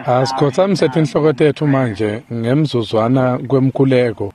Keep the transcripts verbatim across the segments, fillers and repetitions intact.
Asikhothamise tinhloko tetfu manje ngemzuzwana kwemkhuleko.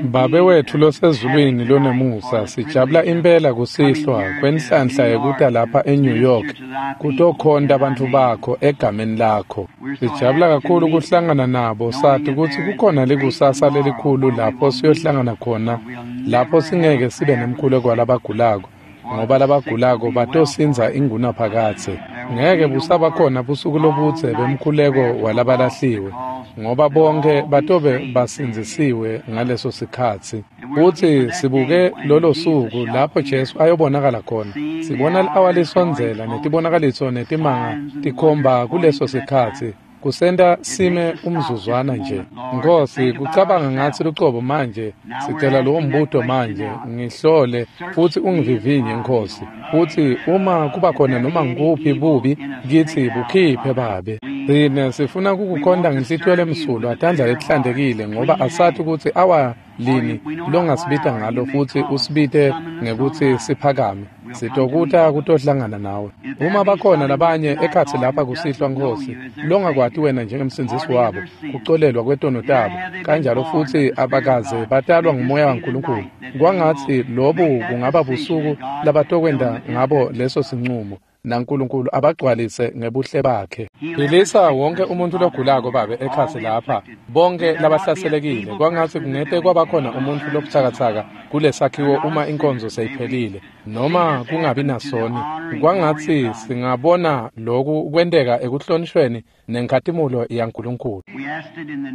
Babe wetfu losezulwini lonemusa, sijabula impela kusihlwa kwenhlanhla yekuta lapha eNew York kutokhonta bantfu bakho egameni lakho. Sijabula kakhulu kuhlangana nabo, sati kutsi kukhona likusasa lelikhulu lapho siyohlangana khona, lapho singeke sibe nemkhuleko walabagulako, ngoba labagulako batosindza ingunaphakadze. Ngeke busaba khona busuku lobudze bemkhuleko walabalahliwe, ngoba bonke batobe basindzisiwe ngaleso sikhatsi. Futsi sibuke lolo suku lapho Jesu ayobonakala khona. Sibona li-awa lisondzela netibonakaliso netimanga tikhomba kuleso sikhatsi. Kusenta sime umzuzwana nje. Nkosi, kucabanga ngatsi lucobo manje, sicela lowo mbuto manje, ngihlole futsi ungivivinye Nkosi. Futsi uma kuba khona noma ngikuphi bubi kitsi, bukhiphe Babe. Tsine sifuna kukukhonta ngenhlitiyo lemsulwa, tandla letihlantekile, ngoba asati kutsi awa lini longasibita ngalo futsi usibite ngekutsi siphakame. Sitokuta kutohlangana nawe. Uma bakhona labanye ekhatsi lapha kusihlwa Nkosi, longakwati wena njengemsindzisi wabo, kucolelwa kwetono tabo, kanjalo futsi abakaze batalwa ngumoya waNkulunkulu, kwangatsi lobu kungaba busuku labatokwenta ngabo leso sincumo, naNkulunkulu abagcwalise ngebuhle bakhe. Philisa wonke umuntu logulako Babe ekhatsi lapha, bonke labahlaselekile, kwangatsi kungete kwabakhona umuntfu lobutsakatsaka kulesakhiwo uma inkonzo seyiphelile, noma kungabi nasoni. Kwangatsi singabona loku kwenteka ekuhlonishweni nenkhatimulo yaNkulunkulu.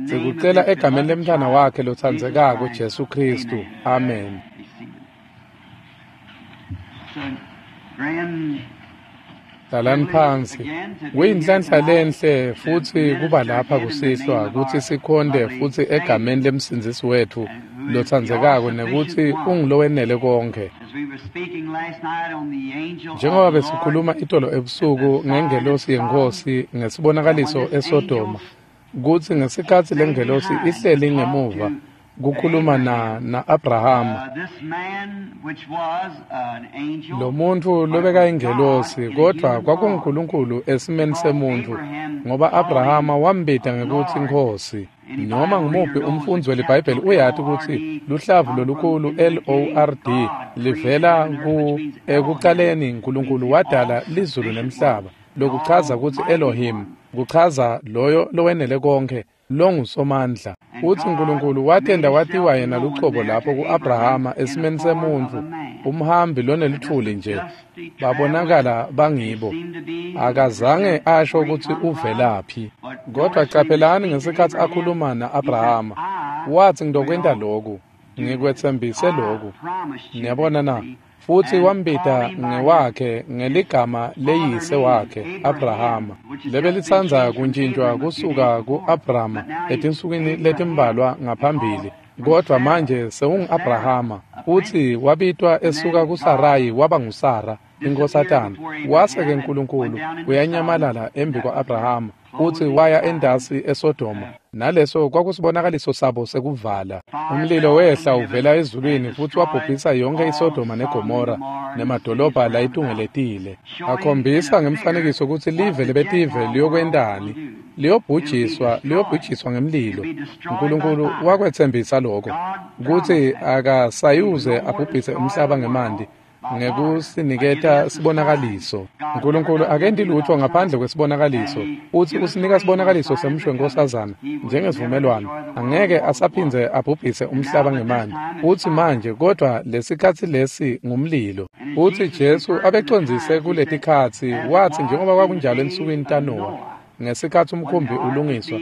Sikucela egameni lemntfwana wakhe lotsandzekako Jesu Khristu. Amen. Hlalani phansi. Kuyinhlanhla lenhle futsi kuba lapha kusihlwa kutsi sikhonte futsi egameni lemsindzisi wetfu lotsandzekako nekutsi ungulowenele konkhe. Njengoba besikhuluma itolo ebusuku ngengelosi yeNkhosi ngesibonakaliso eSodoma, kutsi ngesikhatsi lengelosi ihleli ngemuva kukhuluma na na-Abrahama, lo muntfu lobekayingelosi, kodvwa kwakunguNkulunkulu esimeni semuntfu, ngoba Abrahama wambita ngekutsi Nkhosi. Noma ngumuphi umfundzi weliBhayibheli uyati kutsi luhlavu lolukhulu L O R D livela ku ekucaleni Nkulunkulu wadala lizulu nemhlaba, lokuchaza kutsi Elohim, kuchaza loyo lowenele konkhe, longusomandla. Utsi Nkulunkulu watenda watiwa yena lucobo lapho ku-Abrahama esimeni semuntfu, umhambi lonelutfuli nje, babonakala bangibo. Akazange asho kutsi uvelaphi. Kodwa caphelani ngesikhatsi akhuluma na-Abrahama, watsi ngidokwenta loku, ngikwetsembise loku. Niyabona na? Futsi wambita ngewakhe ngeligama leyise wakhe Abrahama, lebelitsandza kuntjintjwa kusuka ku-Abrama etinsukwini letimbalwa ngaphambili, kodvwa manje sewungu-Abrahama. Futsi wabitwa esuka kuSarayi waba nguSara inkhosatana. Wase-ke Nkulunkulu uyanyamalala embi kwa-Abrahama futsi waya endasi eSodoma, naleso kwakusibonakaliso sabo sekuvala. Umlilo wehla uvela ezulwini futsi wabhubhisa yonke iSodoma neGomora nemadolobha layitungeletile, akhombisa ngemfanekiso kutsi live lebetive liyokwentani, liyobhujiswa, liyobhujiswa ngemlilo. Nkulunkulu wakwetsembisa lokho, kutsi akasayuze abhubhise umhlaba ngemanti ngekusiniketa sibonakaliso. Nkulunkulu akenti lutfo ngaphandle kwesibonakaliso, utsi usinika sibonakaliso semshwe nkosazana njengesivumelwano. Angeke asaphindze abhubhise umhlaba ngemanti. Utsi manje, kodwa lesikhatsi lesi ngumlilo. Utsi Jesu abecondzise kuletikhatsi, watsi njengoba kwakunjalo ensukwini taNowa, ngesikhatsi umkhumbi ulungiswa,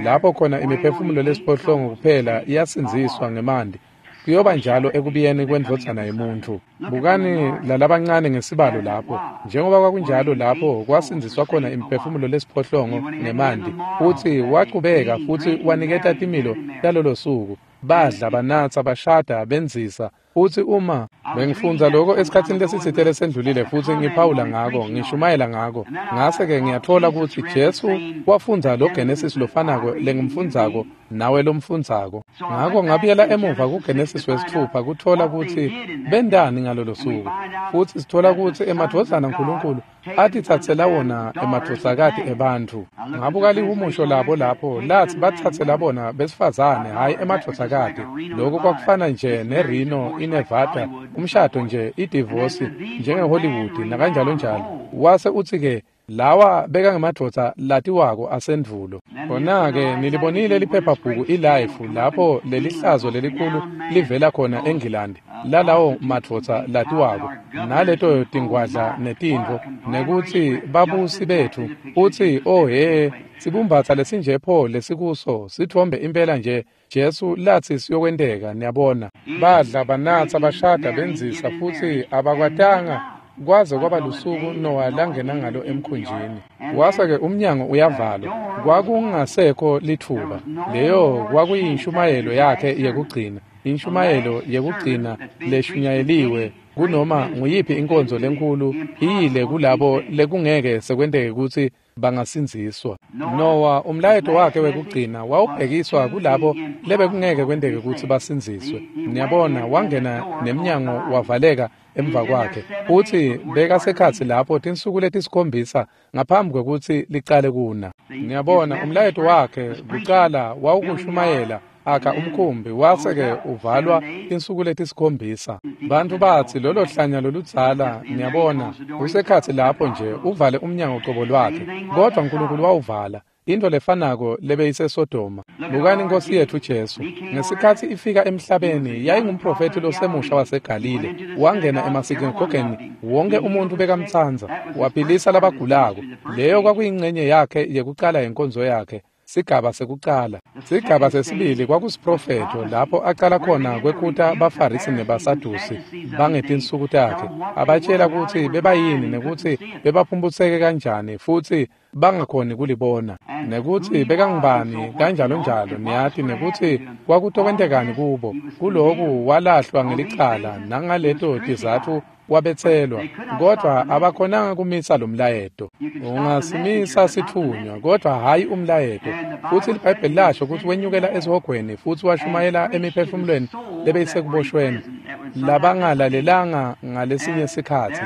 lapho khona imiphefumulo lesiphohlongo kuphela iyasindziswa ngemanti, kuyoba njalo ekubuyeni kwendvodzana yemuntfu. Bukani lalabancane ngesibalo lapho, njengoba kwakunjalo lapho kwasindziswa khona imiphefumulo lesiphohlongo ngemanti. Futsi wachubeka futsi waniketa timilo talolo suku, badla, banatsa, bashada, benzisa. Futsi uma bengifundza lokho esikhatsini lesitsite lesendlulile futsi ngiphawula ngako, ngishumayela ngako, ngase-ke ngiyatfola kutsi Jesu wafundza lo Genesis lofanako lengimfundzako nawe lomfundzako. Ngako ngabuyela emuva kuGenesis wesithupha kuthola kutsi bendani ngalolo suku, futsi sithola kutsi emadvodzana aNkulunkulu atitsatsela wona emadvodzakati ebantfu. Ngabuka lihumusho labo lapho lathi batsatsela bona besifazane, hhayi emadvodzakati. Lokho kwakufana nje neReno iNevada, umshado nje, idivosi njengeHollywood nakanjalo njalo. Wase utsi-ke lawa bekangemadvodza latiwako asendvulo. Khona-ke nilibonile liphephabhuku iLife lapho lelihlazo lelikhulu livela khona eNgilandi lalawo madvodza latiwako naleto tingwadla netintfo, nekutsi babusi betfu utsi oh he sibumbatsa lesinje pho lesikuso sitfombe impela nje Jesu lathi siyokwenteka. Niyabona, badla banatsa bashada benzisa futsi abakwatanga kwaze kwaba lusuku Noah langena ngalo emkhunjini. Wase-ke umnyango uyavalwa, kwakungasekho litfuba. Leyo kwakuyinshumayelo yakhe yekugcina, inshumayelo yekugcina leshunyayeliwe kunoma nguyiphi inkonzo lenkulu iyile kulabo lekungeke sekwenteke kutsi bangasindziswa. Noah umlayeto wakhe wekugcina wawubhekiswa kulabo lebekungeke kwenteke kutsi basindziswe. Niyabona, wangena nemnyango wavaleka emva kwakhe, futsi bekasekhatsi lapho tinsuku letisikhombisa ngaphambi kwekutsi licale kuna. Niyabona, umlayeto wakhe kucala wawukushumayela akha umkhumbi, wase-ke uvalwa tinsuku letisikhombisa. Bantfu batsi lolo hlanya loludzala, niyabona, usekhatsi lapho nje uvale umnyango cobo lwakhe, kodvwa Nkulunkulu wawuvala. Into lefanako lebeyiseSodoma. Bukani Nkosi yetfu Jesu ngesikhatsi ifika emhlabeni, yayingumprofethi losemusha waseGalile. Wangena emasinagogeni, wonke umuntu bekamtsandza, waphilisa labagulako. Leyo kwakuyingcenye yakhe yekucala yenkonzo yakhe, sigaba sekucala. Sigaba sesibili kwakusiprofetho lapho acala khona kwekhuta baFarisi nebaSadusi bangetinsuku takhe, abatshela kutsi bebayini nekutsi bebaphumputseke kanjani futsi bangakhoni kulibona, nekutsi bekangubani kanjalo njalo, niyati, nekutsi kwakutokwentekani kubo. Kuloku walahlwa ngelicala nangaleto tizatfu wabetselwa, kodvwa abakhonanga kumisa lo mlayeto. Ungasimisa sitfunywa, kodvwa hhayi umlayeto. Futsi liBhayibheli lasho kutsi wenyukela esihogweni futsi washumayela emiphefumulweni lebeyisekuboshweni labangalalelanga ngalesinye sikhatsi.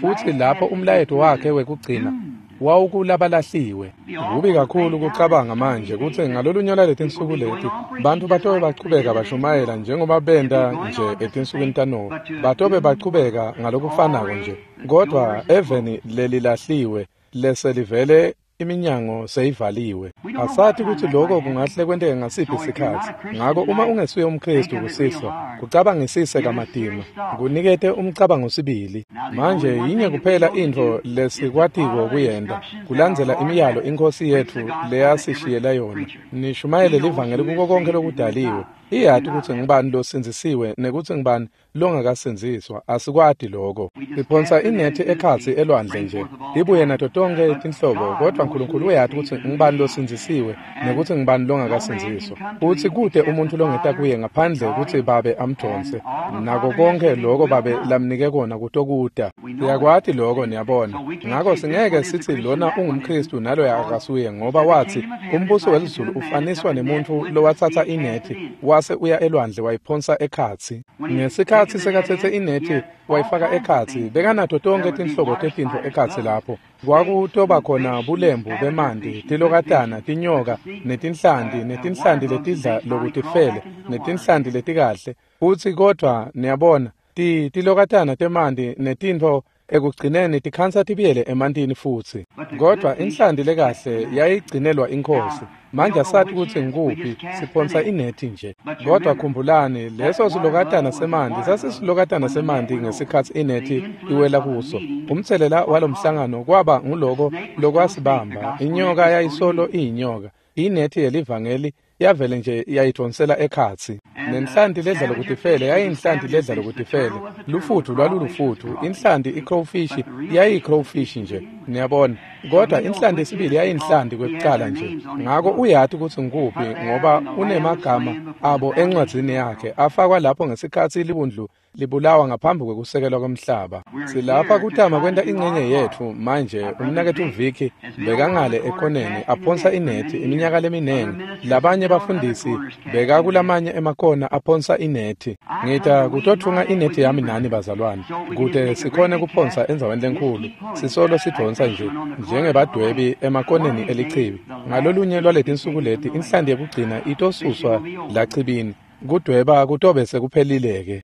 Futsi lapho umlayeto wakhe wekugcina wawukulabalahlilwe. Kubi kakhulu kucabanga manje kutsi ngalolunye lwaletinsuku leti bantfu batobe bachubeka bashumayela njengoba benta nje etinsukwini taNowa, batobe bachubeka ngalokufanako nje, kodvwa eveni lelilahliwe leselivele iminyango seyivaliwe. Asati kutsi lokho kungahle kwenteke ngasiphi sikhatsi. Ngako uma ungesuye umKhristu kusihlwa, kucabangisise kamatima, kunikete umcabango sibili. Manje yinye kuphela intfo lesikwatiko kuyenta, kulandzela imiyalo iNkhosi yetfu leyasishiyela yona. Nishumayele livangeli kuko konkhe lokudaliwe. Iyati kutsi ngubani losindzisiwe nekutsi ngubani longakasindziswa, asikwati lokho. Siphonsa inethi ekhatsi elwandle nje, ibuye nato tonkhe tinhlobo, kodvwa Nkulunkulu uyati kutsi ngubani losindzisiwe nekutsi ngubani longakasindziswa. Futsi kute umuntfu longeta kuye ngaphandle kutsi Babe amdvonse, nako konkhe loko Babe lamnike kona kutokuta. Siyakwati loko, niyabona. Ngako singeke sitsi lona ungumKhristu naloya akasuye, ngoba watsi umbuso welizulu ufaniswa nemuntfu lowatsatsa inethi wase uya elwandle wayiphonsa ekhatsi. Ngesikhatsi sekatsetse inethi wayifaka ekhatsi, bekanato tonkhe tinhlobo tetintfo ekhatsi lapho. Kwakutoba khona bulembu bemanti, tilokatana, tinyoka, netinhlanti, netinhlanti letidla lokutifele, netinhlanti letikahle. Futsi kodvwa niyabona, ti tilokatana temanti netintfo ekugcineni tikhansa tibuyele emantini futsi. Kodvwa inhlanti lekahle yayigcinelwa iNkhosi. Manje asati kutsi ngikuphi, siphonsa inethi nje. Kodvwa khumbulani, leso silokatana semanti sasisilokatana semanti ngesikhatsi inethi iwela kuso. Umtselela walomhlangano kwaba nguloko lokwasibamba. Inyoka yayisolo iyinyoka. Inethi yelivangeli yavele nje yayidvonsela ekhatsi. Nenhlanti ledla lokutifele yayinhlanti ledla lokutifele. Lufutfu lwalulufutfu, inhlanti i-crowfish yayiyi-crowfish nje, niyabona. Kodwa inhlanti yesibili yayinhlanti kwekucala nje. Ngako uyati kutsi ngikuphi ngoba unemagama abo encwadzini yakhe afakwa lapho ngesikhatsi libundlu libulawa ngaphambi kwekusekelwa kwemhlaba. Silapha kutama kwenta incenye yetfu manje. Umnaketfu Vicky bekangale ekhoneni aphonsa inethi iminyaka leminingi. Labanye labanye bafundisi bekakulamanye emakona aphonsa inethi. Ngita kutothunga inethi yami nani bazalwane, kute sikhone kuphonsa endzaweni lenkhulu. Sisolo sidvonsa nje njengebadwebi emakoneni elichibi. Ngalolunye lwaletinsuku leti inhlanti yekugcina itosuswa lachibini. Kudweba kutobe sekuphelile-ke.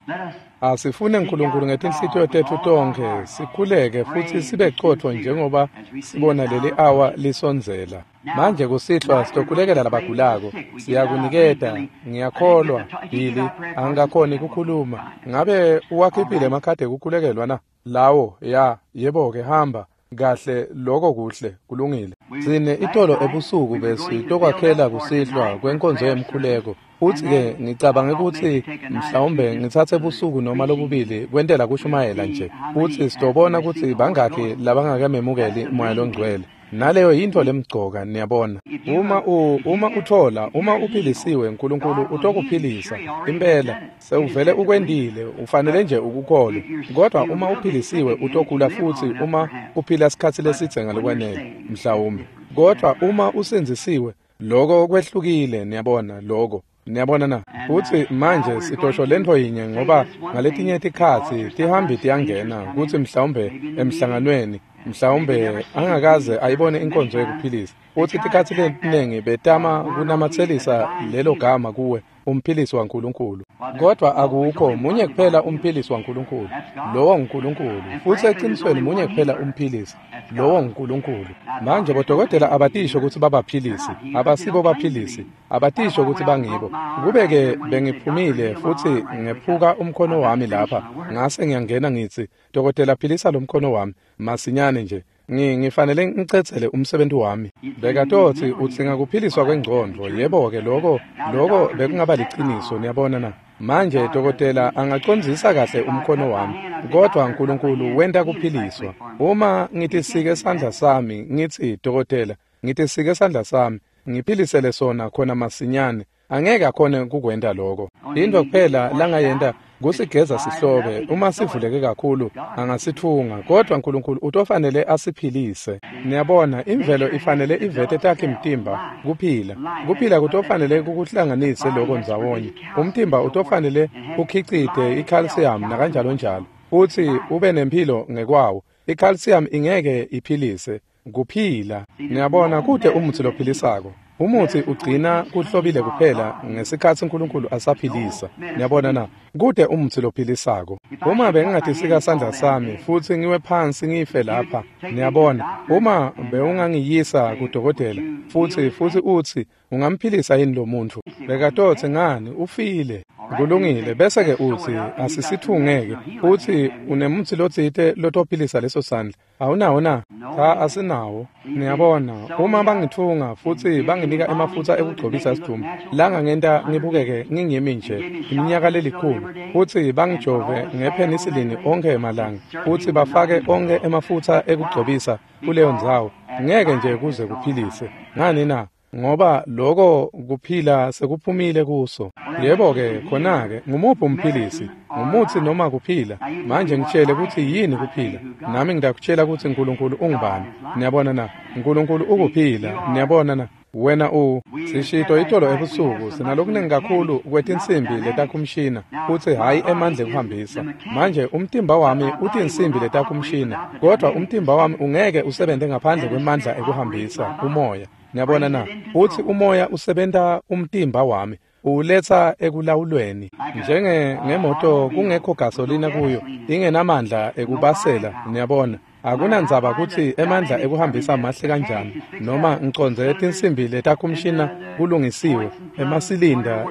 Asifune Nkulunkulu ngetinhlitiyo tetfu tonkhe, sikhuleke futsi sibe cotfo njengoba sibona leli awa lisondzela. Manje kusihlwa sitokhulekela labagulako. Siyakuniketa, ngiyakholwa, Billy, angikakhoni kukhuluma. Ngabe uwakhiphile emakhadi ekukhulekelwa na? Lawo, ya, yebo-ke, hamba. Kahle, lokho kuhle, kulungile. Sine itolo ebusuku besitokwakhela kusihlwa kwenkonzo yemkhuleko. Futsi-ke ngicabange kutsi mhlawumbe ngitsatse busuku noma lobubili kwentela kushumayela nje. Futsi sitobona kutsi bangakhi labangakememukeli Moya loNgcwele. Naleyo yintfo lemcoka, niyabona. Uma u uma uthola, uma uphilisiwe, Nkulunkulu utokuphilisa. Impela, sewuvele ukwentile, ufanele nje ukukholwe. Kodwa uma uphilisiwe utogula futsi uma uphila sikhatsi lesidze ngalokwanele, mhlawumbe. Kodwa uma usindzisiwe, lokho kwehlukile, niyabona, lokho. Niyabona na? Futsi manje sitosho lentfo yinye ngoba ngaletinye tikhatsi tihambi tiyangena kutsi mhlawumbe emhlanganweni, mhlawumbe angakaze ayibone inkonzo yekuphilisa. Futsi tikhatsi letinengi betama kunamatselisa lelo gama kuwe, umphilisi waNkulunkulu. Kodwa akukho munye kuphela umphilisi waNkulunkulu, lowo nguNkulunkulu. Futsi ecinisweni munye kuphela umphilisi, lowo nguNkulunkulu. Manje bodokotela abatisho kutsi babaphilisi, abasibo baphilisi, abatisho kutsi bangibo. Kube-ke bengiphumile futsi ngephuka umkhono wami lapha, ngase ngiyangena ngitsi, dokotela philisa lo mkhono wami, masinyane nje. Ngifanele ngicedzele umsebenzi wami. Bekatotsi udzinga kuphiliswa kwengcondvo. Yebo-ke, lokho lokho bekungaba liciniso, niyabona na? Manje dokotela angacondzisa kahle umkhono wami, kodwa Nkulunkulu wenta kuphiliswa. Uma ngitisike sandla sami, ngitsi dokotela, ngitisike sandla sami, ngiphilisele sona khona masinyane, angeke akhone kukwenta lokho. Intfo kuphela langayenta kusigeza sihlobe, uma sivuleke kakhulu angasithunga, kodwa Nkulunkulu utofanele asiphilise. Niyabona, imvelo ifanele ivete takhe mtimba kuphila. Kuphila kutofanele kukuhlanganise lokho ndzawonye. Umtimba utofanele ukhicite i-calcium nakanjalo njalo, futsi ube nemphilo ngekwawo. I-calcium ingeke iphilise, kuphila. Niyabona, kute umutsi lophilisako. Umutsi ugcina kuhlobile kuphela ngesikhatsi Nkulunkulu asaphilisa. Niyabona na? Kute umutsi lophilisako. Uma bengingatisika sandla sami futsi ngiwe phansi ngife lapha, niyabona, uma bewungangiyisa kudokotela futsi futsi utsi ungamphilisa yini lo muntfu, bekatotsi ngani ufile. Kulungile, bese-ke utsi asisithungeke, utsi unemutsi lotsite lotophilisa leso sandla. Awunawo na? Cha, asinawo. Niyabona, uma bangithunga futsi banginika emafutsa ekugcobisa sidumbu, langangenta ngibukeke ngingimi nje iminyaka lelikhulu, futsi bangijove ngephenisilini onkhe emalanga, futsi bafake onkhe emafutsa ekugcobisa kuleyo ndzawo, ngeke nje kuze kuphilise. Ngani na? Ngoba lokho kuphila sekuphumile kuso. Yebo-ke, khona-ke ngumuphi umphilisi? Ngumutsi noma kuphila? Manje ngitshele kutsi yini kuphila, nami ngidakutshela kutsi Nkulunkulu ungubani. Niyabona na? Nkulunkulu ukuphila. Niyabona na? Wena u sishito itolo ebusuku sinalokunengi kakhulu kwetinsimbi letakhumshina, futsi hhayi emandla ekuhambisa. Manje umtimba wami utinsimbi letakhumshina, kodwa umtimba wami ungeke usebente ngaphandle kwemandla ekuhambisa umoya. Niyabona na? Futsi umoya usebenta umtimba wami, uwuletsa ekulawulweni. Njenge ngemoto kungekho gasolina kuyo, ingenamandla ekubasela, niyabona. Akunandzaba kutsi emandla ekuhambisa mahle kanjani, noma ngicondze tinsimbi letakhumshina kulungisiwe, emasilinda,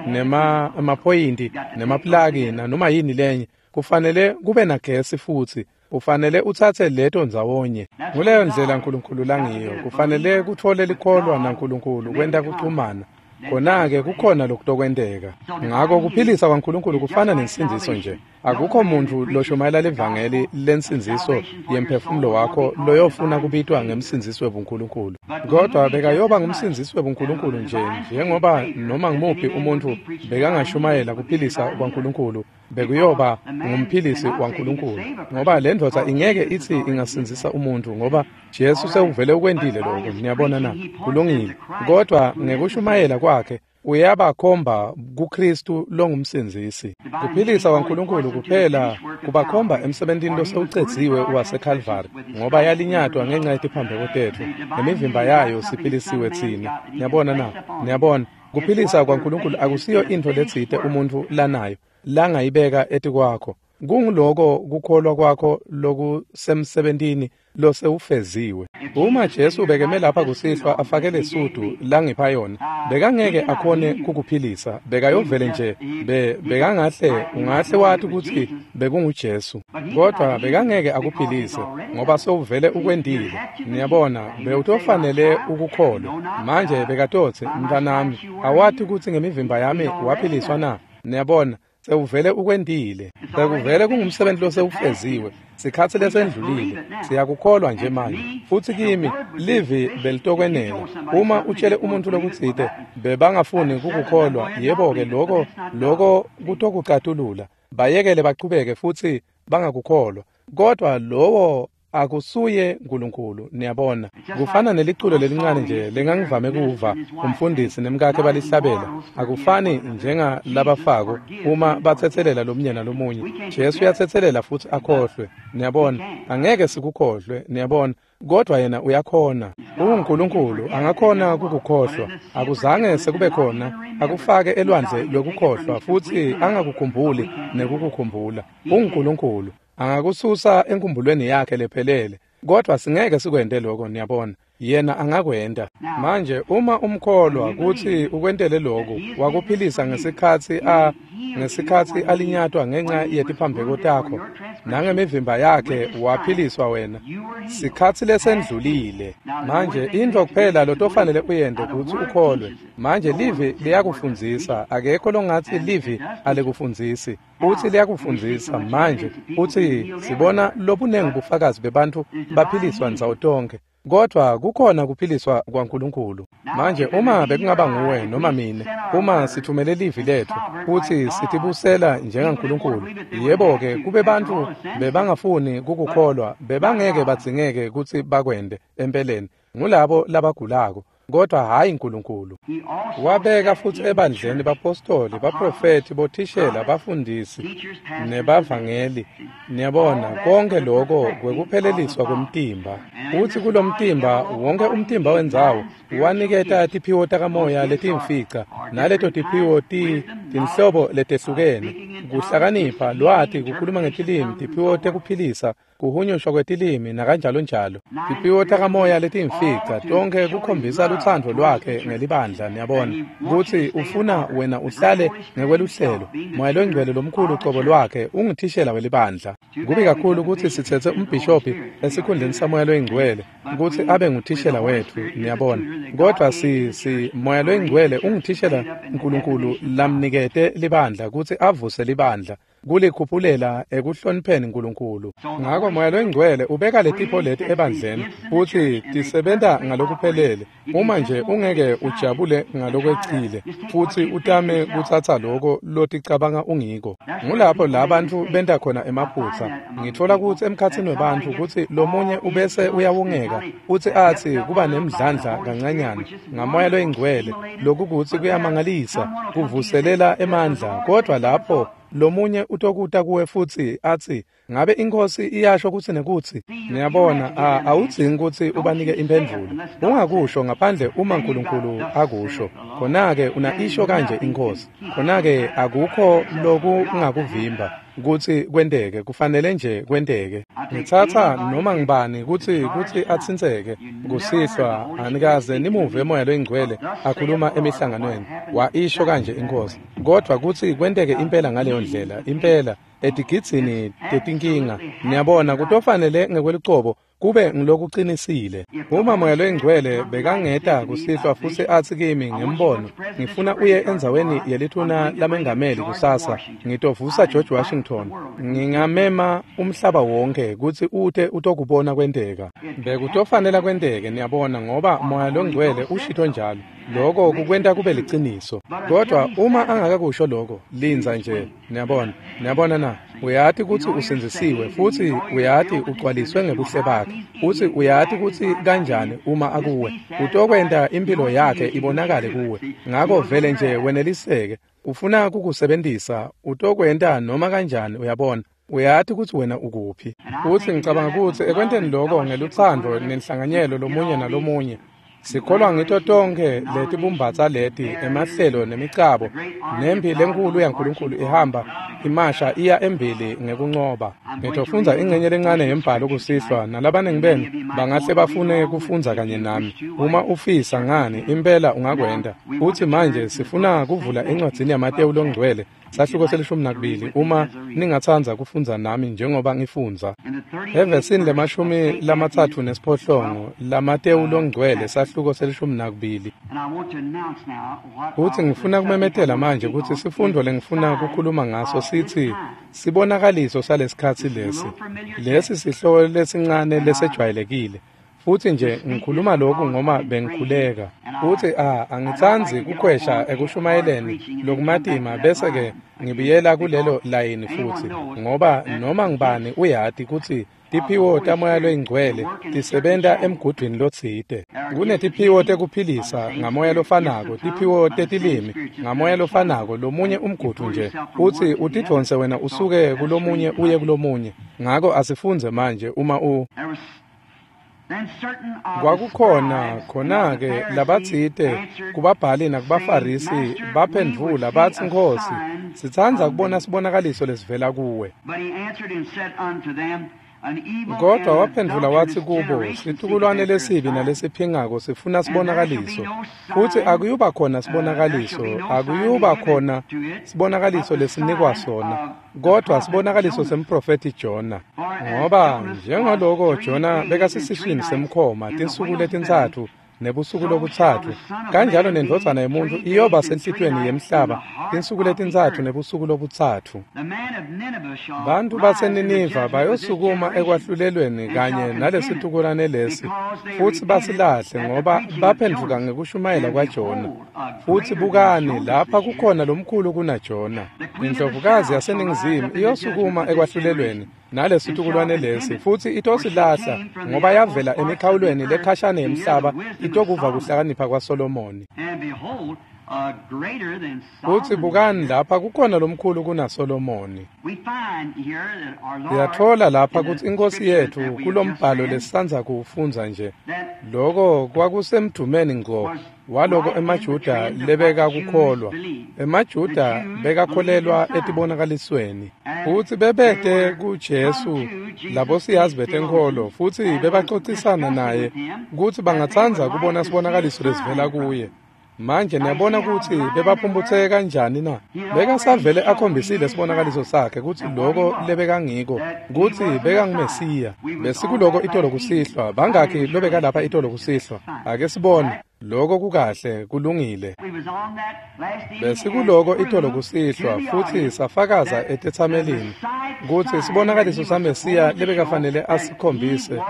nema emaphoyinti, nemaplaki, nanoma yini lenye, kufanele kube nagesi futsi. Ufanele utsatse leto ndzawonye. Nguleyo ndlela Nkulunkulu langiyo. Kufanele kutfole likholwa naNkulunkulu kwenta kuchumana. Khona-ke kukhona lokutokwenteka. Ngako kuphilisa kwaNkulunkulu kufana nensindziso nje. Akukho muntu loshumayela livangeli lensindziso yemphefumulo wakho loyofuna kubitwa ngemsindzisi webuNkulunkulu. Kodwa bekayoba ngumsindzisi webuNkulunkulu nje njengoba noma ngumuphi umuntu bekangashumayela kuphilisa kwaNkulunkulu, bekuyoba ngumphilisi waNkulunkulu. Ngoba le ndvodza ingeke itsi ingasindzisa umuntu ngoba Jesu sewuvele ukwentile lokho. Niyabona na? Kulungile. Kodwa ngekushumayela kwakhe uyabakhomba kuKristu longumsindzisi. Kuphilisa kwaNkulunkulu kuphela kubakhomba emsebentini losewucedziwe waseKalvari, ngoba yalinyatwa ngenxa yetiphambeko tetfu, nemivimba yayo siphilisiwe tsine. Niyabona na? Niyabona, kuphilisa kwaNkulunkulu akusiyo intfo letsite umuntfu lanayo langayibeka etikwakho. Kunguloko kukholwa kwakho lokusemsebentini losewufeziwe. Uma Jesu bekeme lapha kusihlwa afake lesudu langipha yona, bekangeke akhone kukuphilisa, bekayovele nje be bekangahle ungahle wathi kutsi bekunguJesu, kodwa bekangeke akuphilise ngoba sewuvele ukwentile. Niyabona, bewutofanele ukukholwa. Manje bekatotsi, mntanami, awati kutsi ngemivimba yami waphiliswa na? Niyabona, sewuvele ukwentile. Sekuvele kungumsebenzi losewufeziwe. Sikhatsi lesendlulile. Siyakukholwa nje manje. Futsi kimi livi belitokwenela. Uma utshele umuntu lokutsite bebangafuni kukukholwa, yebo-ke lokho lokho kutokucatulula. Bayekele bachubeke futsi bangakukholwa. Kodwa lowo akusuye uNkulunkulu. Niyabona, kufana neliculo lelincane nje lengangivame kuva umfundisi nemkakhe balihlabela. Akufani njengalabafako uma batsetselela lomunye nalomunye. Jesu uyatsetselela futsi akhohlwe. Niyabona, angeke sikukhohlwe. Niyabona, kodwa yena uyakhona. UNkulunkulu angakhona kukukhohlwa. Akuzange sekube khona akufake elwandle lokukhohlwa futsi angakukhumbuli nekukukhumbula. UNkulunkulu angakususa enkumbulweni yakhe lephelele, kodwa singeke sikwente lokho. Niyabona, yena angakwenta. Manje uma umkholwa kutsi ukwentele lokho, wakuphilisa ngesikhatsi a ngesikhatsi alinyatwa ngenxa yetiphambeko takho, nangemivimba yakhe waphiliswa wena. Sikhatsi lesendlulile. Manje intfo kuphela lotofanele uyente kutsi ukholwe. Manje livi liyakufundzisa. Akekho longatsi livi alikufundzisi. Utsi liyakufundzisa. Manje utsi sibona lobunengi bufakazi bebantfu baphiliswa ndzawo tonkhe, kodwa kukhona kuphiliswa kwaNkulunkulu. Manje uma bekungaba nguwe noma mine, uma sithumele livi lethu kutsi sitibusela njengaNkulunkulu, yebo-ke kube bantfu bebangafuni kukukholwa, bebangeke badzingeke kutsi bakwente. Empeleni ngulabo labagulako, kodwa hhayi uNkulunkulu. Wabeka futsi ebandleni bapostoli, baprofethi, bothishela, bafundisi nebavangeli. Niyabona, konke lokho kwekupheleliswa kwemtimba. Utsi kulomtimba, wonke umtimba wendzawo waniketa tiphiwo takamoya letimfica, naleto tiphiwo ti tinhlobo letehlukene: kuhlakanipha, lwati, kukhuluma ngetilimi, tiphiwo tekuphilisa, kuhunyushwa kwetilimi nakanjalo njalo. Tiphiwo takamoya letimfica tonkhe kukhombisa lutsandvo lwakhe ngelibandla. Niyabona kutsi ufuna wena uhlale ngekweluhlelo. Moya loNgcwele lomkhulu cobo lwakhe unguthishela welibandla. Kubi kakhulu kutsi sitsetse umbhishobhi esikhundleni saMoya loyiNgcwele kutsi abe nguthishela wetfu. Niyabona, kodwa si si Moya loyiNgcwele unguthishela uNkulunkulu lamnikete libandla kutsi avuse libandla, kulikhuphulela ekuhlonipheni uNkulunkulu. Ngako Moya loyiNgcwele ubeka letipho leti ebandleni futsi tisebenta ngalokuphelele. Uma nje ungeke ujabule ngalokwecile futsi utame kutsatsa loko loticabanga ungiko, ngulapho la bantfu benta khona emaphutsa. Ngitfola kutsi emkhatsini webantfu kutsi lomunye ubese uyawungeka futsi atsi kuba nemdlandla kancanyana ngaMoya loyiNgcwele, lokukutsi kuyamangalisa, kuvuselela emandla, kodwa lapho lomunye utokuta kuwe futsi atsi, ngabe inkosi iyasho kutsi nekutsi. Niyabona, awudzingi kutsi ubanike imphendvulo. Ungakusho ngaphandle uma uNkulunkulu akusho. Khona-ke unaisho kanje inkosi. Khona-ke akukho lokungakuvimba kutsi kwenteke, kufanele nje kwenteke. Ngitsatsa noma ngibani kutsi kutsi atsintseke kusihlwa. Anikaze nimuve Moya loyiNgcwele akhuluma emihlanganweni, waisho kanje inkosi, kodwa kutsi kwenteke impela ngaleyo ndlela, impela etigidzini tetinkinga. Niyabona, kutofanele ngekwelucobo kube ngilokuqinisile. Uma Moya loyiNgcwele bekangeta kusihlwa futsi atsi kimi ngembono, ngifuna uye endzaweni yelithuna lamengameli kusasa, ngitovusa George Washington, ngingamema umhlaba wonke kutsi ute utokubona kwenteka. Bekutofanele kwenteke, niyabona, ngoba Moya loNgcwele ushito njalo. Lokho kukwenta kube liciniso. Kodwa uma angakakusho lokho, lindza nje, niyabona. Niyabona na? Uyati kutsi usindzisiwe futsi uyati ugcwaliswe ngebuhle bakhe. Futsi uyati kutsi kanjani uma akuwe, utokwenta impilo yakhe ibonakale kuwe. Ngako vele nje weneliseke, ufuna kukusebentisa, utokwenta noma kanjani, uyabona. Uyati kutsi wena ukuphi. Futsi ngicabanga kutsi ekwenteni lokho ngelutsandvo nenhlanganyelo lomunye nalomunye, sikholwa ngito tonkhe letibumbatsa leti emahlelo nemicabo, nempi lenkulu yaNkulunkulu ihamba imasha iya embili ngekuncoba. Ngitofundza ingcenye lencane yembhalo kusihlwa, nalabaningi benu bangahle bafune kufundza kanye nami. Uma ufisa ngani, impela ungakwenta. Futsi manje sifuna kuvula encwadzini yaMatewu loNgcwele, sahluko selishumi nakubili, uma ningatsandza kufundza nami njengoba ngifundza. Evesini lemashumi lamatsatfu nesiphohlongo laMatewu loNgcwele, sahluko selishumi nakubili. Futsi ngifuna kumemetela manje kutsi sifundo lengifuna kukhuluma ngaso sithi sibonakaliso salesikhatsi lesi. Lesi sihloko lesincane lesejwayelekile. Futsi nje ngikhuluma lokhu ngoba bengikhuleka. Futsi a angitsandzi kukhwesha ekushumayeleni lokumatima bese ke ngibuyela kulelo layini futsi, ngoba noma ngibani uyati kutsi tiphiwo taMoya loyiNgcwele tisebenta emgudwini lotsite. Kunetiphiwo tekuphilisa ngamoya lofanako, tiphiwo tetilimi ngamoya lofanako, lomunye umgudu nje, futsi utidvonse wena usuke kulomunye uye kulomunye. Ngako asifundze manje uma u Kwakukhona khona-ke labatsite kubabhali nakubaFarisi baphendvula batsi, Nkhosi, sitsandza kubona sibonakaliso lesivela kuwe. Kodwa waphendvula watsi kubo, situkulwane lesibi nalesiphingako sifuna sibonakaliso, futsi akuyuba khona sibonakaliso, akuyuba khona sibonakaliso lesinikwa sona, kodwa sibonakaliso semprofethi Jona. Ngoba njengaloko Jona bekasesiswini semkhoma tinsuku letintsatfu nebusuku lobutsatfu, kanjalo nendvodzana yemuntfu iyoba senhlitiyweni yemhlaba tinsuku letintsatfu nebusuku lobutsatfu. Bantfu baseNiniva bayosukuma ekwahlulelweni kanye nalesitukulwane lesi, futsi basilahle ngoba baphendvuka ngekushumayela kwaJona. Futsi bukani, lapha kukhona lomkhulu kunaJona. Indlovukazi yaseNingizimu iyosukuma ekwahlulelweni nalesitukulwane lesi, futsi itosilahla ngoba yavela emikhawulweni lekhashane yemhlaba itokuva kuhlakanipha kwaSolomoni. Futsi bukani, lapha kukhona lomkhulu kunaSolomoni. Siyatfola lapha kutsi iNkhosi yetfu kulombhalo lesisandza kuwufundza nje, loko kwakusemdumeni ngco waloko emaJuda lebekakukholwa. EmaJuda bekakholelwa etibonakalisweni, futsi bebete kuJesu labo siyazi betenkholo, futsi bebacocisana naye kutsi bangatsandza kubona sibonakaliso lesivela kuye. Manje niyabona kutsi bebaphumputseke kanjani na? Bekasavele akhombisile sibonakaliso sakhe kutsi loko lebekangiko, kutsi bekanguMesiya. Besikuloko itolo kusihlwa. Bangakhi lobekalapha itolo kusihlwa? Ake sibone. Loko kukahle, kulungile. Besikuloko itolo kusihlwa, futsi safakaza etetsamelini kutsi sibonakaliso saMesiya lebekafanele asikhombise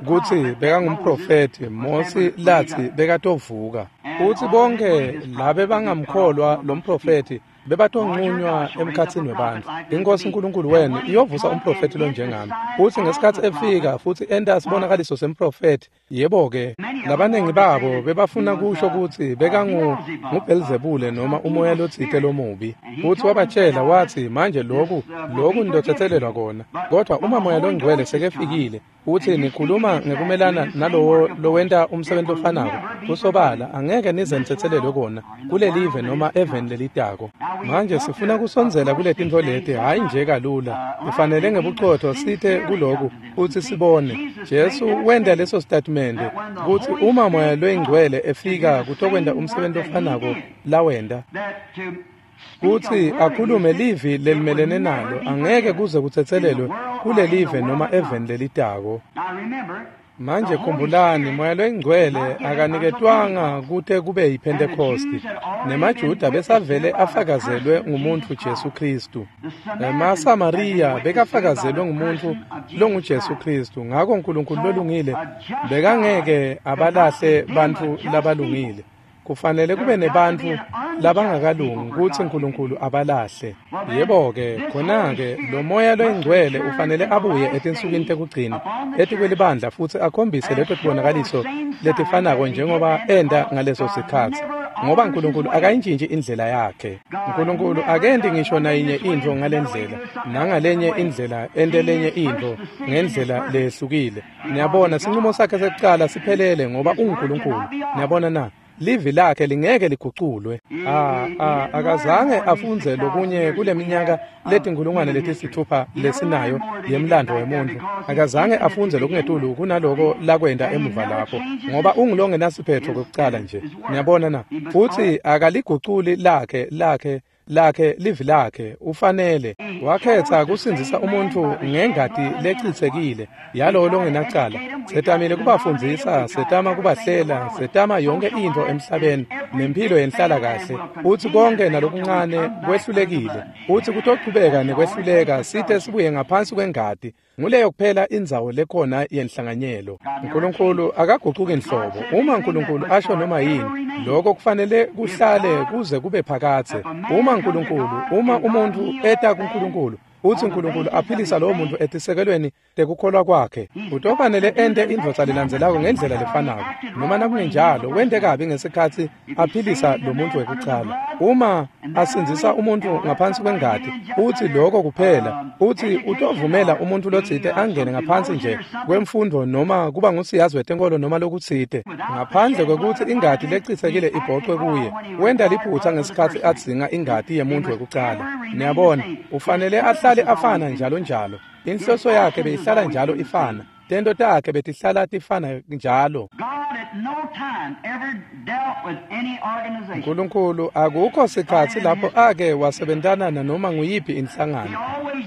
kutsi bekangumprofethi Mosi latsi bekatovuka. Futsi bonke labe bangamkholwa lomprofethi bebatonqunywa emkhatsini webantfu. INkhosi uNkulunkulu wenu iyovusa umprofethi lonjengami. Futsi ngesikhatsi efika futsi enta sibonakaliso semprofethi, yebo-ke, labaningi babo bebafuna kusho kutsi bekangu nguBhelzebule noma umoya lotsite lomubi. Futsi wabatshela watsi, manje loku loku nitotsetselelwa kona, kodwa uma Moya loNgcwele sekefikile utsi nikhuluma ngekumelana nalowo lowenta umsebenzi lofanako, kusobala angeke nize nitsetselelwe kona kulelive noma eveni lelitako. Manje sifuna kusondzela kuletintfo leti, hhayi nje kalula. Kufanele ngebucotho site kuloku futsi sibone. Jesu wenta leso statimende kutsi uma Moya loyiNgcwele efika kutokwenta umsebenzi lofanako lawenta, kutsi akhulume livi lelimelene nalo angeke kuze kutsetselelwe kulelive noma eveni lelitako. Manje khumbulani, Moya loyiNgcwele akaniketwanga kute kube yiPhentekosti. NemaJuda besavele afakazelwe ngumuntfu Jesu Khristu. NemaSamariya bekafakazelwe ngumuntfu longuJesu Khristu. Ngako Nkulunkulu lolungile bekangeke abalahle bantfu labalungile. Kufanele kube nebantfu labangakalungi kutsi Nkulunkulu abalahle. Yebo-ke, khona-ke lo Moya loyiNgcwele ufanele abuye etinsukwini tekugcina etikwelibandla futsi akhombise leto tibonakaliso letifanako njengoba enta ngaleso sikhatsi, ngoba Nkulunkulu akayintjintji indlela yakhe. Nkulunkulu akenti ngisho nayinye intfo ngalendlela nangalenye indlela ente lenye intfo ngendlela leyehlukile. Niyabona, sincumo sakhe sekucala siphelele ngoba unguNkulunkulu. Niyabona na? Livi lakhe lingeke liguculwe. Ah, ah, akazange afundze lokunye kuleminyaka letinkulungwane letisithupha lesinayo yemlando wemuntfu. Akazange afundze lokungetulu kunaloko lakwenta emuva lapho, ngoba ungulongenasiphetfo kwekucala nje. Niyabona na? Futsi akaliguculi lakhe lakhe lakhe livi lakhe. Ufanele wakhetsa kusindzisa umuntfu ngengati lecitsekile yalowo longenacala. Setamile kubafundzisa, setama kubahlela, setama yonke intfo emhlabeni nemphilo yenhlala kahle. Utsi konke nalokuncane kwehlulekile. Utsi kutochubeka nekwehluleka site sibuye ngaphansi kwengati. Nguleyo kuphela indzawo lekhona yenhlanganyelo. Nkulunkulu akagucuki nhlobo. Uma Nkulunkulu asho noma yini, lokho kufanele kuhlale kuze kube phakadze. Uma Nkulunkulu, uma umuntfu eta kuNkulunkulu, utsi Nkulunkulu aphilisa lowo muntfu etisekelweni tekukholwa kwakhe, utofanele ente indvodza lelandzelako ngendlela lefanako. Noma nakungenjalo, wente kabi ngesikhatsi aphilisa lo muntfu wekucala. Uma asindzisa umuntfu ngaphansi kwengati, utsi lokho kuphela, utsi utovumela umuntfu lotsite angene ngaphansi nje kwemfundvo noma kuba ngusiyazi wetenkolo noma lokutsite, ngaphandle kwekutsi ingati lecitsekile ibhocwe kuye. Wenta liphutsa ngesikhatsi adzinga ingati yemuntfu wekucala. Niyabona, ufanele ahlale afana njalo njalo. Inhloso yakhe beyihlala njalo ifana. Tento takhe betihlala tifana njalo. Nkulunkulu akukho sikhatsi lapho ake wasebentana nanoma nguyiphi inhlangano.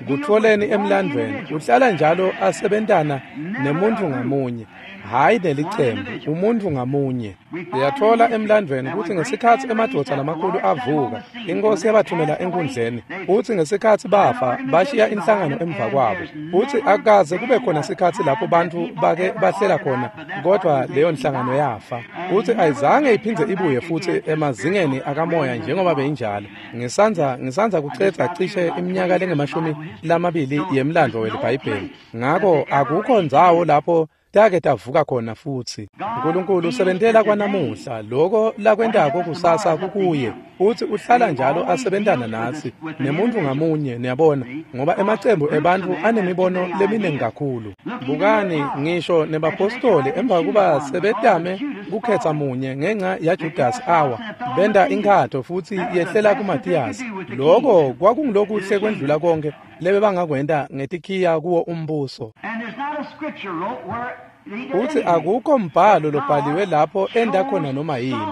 Kutfoleni emlandvweni, uhlala njalo asebentana nemuntfu ngamunye, hhayi nelicembu, umuntfu ngamunye. Siyatfola emlandvweni kutsi ngesikhatsi emadvodza lamakhulu avuka, iNkhosi yabathumela enkundleni. Utsi ngesikhatsi bafa, bashiya inhlangano emva kwabo. Utsi akaze kube khona sikhatsi lapho bantfu bake bahlela khona, kodvwa leyo nhlangano yafa. Utsi ayizange iphindze ibuye futsi emazingeni akamoya njengoba beyinjalo. Ngisandza ngisandza kucedza cishe iminyaka lengemashumi lamabili yemlandvo weliBhayibheli. Ngako akukho ndzawo lapho take tavuka khona futsi. Nkulunkulu usebentela kwanamuhla, loko lakwentako kusasa kukuye. Utsi uhlala njalo asebentana natsi nemuntfu ngamunye, niyabona, ngoba emacembu ebantfu anemibono leminingi kakhulu. Bukani ngisho nebapostoli emva kuba sebetame kukhetsa munye ngenca yaJudasi awa, benta inkatho futsi yehlela kuMathiyasi. Loko kwakungulokuhle kwendlula konke lebebangakwenta ngetikhiya kuwo umbuso. Utsi akukho mbhalo lobhaliwe lapho enta khona noma yini.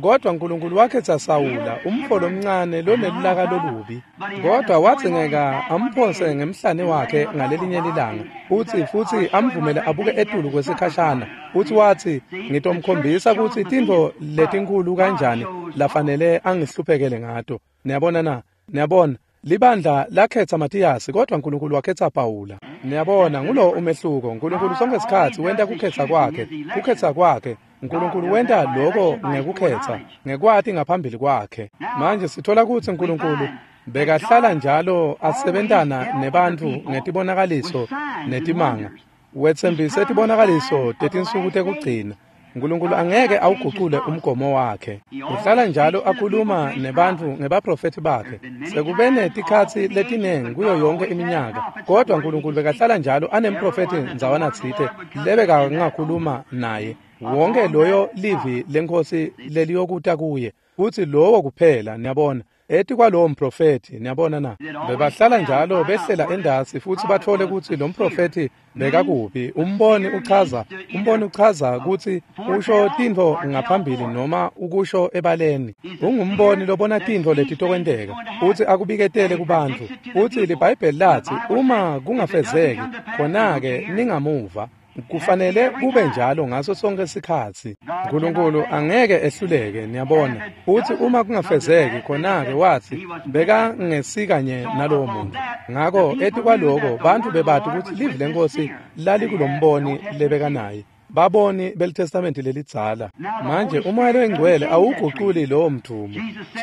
Kodwa Nkulunkulu wakhetsa Sawula, umfo lomncane lonelulaka lolubi. Kodwa wadzingeka amphonse ngemhlane wakhe ngalelinye lilanga. Utsi futsi amvumele abuke etulu kwesikhashana. Utsi watsi, ngitomkhombisa kutsi tintfo letinkhulu kanjani lafanele angihluphekele ngato. Niyabona na? Niyabona? Libandla lakhetsa Mathiyasi, kodwa Nkulunkulu wakhetsa Pawula. Niyabona, ngulo umehluko. Nkulunkulu sonke sikhatsi wenta kukhetsa kwakhe, kukhetsa kwakhe. Nkulunkulu wenta loko ngekukhetsa, ngekwati ngaphambili kwakhe. Manje sithola kutsi Nkulunkulu bekahlala njalo asebentana nebantfu ngetibonakaliso netimanga. Wetsembise tibonakaliso tetinsuku tekugcina. Nkulunkulu angeke awugucule umgomo wakhe. Uhlala njalo akhuluma nebantfu ngebaprofethi bakhe. Sekube netikhatsi letinengi kuyo yonke iminyaka, kodwa Nkulunkulu bekahlala njalo anemprofethi ndzawana tsite lebekangakhuluma naye. Wonke loyo livi leNkhosi leliyokuta kuye, futsi lowo kuphela, niyabona, etikwalowo mprofethi, niyabona na? Bebahlala njalo behlela endasi futsi batfole kutsi lo mprofethi bekakuphi. Umboni uchaza, umboni uchaza kutsi usho tintfo ngaphambili noma ukusho ebaleni. Ungumboni lobona tintfo letitokwenteka, utsi akubiketele kubantfu. Utsi liBhayibheli latsi uma kungafezeki, khona-ke ningamuva. Kufanele kube njalo ngaso sonke isikhatsi. Nkulunkulu angeke ehluleke, niyabona. Futsi uma kungafezeki khona-ke watsi bekangesikanye nalowo muntu. Ngako etikwaloko bantfu bebati kutsi livi leNkhosi lalikulomboni lebekanaye. Baboni beliTestamenti lelidzala. Manje umoya loyingcwele awuguculi lowo mthumo.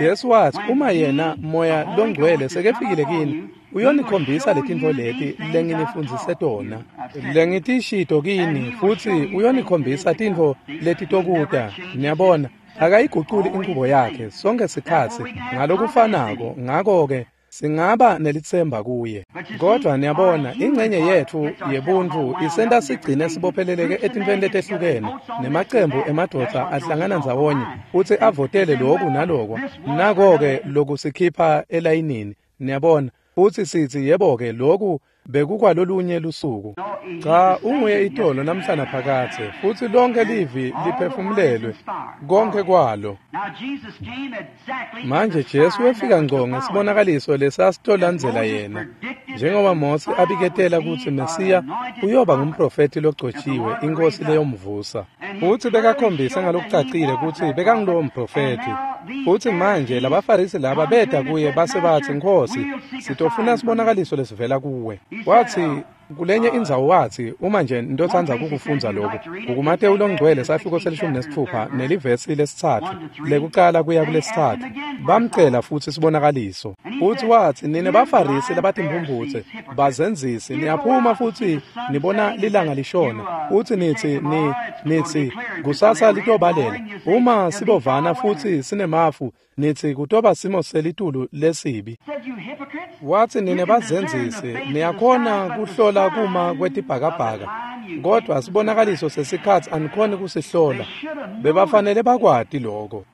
Jesu watsi uma yena moya longcwele sekefikile kini, uyonikhombisa letintfo leti lenginifundzise tona, lengitishito kini, futsi uyonikhombisa tintfo letitokuta. Niyabona, akayiguculi inchubo yakhe sonke sikhatsi ngalokufanako. Ngako-ke singaba nelitsemba kuye. Kodwa niyabona, ingcenye yetfu yebuntu isenta sigcine sibopheleleke etintfweni letehlukene, nemacembu emadvodza ahlangana ndzawonye futsi avotele loku naloko. Nako-ke lokusikhipha elayinini, niyabona, futsi sitsi yebo-ke loku bekukwalolunye lusuku. Cha, unguye itolo namhla naphakadze, futsi lonke livi liphefumulelwe, konke kwalo. Manje Jesu wefika ngco ngesibonakaliso lesasitolandzela yena, njengoba Mose abiketela kutsi Mesiya uyoba ngumprofethi logcotshiwe, iNkhosi leyomvusa. Futsi bekakhombise ngalokucacile kutsi bekangulowo mprofethi. Futsi manje labaFarisi laba beta kuye base batsi, Nkhosi, sitofuna sibonakaliso lesivela kuwe. Watsi kulenye indzawo watsi, uma nje ntotsandza kukufundza lokhu, kukuMatewu longcwele sahluko selishumi nesitfupha nelivesi lesitsatfu lekucala kuya kulesitsatfu, bamcela futsi sibonakaliso. Futsi watsi, nine baFarisi labatimphumphutse, bazenzisi, niyaphuma futsi nibona lilanga lishona, futsi nitsi ni nitsi kusasa litobalela. Uma sibovana futsi sinemafu, nitsi kutoba simo selitulu lesibi. Watsi, nine bazenzisi, niyakhona kuhlola kuma kwetibhakabhaka, kodwa sibonakaliso sesikhatsi anikhoni kusihlola. Bebafanele bakwati lokho.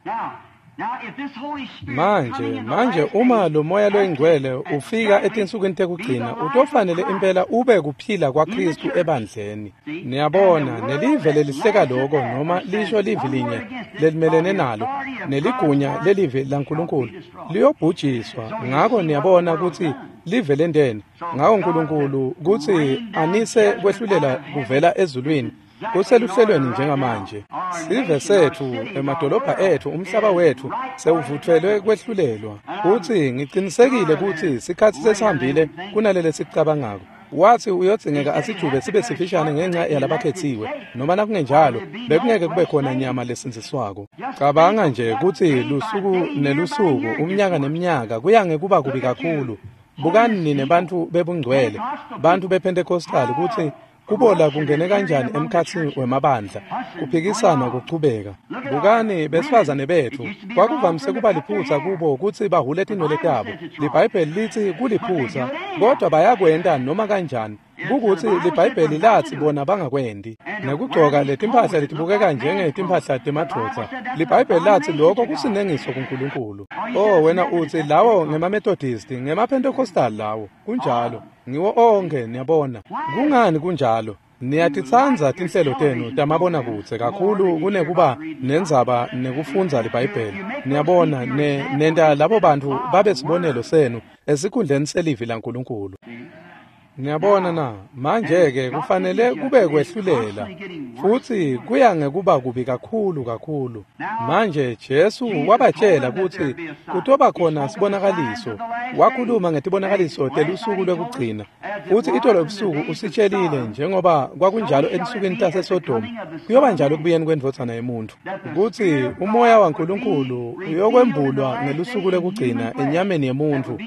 Manje, manje uma lo moya loyingcwele ufika etinsukwini tekugcina, utofanele impela ube kuphila kwaKristu ebandleni. Niyabona, nelive lelihleka loko noma lisho livi linye lelimelene nalo, neligunya lelivi laNkulunkulu liyobhujiswa. Ngako niyabona kutsi live lenteni. Ngako Nkulunkulu kutsi anise kwehlulela kuvela ezulwini kuseluhlelweni njengamanje. Sive setfu, emadolobha etfu, umhlaba wetfu sewuvutfelwe kwehlulelwa. Kutsi ngicinisekile kutsi sikhatsi sesihambile kunalele sikucabangako. Watsi uyodzingeka asijube sibe sifishane ngenxa yalabakhetsiwe, noma nakungenjalo bekungeke kube khona nyama lesindziswako. Cabanga nje kutsi lusuku nelusuku, umnyaka neminyaka kuya ngekuba kubi kakhulu. Bukani nine bantfu bebungcwele, bantfu bePentecostal, kutsi kubola kungene kanjani emkhatsini wemabandla, kuphikisana kuchubeka. Bukani besifazane betfu, kwakuvamise kuba liphutsa kubo kutsi bahule tinwele tabo. LiBhayibheli litsi kuliphutsa, kodwa bayakwenta noma kanjani. Kukutsi liBhayibheli latsi bona bangakwendi. Nekugcoka letimpahla letibukeka njengetimphahla temadvodza, liBhayibheli latsi lokho kusinengiso kuNkulunkulu. Oh, wena utsi lawo ngemaMethodisti, ngemaPentecostal lawo. Kunjalo, ngiwo onkhe, niyabona. Kungani kunjalo? Niyatitsandza tinhlelo tenu tamabonakudze kakhulu kunekuba nendzaba nekufundza liBhayibheli. Niyabona, ne nenta labo bantfu babe sibonelo senu esikhundleni selivi laNkulunkulu. Niyabona na, manje-ke kufanele kube kwehlulela, futsi kuya ngekuba kubi kakhulu kakhulu. Manje Jesu wabatshela kutsi kutoba khona sibonakaliso. Wakhuluma ngetibonakaliso telusuku lwekugcina, futsi itolo ebusuku usitshelile njengoba kwakunjalo etinsukwini taseSodoma, kuyoba njalo ekubuyeni kwendvodzana yemuntfu, kutsi umoya waNkulunkulu uyokwembulwa ngelusuku lwekugcina enyameni yemuntfu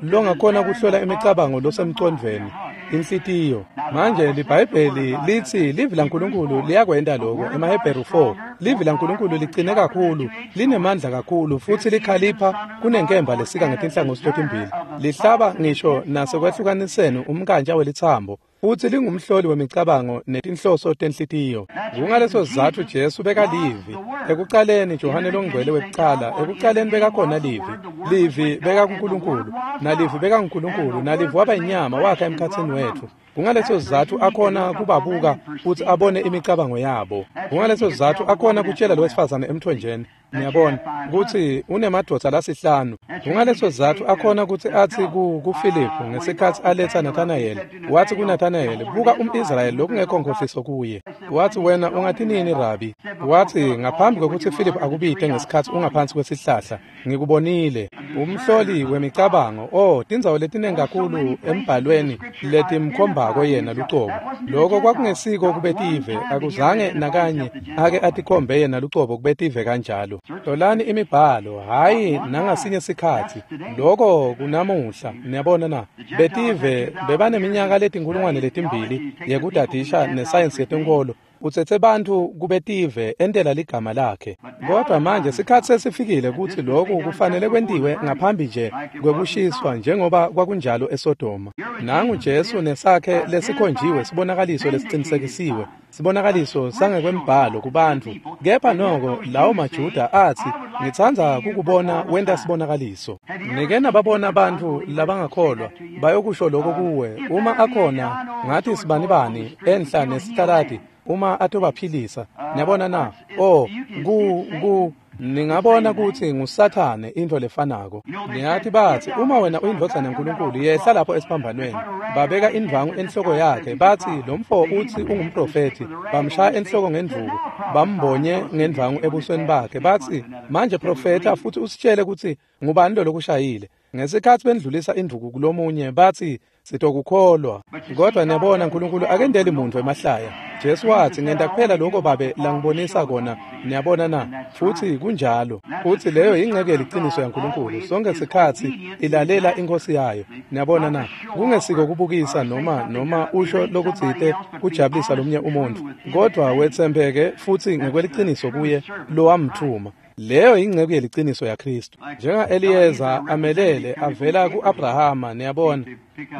longakhona kuhlola imicabango losemcondvweni, inhlitiyo. Manje liBhayibheli litsi livi laNkulunkulu liyakwenta loko emaHebheru four. Livi laNkulunkulu licine kakhulu, linemandla kakhulu, futsi likhalipha kunenkemba lesika ngetinhlangothi totimbili, lihlaba ngisho nasekwehlukaniseni umnkantja welitsambo, futsi lingumhloli wemicabango netinhloso tenhlitiyo. Kungaleso sizatfu Jesu bekalivi. Ekucaleni Johane longcwele wekucala, ekucaleni bekakhona livi. Livi bekakuNkulunkulu, nalivi bekaNkulunkulu, nalivi waba inyama wakha emkhatsini wetfu. Kungaleso sizatfu akhona kubabuka futsi abone imicabango yabo. Kungaleso sizatfu akhona kutshela lowesifazane emthonjeni, Niyabona kutsi unemadvodza lasihlanu. Kungaleso sizatfu akhona kutsi atsi ku kuFiliphu ngesikhatsi aletsa Nathanayeli, watsi kuNathanayeli, buka umIsrayeli lokungekho nkhohliso kuye. Watsi, wena ungatinini Rabi? Watsi, ngaphambi kwekutsi Philip akubite ngesikhatsi ungaphansi kwesihlahla, ngikubonile. Umhloli wemicabango, oh, tindzawo letinengi kakhulu embhalweni letimkhombako yena lucobo. Loko kwakungesiko kubetive, akuzange nakanye ake atikhombe yena lucobo kubetive kanjalo. Hlolani imibhalo, hhayi nangasinye sikhatsi. Loko kunamuhla, niyabona na? Betive bebaneminyaka letinkulungwane letimbili yekudadisha nesayensi yetenkolo. Utsetse bantfu kubetive entela ligama lakhe. Kodwa manje sikhatsi sesifikile kutsi loku kufanele kwentiwe ngaphambi nje kwekushiswa njengoba kwakunjalo eSodoma. Nangu Jesu nesakhe lesikhonjiwe sibonakaliso lesicinisekisiwe, sibonakaliso sangekwembhalo kubantfu. Kepha noko lawo maJuda atsi, ngitsandza kukubona wenta sibonakaliso. Nike nababona bantfu labangakholwa bayokusho lokho kuwe, uma akhona ngathi sibanibani enhla nesitaladi uma atobaphilisa. Niyabona na? Oh, ku ku ningabona kutsi nguSathane into lefanako. Niyathi bathi, uma wena uyindvodzana yaNkulunkulu, yehla lapho esiphambanweni. Babeka indvangu enhloko yakhe, bathi lo mfo utsi ungumprofethi. Bamshaya enhloko ngendvuku, bambonye ngendvangu ebusweni bakhe, bathi, manje profetha futhi usitshele kutsi ngubani lo lokushayile. Ngesikhatsi bendlulisa indvuku kulomunye, bathi sitokukholwa. Kodwa niyabona, uNkulunkulu akendeli muntu emahlaya. Jesu watsi, ngenta kuphela lokho Babe langibonisa kona. Niyabona na? Futhi kunjalo. Futhi leyo yingxenye yeliciniso yaNkulunkulu. Sonke sikhatsi ilalela inkosi yayo. Niyabona na? Kungesiko kubukisa noma noma usho lokutsite kujabulisa lomunye umuntu, kodwa wetsembeke futhi ngekweliciniso kuye lowamthuma. Leyo yingxenye yeliciniso yaKristu. Njenga Eliyeza amelele avela ku-Abrahama, niyabona,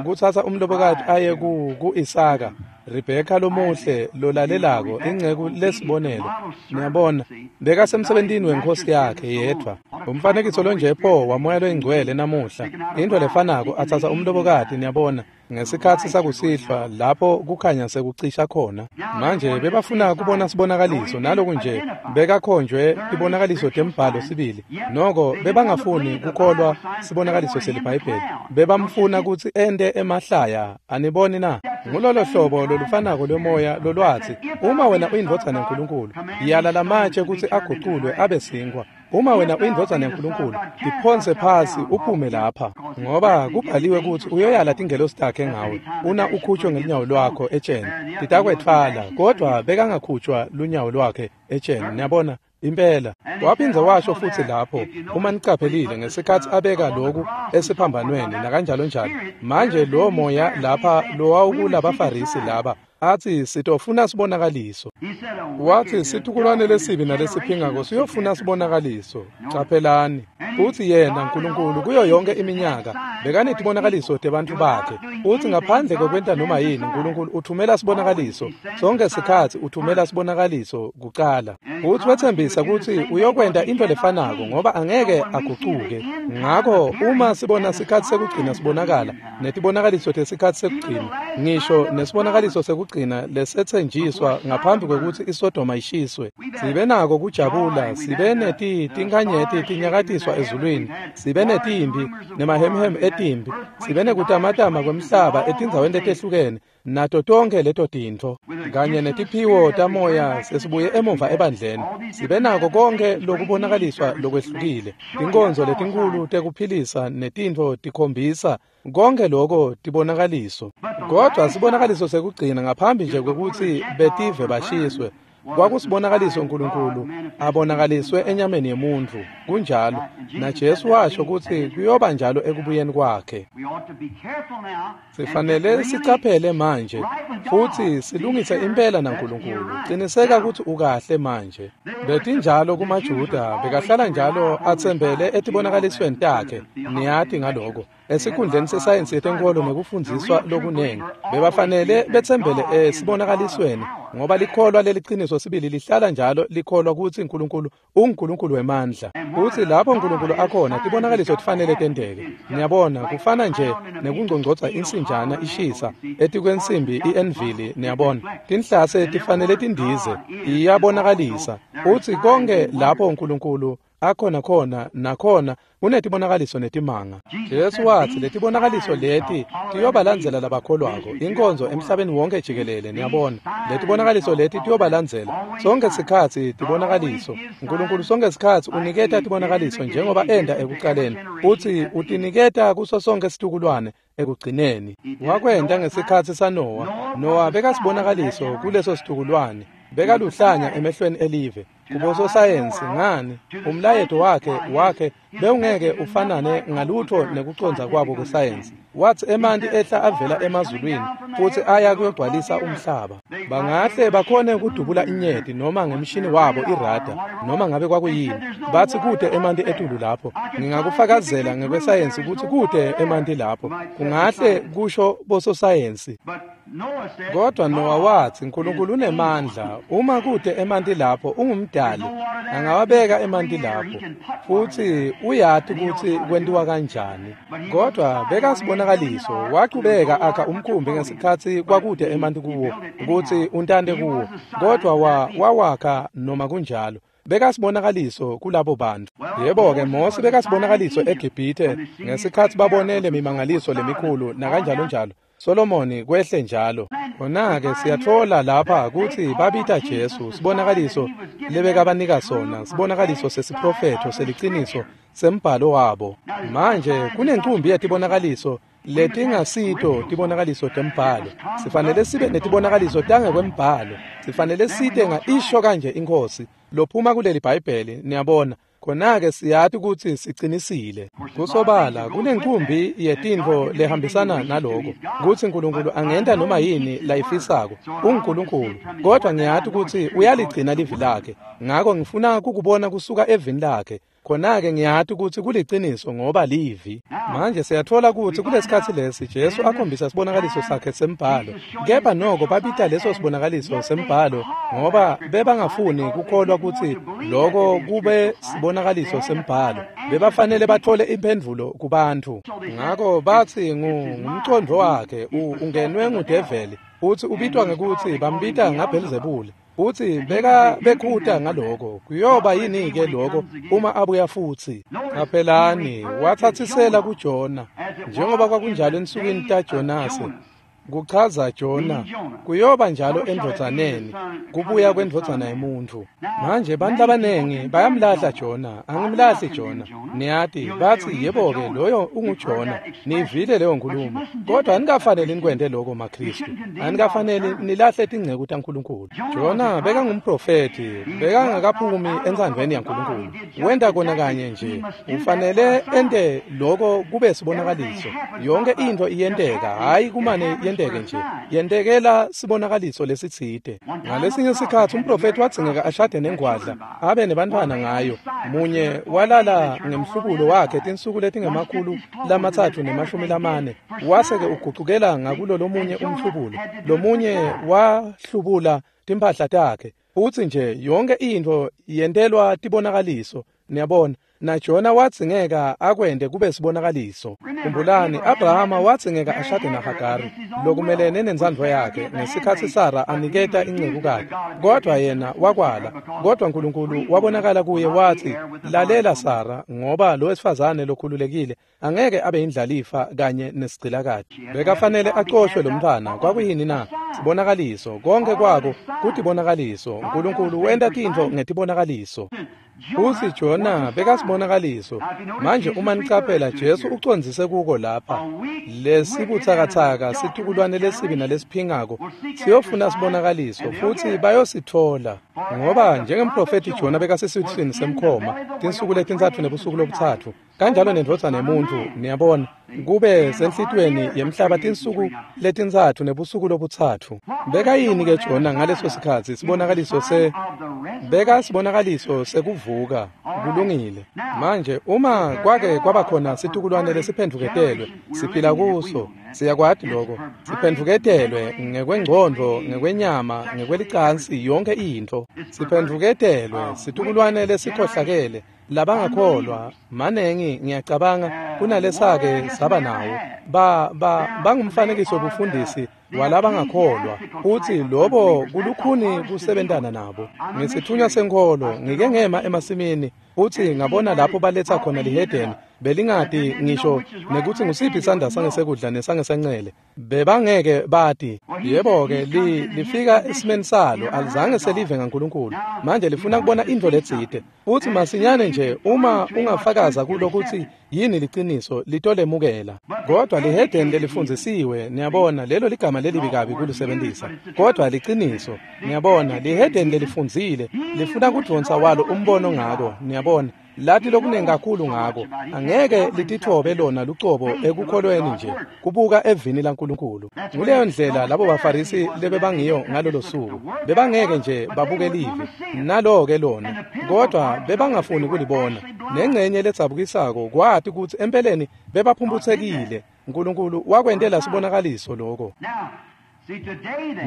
kutsatsa umlobokati aye ku ku-Isaka, Rebheka lomuhle lolalelako, ingceku lesibonelo. Niyabona, bekasemsebentini wenkosi yakhe yedvwa. Umfanekiso lonje pho wamoya loyingcwele namuhla, into lefanako atsatsa umlobokati, niyabona, ngesikhatsi sakusihlwa lapho kukhanya sekucisha khona. Manje bebafuna kubona sibonakaliso, naloku nje bekakhonjwe tibonakaliso tembhalo sibili. Noko bebangafuni kukholwa sibonakaliso seliBhayibheli, bebamfuna kutsi ente emahlaya. Aniboni na? Ngulolo hlobo lolufanako lwemoya lolwatsi, uma wena uyindvodzana yaNkulunkulu, yala lamatshe kutsi aguculwe abe sinkwa. Uma wena uyindvodzana yaNkulunkulu, tiphonse phasi uphume lapha, ngoba kubhaliwe kutsi uyoyala tingelosi takhe ngawe, una ukhutshwe ngelunyawo lwakho etsheni, titakwetfwala. Kodwa bekangakhutshwa lunyawo lwakhe etsheni, niyabona. Impela waphindze washo futhi lapho, uma nicaphelile ngesikhatsi abeka loku esiphambanweni nakanjalo njalo. Manje lo moya lapha lowawukulabaFarisi laba athi sitofuna sibonakaliso. Wathi situkulwane lesibi nalesiphingako siyofuna sibonakaliso. Caphelani futhi yena uNkulunkulu kuyo yonke iminyaka bekanetibonakaliso tebantfu bakhe. Uthi ngaphandle kokwenta noma yini, uNkulunkulu uthumela sibonakaliso. Sonke sikhatsi uthumela sibonakaliso kucala. Uthi wethembisa kutsi uyokwenta into lefanako ngoba angeke agucuke. Ngakho uma sibona sikhatsi sekugcina sibonakala netibonakaliso tesikhatsi sekugcina, ngisho nesibonakaliso sekugcina lesetsenjiswa ngaphambi kwekutsi iSodoma ishiswe, sibe nako kujabula, sibe neti tinkhanyeti tinyakatiswa ezulwini, sibe netimbi nemahemhem etimbi, sibe nekutamatama kwemhlaba etindzaweni letehlukene, nato tonke leto tintfo kanye netiphiwo tamoya sesibuye emuva ebandleni. Sibe nako konke lokubonakaliswa lokwehlukile, tinkonzo letinkhulu tekuphilisa netintfo tikhombisa konke loko tibonakaliso. Kodwa sibonakaliso sekugcina ngaphambi nje kwekutsi betive bashiswe, kwakusibonakaliso uNkulunkulu abonakaliswe enyameni yemuntfu. Kunjalo, naJesu washo kutsi kuyoba njalo ekubuyeni kwakhe. Sifanele sicaphele manje futhi silungise impela naNkulunkulu. Qiniseka kutsi ukahle manje. Betinjalo kumaJuda, bekahlala njalo atsembele etibonakalisweni takhe. Niyati ngaloko. Esikhundleni sesayensi yetenkolo nekufundziswa lokunengi, bebafanele betsembele esibonakalisweni, ngoba likholwa leliciniso sibili lihlala njalo likholwa kutsi Nkulunkulu unguNkulunkulu wemandla. Futsi lapho Nkulunkulu akhona, tibonakaliso tifanele tenteke. Niyabona, kufana nje nekungcongcotsa insinjana ishisa etikwensimbi i-envili. Niyabona, tinhlase tifanele tindize, iyabonakalisa. Futsi konke lapho Nkulunkulu akhona khona nakhona kunetibonakaliso netimanga. Jesu watsi letibonakaliso leti tiyobalandzela labakholwako, inkonzo emhlabeni wonke jikelele. Niyabona, letibonakaliso leti tiyobalandzela sonke sikhatsi. Tibonakaliso Nkulunkulu sonke sikhatsi uniketa tibonakaliso njengoba enda ekucaleni, futsi utiniketa kuso sonke situkulwane ekugcineni. Wakwenta ngesikhatsi saNowa. Nowa bekasibonakaliso kuleso situkulwane, bekaluhlanya emehlweni elive kubososayensi. Ngani, umlayeto wakhe wakhe bewungeke ufanane ngalutho nekucondza kwabo kwesayensi. Watsi emanti ehla avela emazulwini futsi aya kuyogcwalisa umhlaba. Bangahle bakhone kudubula inyeti noma ngemshini wabo irada noma ngabe kwakuyini. Batsi kute emanti etulu lapho. Ngingakufakazela ngekwesayensi kutsi kute emanti lapho, kungahle kusho bososayensi. Kodwa Nowa watsi Nkulunkulu unemandla, uma kute emanti lapho ungumdali, angawabeka emanti lapho, futsi uyati kutsi kwentiwa kanjani. Kodwa bekasibonakaliso, wachubeka akha umkhumbi ngesikhatsi kwakute emanti kuwo kutsi untante kuwo, kodwa wa wawakha noma kunjalo. Bekasibonakaliso kulabo bantu. Yebo-ke, Mose bekasibonakaliso eGibhithe ngesikhatsi babonele mimangaliso lemikhulu nakanjalo njalo. Solomoni kwehle njalo. Khona-ke siyatfola lapha kutsi babita Jesu sibonakaliso lebekabanika sona, sibonakaliso sesiprofetho seliciniso sembhalo wabo. Manje kunencumbi yetibonakaliso letingasito tibonakaliso tembhalo. Sifanele sibe netibonakaliso tangekwembhalo. Sifanele site nga isho kanje iNkhosi lophuma kuleli Bhayibheli. Niyabona, khona-ke siyati kutsi sicinisile. Kusobala kunencumbi yetintfo lehambisana naloko, kutsi Nkulunkulu angenta noma yini layifisako, unguNkulunkulu. Kodwa ngiyati kutsi uyaligcina livi lakhe, ngako ngifuna kukubona kusuka evini lakhe. Khona-ke ngiyati kutsi kuliciniso ngoba livi. Manje siyatfola kutsi kulesikhatsi lesi Jesu akhombisa sibonakaliso sakhe sembhalo, kepha noko babita leso sibonakaliso sembhalo ngoba bebangafuni kukholwa kutsi loko kube sibonakaliso sembhalo. Bebafanele bathole imphendvulo kubantfu. Ngako batsi ngumcondvo wakhe ungenwe ngudeveli, utsi ubitwa ngekutsi bambita ngaBhelzebule. Utsi beka bekhuta ngaloko. Kuyoba yini-ke loko uma abuya futsi? Qaphelani, watsatsisela kuJona, njengoba kwakunjalo ensukwini taJonase. Kuchaza Jona, kuyoba njalo endvodzaneni, kubuya kwendvodzana yemuntfu. Manje bantu labanengi bayamlahla Jona. Angimlahli Jona. Niyati, batsi yebo-ke loyo unguJona. Nivile leyo nkulumo. Kodwa anikafaneli nikwente loko maKhristu. Anikafaneli nilahle tinceku taNkulunkulu. Jona bekangumprofethi, bekangakaphumi entsandvweni yaNkulunkulu. Wenta kona kanye nje. Ufanele ente loko kube sibonakaliso. Yonke intfo iyenteka, hhayi kumane yenteke nje, yentekela sibonakaliso lesitsite. Ngalesinye sikhatsi umprofethi wadzingeka ashade nengwadla abe nebantfwana ngayo. Munye walala ngemhlubulo wakhe tinsuku letingemakhulu lamatsatfu nemashumi lamane, wase-ke ugucukela ngakulo lomunye umhlubulo. Lomunye wahlubula timphahla takhe. Futsi nje yonke intfo yentelwa tibonakaliso. Niyabona, naJona wadzingeka akwente kube sibonakaliso. Khumbulani, Abrahama wadzingeka ashade naHagari lokumelene nentsandvo yakhe ngesikhatsi Sara aniketa incekukati, kodwa yena wakwala. Kodwa Nkulunkulu wabonakala kuye watsi, lalela Sara, ngoba lo wesifazane lokhululekile angeke abe yindlalifa kanye nesigcilakati. Bekafanele acoshwe lo mntfwana. Kwakuyini na? Sibonakaliso. Konke kwako kutibonakaliso. Nkulunkulu wenta tintfo ngetibonakaliso. Futsi Jona bekasibonakaliso. Manje uma nicaphela, Jesu ucondzise kuko lapha. Lesibutsakatsaka situkulwane lesibi nalesiphingako siyofuna sibonakaliso, futsi bayositfola. Ngoba njengemprofethi Jona bekasesiswini semkhoma tinsuku letintsatfu nebusuku lobutsatfu, Kanjalo nendvodzana yemuntfu, niyabona, kube senhlitiyweni yemhlaba tinsuku letintsatfu nebusuku lobutsatfu. Bekayini ke Jona ngaleso sikhatsi? Sibonakaliso se beka sibonakaliso sekuvuka. Kulungile. Manje uma kwake kwaba khona situkulwane lesiphendvuketelwe, siphila kuso, siyakwati lokho. Siphendvuketelwe ngekwengcondvo, ngekwenyama, ngekwelicansi, yonke intfo. Siphendvuketelwe situkulwane lesikhohlakele, labangakholwa manengi ngiyacabanga kunalesake saba nawo. Ba ba bangumfanekiso wobufundisi walabangakholwa, futsi lobo kulukhuni kusebentana nabo. Ngesithunywa senkholo ngike ngema emasimini futsi ngabona lapho baletha khona lihedeni, belingati ngisho nekutsi ngusiphi isandla sangesekudla nesangesencele, bebangeke bati. Yebo-ke, li, lifika esimeni salo, alizange selive ngaNkulunkulu. Manje lifuna kubona intfo letsite, futsi masinyane nje uma ungafakaza kulo kutsi yini liciniso, litolemukela. Kodwa lihedeni lelifundzisiwe, niyabona, lelo ligama lelibi kabi kulisebentisa, kodwa liciniso, niyabona, lihedeni lelifundzile lifuna kudvonsa walo umbono ngako, niyabona, lati lokunengi kakhulu ngako, angeke lititfobe lona lucobo ekukholweni nje, kubuka evini laNkulunkulu. Nguleyo ndlela labo baFarisi lebebangiyo ngalolo suku, bebangeke nje babuke livi, nalo-ke lona, kodwa bebangafuni kulibona. Nengcenye ledzabukisako kwati kutsi empeleni bebaphumphutsekile. Nkulunkulu wakwentela sibonakaliso lokho.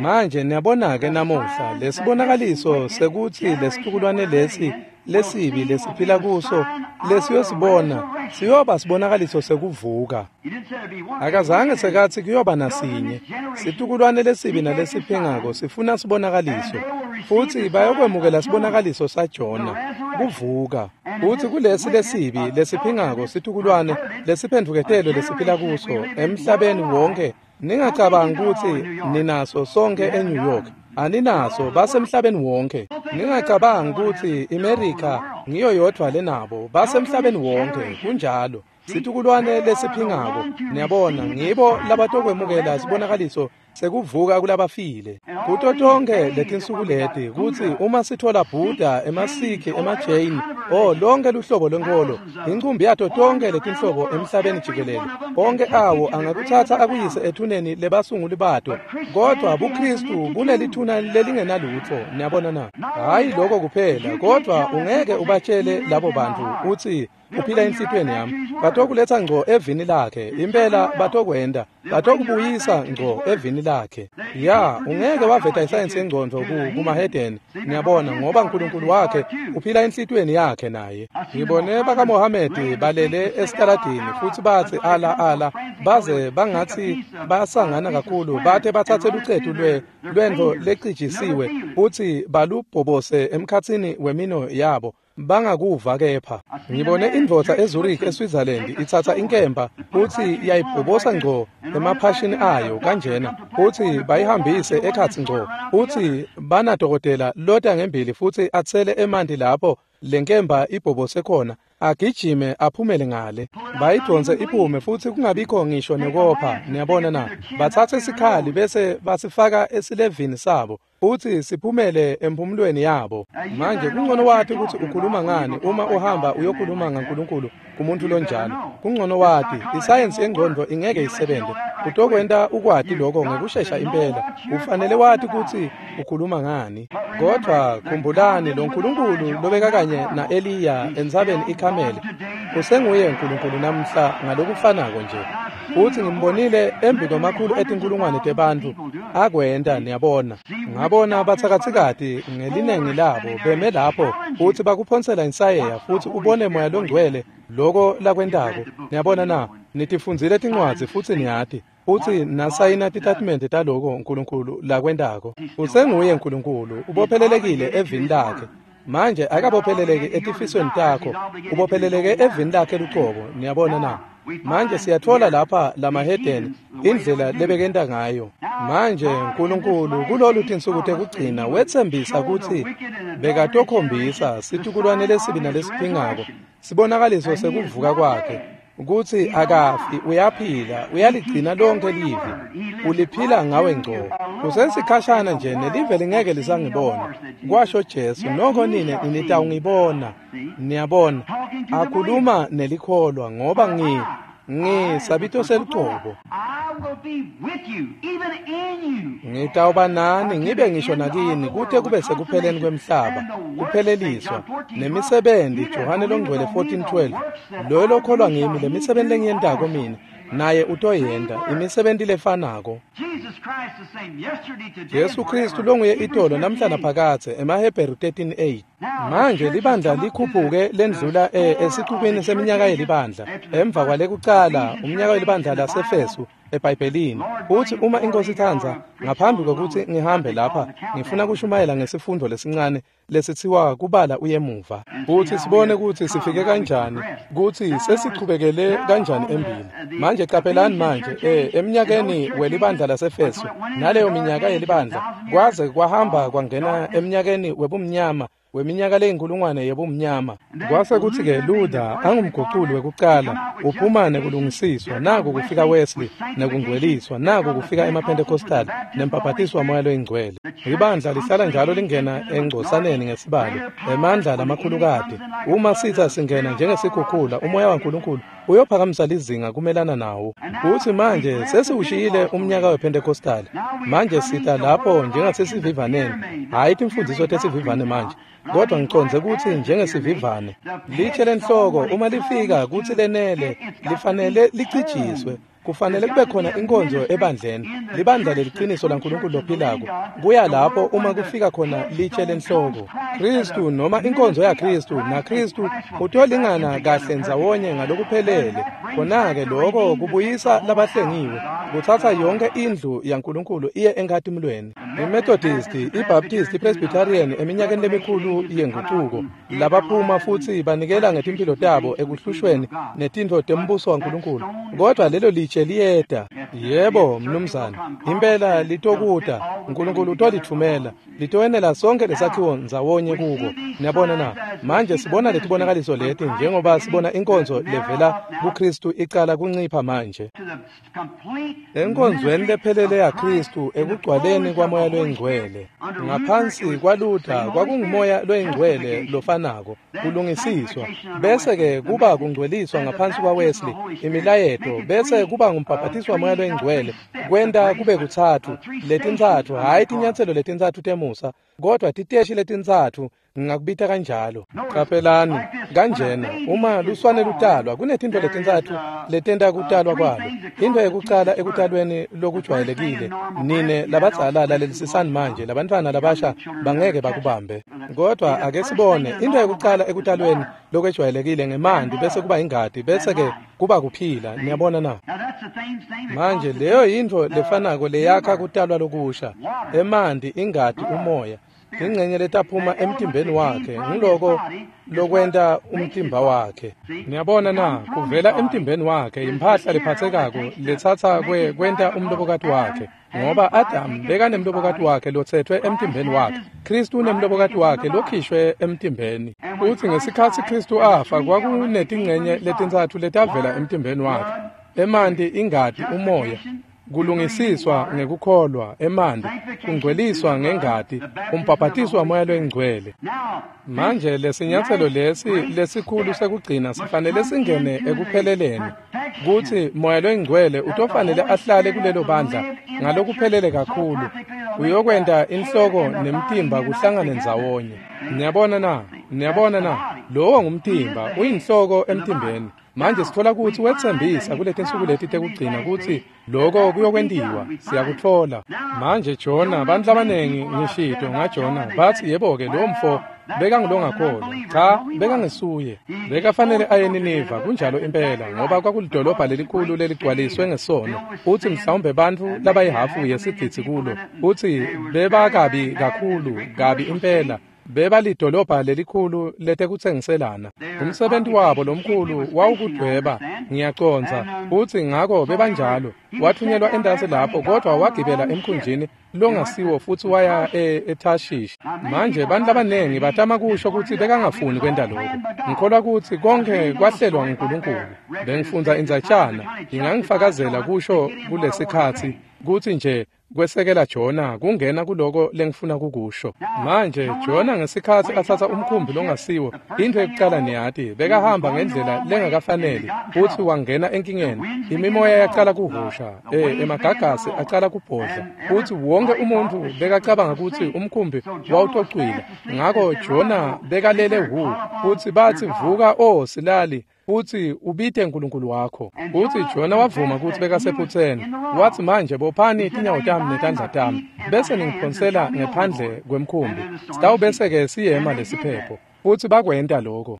Manje niyabona-ke namuhla lesibonakaliso sekutsi lesitukulwane lesi lesibi lesiphila kuso lesiyosibona siyoba sibonakaliso sekuvuka. Akazange sekatsi kuyoba nasinye. Situkulwane lesibi nalesiphingako sifuna sibonakaliso, futsi bayokwemukela sibonakaliso saJona, kuvuka. Futsi kulesi lesibi lesiphingako situkulwane lesiphendvuketelwe lesiphila kuso emhlabeni wonke, ningacabangi kutsi ninaso sonke eNew York. Aninaso, basemhlabeni wonke. Ningacabangi kutsi iMerica ngiyo yodvwa lenabo, basemhlabeni wonke. Kunjalo. Situkulwane lesiphingako, niyabona, ngibo labatokwemukela sibonakaliso sekuvuka kulabafile. Kuto tonke letinsuku leti, kutsi uma sithola Buddha, emaSikhi, emaJain, oh lonke luhlobo lwenkholo, incumbi yato tonke letinhlobo emhlabeni jikelele, onke awo angakutsatsa akuyise ethuneni lebasunguli bato, kodwa buKristu bunelithuna lelingenalutfo, niyabona na? Hhayi lokho kuphela, kodwa ungeke ubatshele labo bantu utsi uphila enhlitiyweni yami. Batokuletsa ngco evini lakhe, impela batokwenta, batokubuyisa ngco evini lakhe. Ya, ungeke waveta isayensi yengcondvo kumahedeni, niyabona, ngoba Nkulunkulu wakhe uphila enhlitiyweni yakhe naye. Ngibone bakaMohamedi balele esitaladini futsi batsi ala ala, baze bangatsi basangana kakhulu, bate batsatse lucetu lwe lwentfo lecijisiwe futsi balubhobose emkhatsini wemino yabo, bangakuva kepha. Ngibone indvodza eZurich eSwitzerland itsatsa inkemba futsi yayibhobosa ngco emaphashini ayo kanjena, futsi bayihambise ekhatsi ngco, futsi banadokotela lota ngembili futsi atsele emanti lapho lenkemba ibhobose khona, agijime aphumele ngale, bayidonse iphume futsi kungabikho ngisho nekopha, niyabona na? Batsatse isikhali bese basifaka esilevini sabo futsi siphumele emphumulweni yabo. Manje kungcono wati kutsi ukhuluma ngani uma uhamba uyokhuluma ngaNkulunkulu kumuntu lonjalo. Kungcono wati isayensi yengcondvo ingeke isebente. Utokwenta ukwati lokho ngekushesha impela. Ufanele wati kutsi ukhuluma ngani. Kodwa khumbulani lo Nkulunkulu lobeka kanye na-Eliya entsabeni iKhameli usenguye Nkulunkulu namhla ngalokufanako nje. Futsi ngimbonile embi kwemakhulu etinkulungwane tebantfu akwenta, niyabona. Ngabona batsakatsikati ngelinengi labo beme lapho futsi bakuphonsela insayeya futsi ubone Moya Longcwele loko lakwentako. Niyabona na? Nitifundzile tincwadzi futsi niyati, futsi nasayina titatimende taloko Nkulunkulu lakwentako. Usenguye Nkulunkulu, ubophelelekile evini lakhe. Manje akabopheleleki etifisweni takho, ubopheleleke evini lakhe lucobo, niyabona na? Manje siyatfola lapha lamahedeni indlela lebekenta ngayo. Manje Nkulunkulu kulolu tinsuku tekugcina wetsembisa kutsi bekatokhombisa situkulwane lesibi nalesiphingako sibonakaliso sekuvuka kwakhe, Kutsi akafi, uyaphila, uyaligcina lonke livi. Uliphila ngawe ngco. Kusesikhashana nje nelive lingeke lisangibona, kwasho Jesu, noko nine nitawungibona. Niyabona, akhuluma nelikholwa ngoba ngi ngisabito selucobo. Ngitawuba nani ngibe ngisho nakini kute kube sekupheleni kwemhlaba, kupheleliswa nemisebenzi. Johane longcwele fourteen twelve, loyo lokholwa ngimi, lemisebenzi lengiyentako mina naye utoyenta, imisebenzi lefanako. Jesu Kristu longuye itolo namhla naphakadze, emaHebheru thirteen eight. Manje libandla likhuphuke lendlula e esicubeni seminyaka yelibandla emva kwalekucala umnyaka welibandla laseFesu eBhayibhelini. Uthi uma inkosi itsandza, ngaphambi kokuthi ngihambe lapha, ngifuna kushumayela ngesifundo lesincane lesithiwa kubala uyemuva, futhi sibone ukuthi sifike kanjani, ukuthi sesichubekele kanjani embili. Manje qaphelani manje eh eminyakeni welibandla laseFesu naleyo minyaka yelibandla kwaze kwahamba kwangena eminyakeni webumnyama weminyaka leyinkulungwane yebumnyama. Kwase kuthi-ke Luther angumguculi wekucala uphuma nekulungisiswa, naku kufika Wesley nekungcweliswa, naku kufika emaPentecostal nembhabhatiswa moya loyingcwele. Ibandla lihlala njalo lingena engcosaneni ngesibalo emandla lamakhulukati. Uma sitha singena njengesikhukhula, umoya waNkulunkulu uyophakamisa lizinga kumelana nawo. Uthi manje sesiwushiyile umnyaka wePentecostal, manje sitha lapho njengasesivivaneni. Hhayi timfundiso tesivivane manje, kodwa ngiconze ukuthi njengesivivane litshe lenhloko uma lifika kuthi lenele lifanele licijiswe. Kufanele kube khona inkonzo ebandleni, libandla leliqiniso laNkulunkulu lophilako. Kuya lapho uma kufika khona litshe lenhloko Kristu, noma inkonzo yaKristu, naKristu utolingana kahle ndzawonye ngalokuphelele. Khona-ke lokho kubuyisa labahlengiwe, kuthatha yonke indlu yaNkulunkulu iye enkatimulweni. IMethodist, iBaptist, iPresbyterian eminyakeni lemikhulu yenguquko labaphuma futhi banikela ngetimpilo tabo ekuhlushweni netintfo tembuso waNkulunkulu, kodwa lelo litshe liyeda. Yebo mnumzane, impela litokuta. uNkulunkulu utolithumela, litowenela sonke lesakhiwo ndzawonye kuko. Niyabona na? Manje sibona letibonakaliso leti njengoba sibona inkonzo levela kuKristu icala kuncipha manje enkonzweni lephelele yaKristu, ekugcwaleni kwamoya loyingcwele. Ngaphansi kwaLuther kwakungumoya loyingcwele lofanako, kulungisiswa, bese-ke kuba kungcweliswa ngaphansi kwaWesley, imilayeto, bese kuba ngumbhabhatiswa moya loyingcwele, kwenta kube kutsatfu letintsatfu, hhayi tinyatselo letintsatfu temusa, kodwa titeshi letintsatfu, ngingakubita kanjalo. Qaphelani kanjena, uma luswane lutalwa kunetintfo letintsatfu letenta kutalwa kwalo. Into yekucala ekutalweni lokujwayelekile, nine labadzala lalelisisani manje, labantwana labasha bangeke bakubambe, kodwa ake sibone. Into yekucala ekutalweni lokwejwayelekile ngemanti, bese kuba ingati, bese ke kuba kuphila. Niyabona na? Manje leyo yintfo lefanako leyakha kutalwa lokusha, emanti, ingati, umoya. Ingcenye letaphuma emtimbeni wakhe ngiloko lokwenta umtimba wakhe. Niyabona na? Kuvela emtimbeni wakhe imphahla lephatsekako letsatsa kwe kwenta umlobokati wakhe, ngoba Adam bekanemlobokati wakhe lotsetfwe emtimbeni wakhe. Kristu unemlobokati wakhe lokhishwe emtimbeni. Uthi ngesikhatsi Kristu afa kwakunetingcenye letintsatfu letavela emtimbeni wakhe: emanti, ingati, umoya. Kulungisiswa ngekukholwa, emanti, kungcweliswa ngengati, umbhabhatiswa moya loyingcwele. Manje lesinyatselo lesi lesikhulu sekugcina sifanele singene ekupheleleni, kutsi moya loyingcwele utofanele ahlale kulelo bandla ngalokuphelele kakhulu, uyokwenta inhloko nemtimba kuhlangane ndzawonye. Niyabona na? Niyabona na? Lowo ngumtimba, uyinhloko emtimbeni. Manje sithola kutsi wetsembisa kuletinsuku leti tekugcina kutsi loko kuyokwentiwa. Siyakutfola manje. Jona, bantfu labanengi ngishito ngaJona bathi yebo-ke lo mfo bekangulongakholwa. Cha, bekangesuye. Bekafanele aye eNiniva, kunjalo impela, ngoba kwakulidolobha lelikhulu leligcwaliswe ngesono. Uthi mhlawumbe bantfu labayihhafu yesigidzi kulo, uthi bebakabi kakhulu kabi impela. Bebalidolobha lelikhulu letekutsengiselana. Umsebenti wabo lomkhulu wawukudweba, ngiyacondza, futsi ngako bebanjalo. Wathunyelwa entasi lapho, kodvwa wagibela emkhunjini longasiwo futsi waya eTarshish. Manje bantfu labanengi batama kusho kutsi bekangafuni kwenta lokho. Ngikholwa kutsi konkhe kwahlelwa nguNkulunkulu. Bengifundza indzatjana, ingangifakazela kusho kulesikhatsi kutsi nje kwesekela Jona kungena kuloko lengifuna kukusho. Manje Jona ngesikhatsi atsatsa umkhumbi longasiwo, intfo yekucala niyati, bekahamba ngendlela lengakafaneli futsi wangena enkingeni. Imimoya yacala kuhusha, eh emagagasi acala kubhodla, futsi wonke umuntfu bekacabanga kutsi umkhumbi wawutocwila. Ngako Jona bekalele hu, futsi batsi, "Vuka, o silali, futsi ubite uNkulunkulu wakho." Futsi Jona wavuma kutsi bekasephutseni. Watsi, "Manje bophani tinyawo tami netandla tami, bese ningiphonsela ngephandle kwemkhumbi, sitawubese-ke siyema lesiphepho." Futsi bakwenta lokho.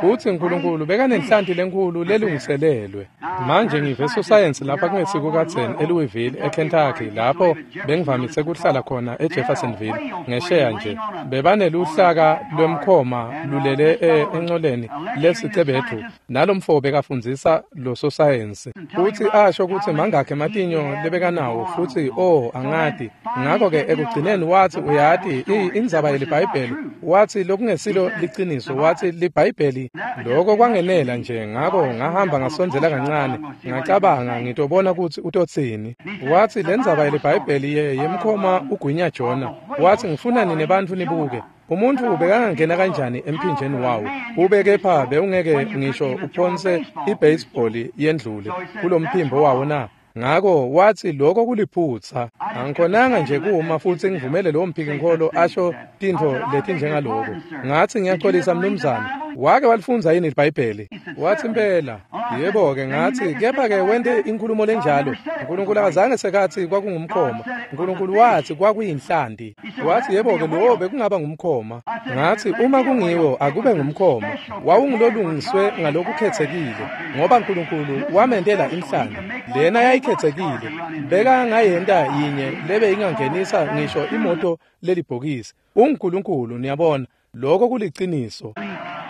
Futsi uNkulunkulu bekanenhlanti lenkhulu lelungiselelwe. Manje ngive sosayensi lapha kungesiko kadzeni eLouisville, eKentucky, lapho bengivamise kuhlala khona eJeffersonville, ngesheya nje. Bebaneluhlaka lwemkhoma lulele encoleni lesicebethu, nalomfo bekafundzisa lo sosayensi. Futsi asho kutsi mangakhi ematinyo lebekanawo, futsi oh angati. Ngako-ke ekugcineni watsi, "Uyati, indzaba yeliBhayibheli," watsi, "lokungesilo liciniso," watsi, "liBhayibheli." Lokho kwangenela nje, ngako ngahamba ngasondzela kancane, ngacabanga ngitobona kutsi utotsini. Watsi, "Lendzaba yeliBhayibheli yemkhoma ugwinya Jona." Watsi, "Ngifuna nine bantfu nibuke. Umuntfu bekangangena kanjani emphinjeni wawo, ube kepha bewungeke ngisho uphonse ibaseball yendlule kulomphimbo wawo na?" Ngako watsi, "Lokho kuliphutsa. Angikhonanga nje kuma futsi ngivumele lowo mphikinkholo asho tintfo letinjengaloko." Ngatsi, "Ngiyaxolisa mnumzane, wake walifundza yini iBhayibheli?" Watsi, "Impela." Yebo-ke, ngatsi, "Kepha-ke wente inkhulumo lenjalo. Nkulunkulu akazange sekatsi kwakungumkhoma. Nkulunkulu watsi kwakuyinhlanti." Watsi, "Yebo-ke, lowo bekungaba ngumkhoma." Ngatsi, "Uma kungiwo, akube ngumkhoma. Wawungulolungiswe ngalokukhetsekile, ngoba Nkulunkulu wamentela inhlanti. Lena yayikhetsekile. Bekangayenta yinye lebe ingangenisa ngisho imoto lelibhokisi. UnguNkulunkulu, niyabona. Lokho kuliciniso."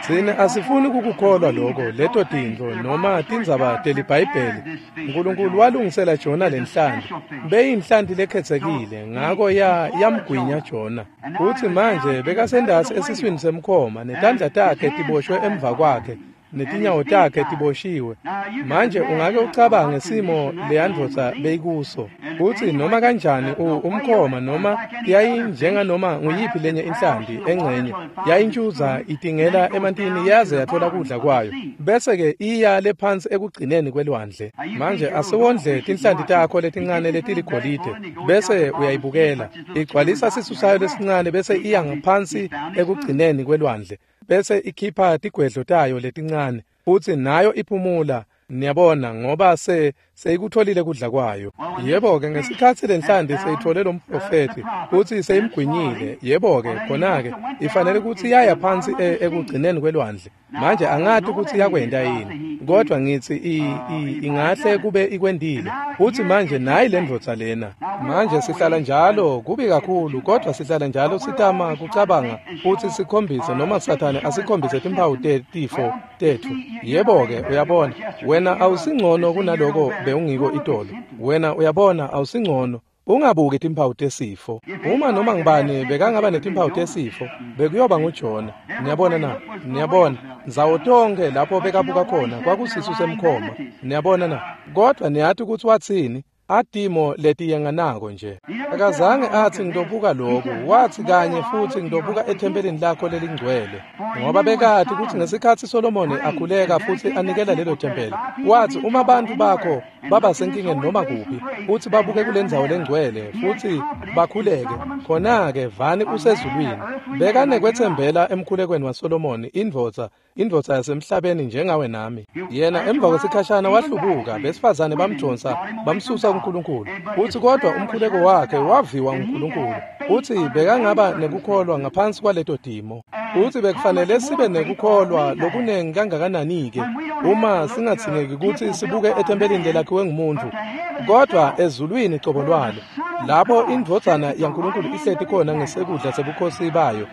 Tsine asifuni kukukholwa lokho, leto tintfo noma tindzaba teliBhayibheli. Nkulunkulu walungisela Jona lenhlanti. Beyinhlanti lekhetsekile, ngako ya yamgwinya Jona. Futsi manje bekasendasi esiswini semkhoma, netandla takhe tiboshwe emva kwakhe, netinyawo takhe tiboshiwe. Manje ungake ucabange simo leyandvodza beyikuso. Futsi noma kanjani umkhoma noma yayinjenganoma nguyiphi lenye inhlanti engcenye, yayintshuza itingela emantini yaze yathola kudla kwayo, bese-ke iya lephansi ekugcineni kwelwandle. Manje asiwondle tinhlanti takho letincane letiligolide, bese uyayibukela igcwalisa sisu sayo lesincane, bese iya ngaphansi ekugcineni kwelwandle, bese ikhipha tigwedlo tayo letincane, futsi nayo iphumula, niyabona, ngoba se seyikutholile kudla kwayo. Yebo-ke, ngesikhatsi lenhlanti seyithole lo mprofethi futsi seyimgwinyile, yebo-ke, khona-ke ifanele kutsi yaya phansi ekugcineni kwelwandle. Manje angati kutsi yakwenta yini, kodvwa ngitsi ingahle kube ikwentile. Futsi manje nayi lendvodza lena. Manje sihlala njalo, kubi kakhulu, kodvwa sihlala njalo sitama kucabanga futsi sikhombise, noma Sathane asikhombise timphawu tetifo tetfu. Yebo-ke, uyabona, wena awusingcono kunaloko bewungiko itolo. Wena uyabona, awusingcono. Ungabuki timphawu tesifo. Uma noma ngibani bekangaba netimphawu tesifo, bekuyoba nguJona. Niyabona na? Niyabona, ndzawo tonkhe lapho bekabuka khona kwakusisu semkhoma. Niyabona na? Kodvwa niyati kutsi watsini? Atimo letiyenganako nje. Akazange atsi ngitobuka lokhu, watsi kanye futsi ngitobuka ethempelini lakho lelingcwele, ngoba bekati kutsi ngesikhatsi Solomoni akhuleka futsi anikela lelo thempeli, watsi uma bantfu bakho baba senkingeni noma kuphi, futsi babuke kulendzawo lengcwele futsi bakhuleke, khona-ke vani usezulwini. Bekanekwetsembela emkhulekweni waSolomoni, indvodza indvodza yasemhlabeni njengawe nami. Yena emva kwesikhashana wahlubuka, besifazane bamdonsa bamsusa kuNkulunkulu. Futsi kodwa umkhuleko wakhe waviwa nguNkulunkulu, futsi bekangaba nekukholwa ngaphansi kwaleto timo. Futsi bekufanele sibe nekukholwa lokunengi kangakanani-ke uma singadzingeki kutsi sibuke ethempelini lelakhiwe ngumuntfu, kodvwa ezulwini cobo lwalo, lapho indvodzana yaNkulunkulu ihleti khona ngesekudla sebukhosi bayo,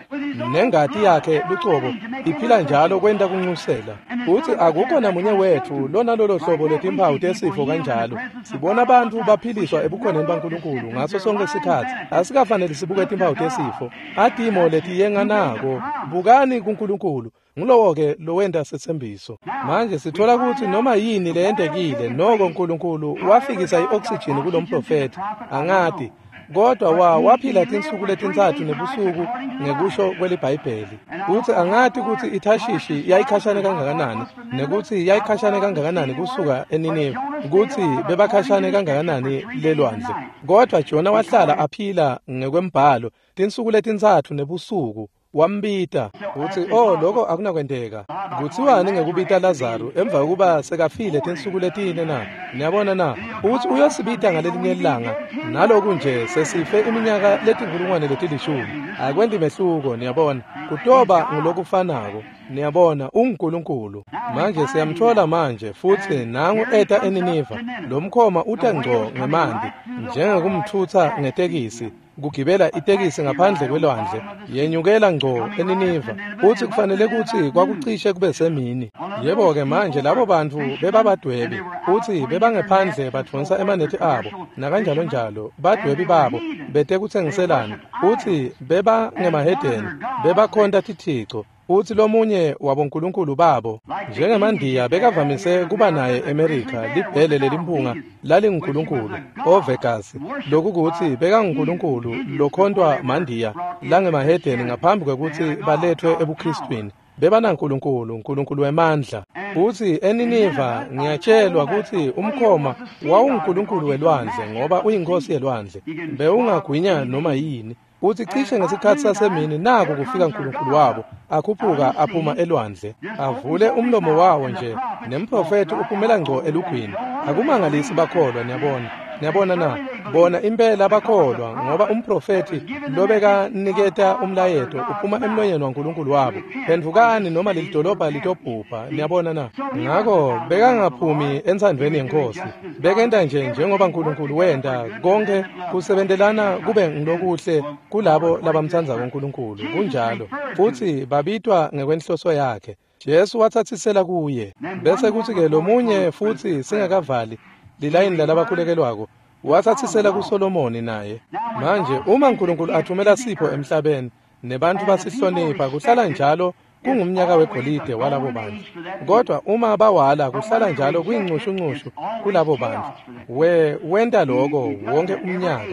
nengati yakhe lucobo iphila njalo kwenta kunxusela. Futsi akukho namunye wetfu lonalolo hlobo lwetimphawu tesifo kanjalo. Sibona bantfu baphiliswa ebukhoneni baNkulunkulu ngaso sonke sikhatsi. Asikafanele sibuke timphawu tesifo, atimo letiyenganako. Bukani kuNkulunkulu. Ngulowo-ke lowenta setsembiso. Manje sithola kutsi noma yini leyentekile, noko Nkulunkulu wafikisa i-oxygen kulomprofethi, angati, kodwa wa waphila tinsuku letintsatfu nebusuku ngekusho kweliBhayibheli. Kutsi angati kutsi iThashishi yayikhashane kangakanani, nekutsi yayikhashane kangakanani kusuka eNineve, kutsi bebakhashane kangakanani lelwandle. Kodwa Jona wahlala aphila ngekwembhalo tinsuku letintsatfu nebusuku. Wambita utsi, oh, lokho akunakwenteka. Kutsiwani ngekubita Lazaru emva kokuba sekafile tinsuku letine na? Niyabona na? Utsi uyosibita ngalelinye ilanga, naloku nje sesife iminyaka letinkulungwane letilishumi. Akwenti mehluko, niyabona. Kutoba ngulokufanako. Niyabona, unguNkulunkulu. Manje siyamthola manje, futsi nangu eta eNiniva. Lomkhoma uta ngco ngemanti, njengekumthutsa ngetekisi, kugibela itekisi ngaphandle kwelwandle, yenyukela ngco eNiniva. Futsi kufanele kutsi kwakucishe kube semini. Yebo-ke manje labo bantfu bebabadwebi, futsi bebangephandle badvonsa emanethi abo, nakanjalonjalo, badwebi babo betekutsengiselana, futsi bebangemahedeni, bebakhonta tithico. Futsi lomunye wabonkulunkulu babo, njengemandiya bekavamise kuba naye eMerika, libhele lelimpunga lalingunkulunkulu oVegas, lokukutsi bekangunkulunkulu lokhontwa mandiya langemahedeni ngaphambi kwekutsi baletfwe ebuKristwini. Bebanankulunkulu, nkulunkulu wemandla. Futsi eNiniva ngiyatshelwa kutsi umkhoma wawungunkulunkulu welwandle, ngoba uyinkhosi yelwandle, bewungagwinya noma yini. Utsi cishe ngesikhatsi sasemini naku kufika nkulunkulu wabo, akhuphuka aphuma elwandle, avule umlomo wawo nje, nemprofethi uphumela ngco elugwini. Akumangalisi bakholwa, niyabona. Niyabona na? Bona impela bakholwa, ngoba umprofethi lobekaniketa umlayeto uphuma emlonyeni waNkulunkulu wabo. Phendvukani noma lelidolobha litobhubha, niyabona na? Ngako bekangaphumi entsandvweni yeNkhosi. Bekenta nje njengoba Nkulunkulu wenta, konke kusebentelana kube ngulokuhle kulabo labamtsandzako uNkulunkulu. Kunjalo. Futsi babitwa ngekwenhloso yakhe. Jesu watsatsisela kuye. Bese kutsi-ke lomunye futsi singakavali lilayini lalabakhulekelwako, watsatsisela kuSolomoni naye. Manje uma Nkulunkulu athumela sipho emhlabeni nebantfu basihlonipha, kuhlala njalo kungumnyaka wegolide walabo bantfu. Kodwa uma bawala, kuhlala njalo kuyincushunqushu kulabo bantfu. We wenta lokho wonke umnyaka.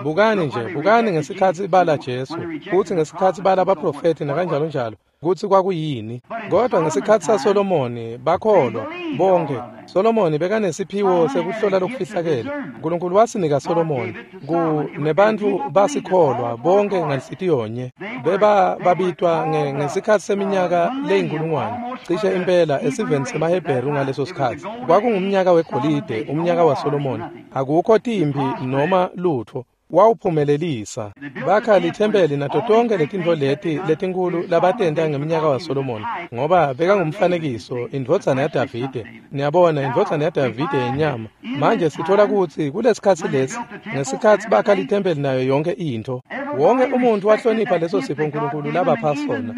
Bukani nje, bukani ngesikhatsi bala Jesu, futsi ngesikhatsi bala baprofethi nakanjalo njalo, kutsi kwakuyini. Kodwa ngesikhatsi saSolomoni bakholwa bonke. Solomoni bekanesiphiwo sekuhlola lokufihlakele. Nkulunkulu wasinika Solomoni, ku nebantfu basikholwa bonke nganhlitiyonye. Beba babitwa ngesikhatsi seminyaka leyinkulungwane, cishe impela esiveni semaHebheru ngaleso sikhatsi. Kwakungumnyaka wegolide, umnyaka waSolomoni. Akukho timphi noma lutfo. Wawuphumelelisa. Bakha lithempeli nato tonke letintfo leti letinkulu labatenta ngeminyaka waSolomoni, ngoba bekangumfanekiso, indvodzana yaDavide. Niyabona, indvodzana yaDavide yenyama. Manje sithola kutsi kulesikhatsi lesi, ngesikhatsi bakha lithempeli nayo yonke intfo, wonke umuntfu wahlonipha leso sipho Nkulunkulu labapha sona,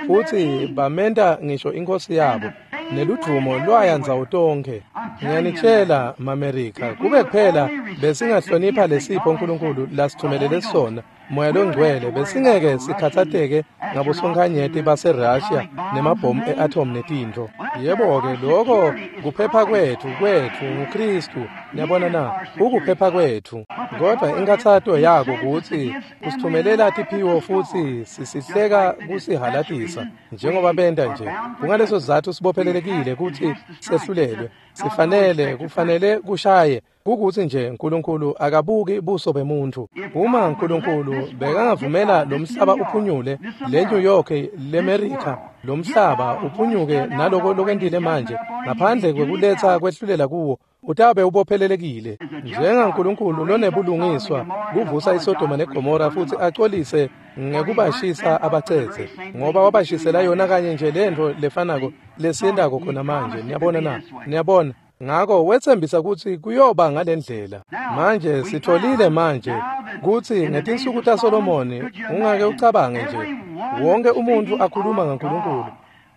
futsi bamenta ngisho inkhosi yabo, neludvumo lwaya ndzawo tonkhe. Ngiyanitshela maMerika, kube kuphela besingahlonipha lesipho Nkulunkulu lasithumelele sona, Moya loNgcwele, besingeke sikhatsateke ngabosonkhanyeti baseRussia nemabhomu e-atom netintfo. Yebo-ke, lokho kuphepha kwetfu kwetfu nguKristu. Niyabona na? Ukuphepha kwetfu. Kodwa inkathato yako kutsi usithumelela tiphiwo futsi sisihleka kusihalatisa njengoba benta nje. Kungaleso sizatfu sibophelelekile Kubophelelekile kutsi sehlulelwe. Sifanele kufanele kushaye kukutsi nje uNkulunkulu akabuki buso bemuntu. Uma uNkulunkulu bekangavumela lomhlaba uphunyule, le New York, leMerica, lomhlaba uphunyuke naloko lokwentile manje ngaphandle kwekuletsa kwehlulela kuwo, utabe ubophelelekile njengaNkulunkulu lonebulungiswa kuvusa iSodoma neGomora futhi acolise ngekubashisa abacetse, ngoba wabashisela yona kanye nje lento lefanako lesiyentako khona manje. Niyabona na? Niyabona? Ngako wetsembisa kutsi kuyoba ngalendlela. Manje sitholile manje kutsi ngetinsuku taSolomoni, ungake ucabange nje wonke umuntu akhuluma ngaNkulunkulu.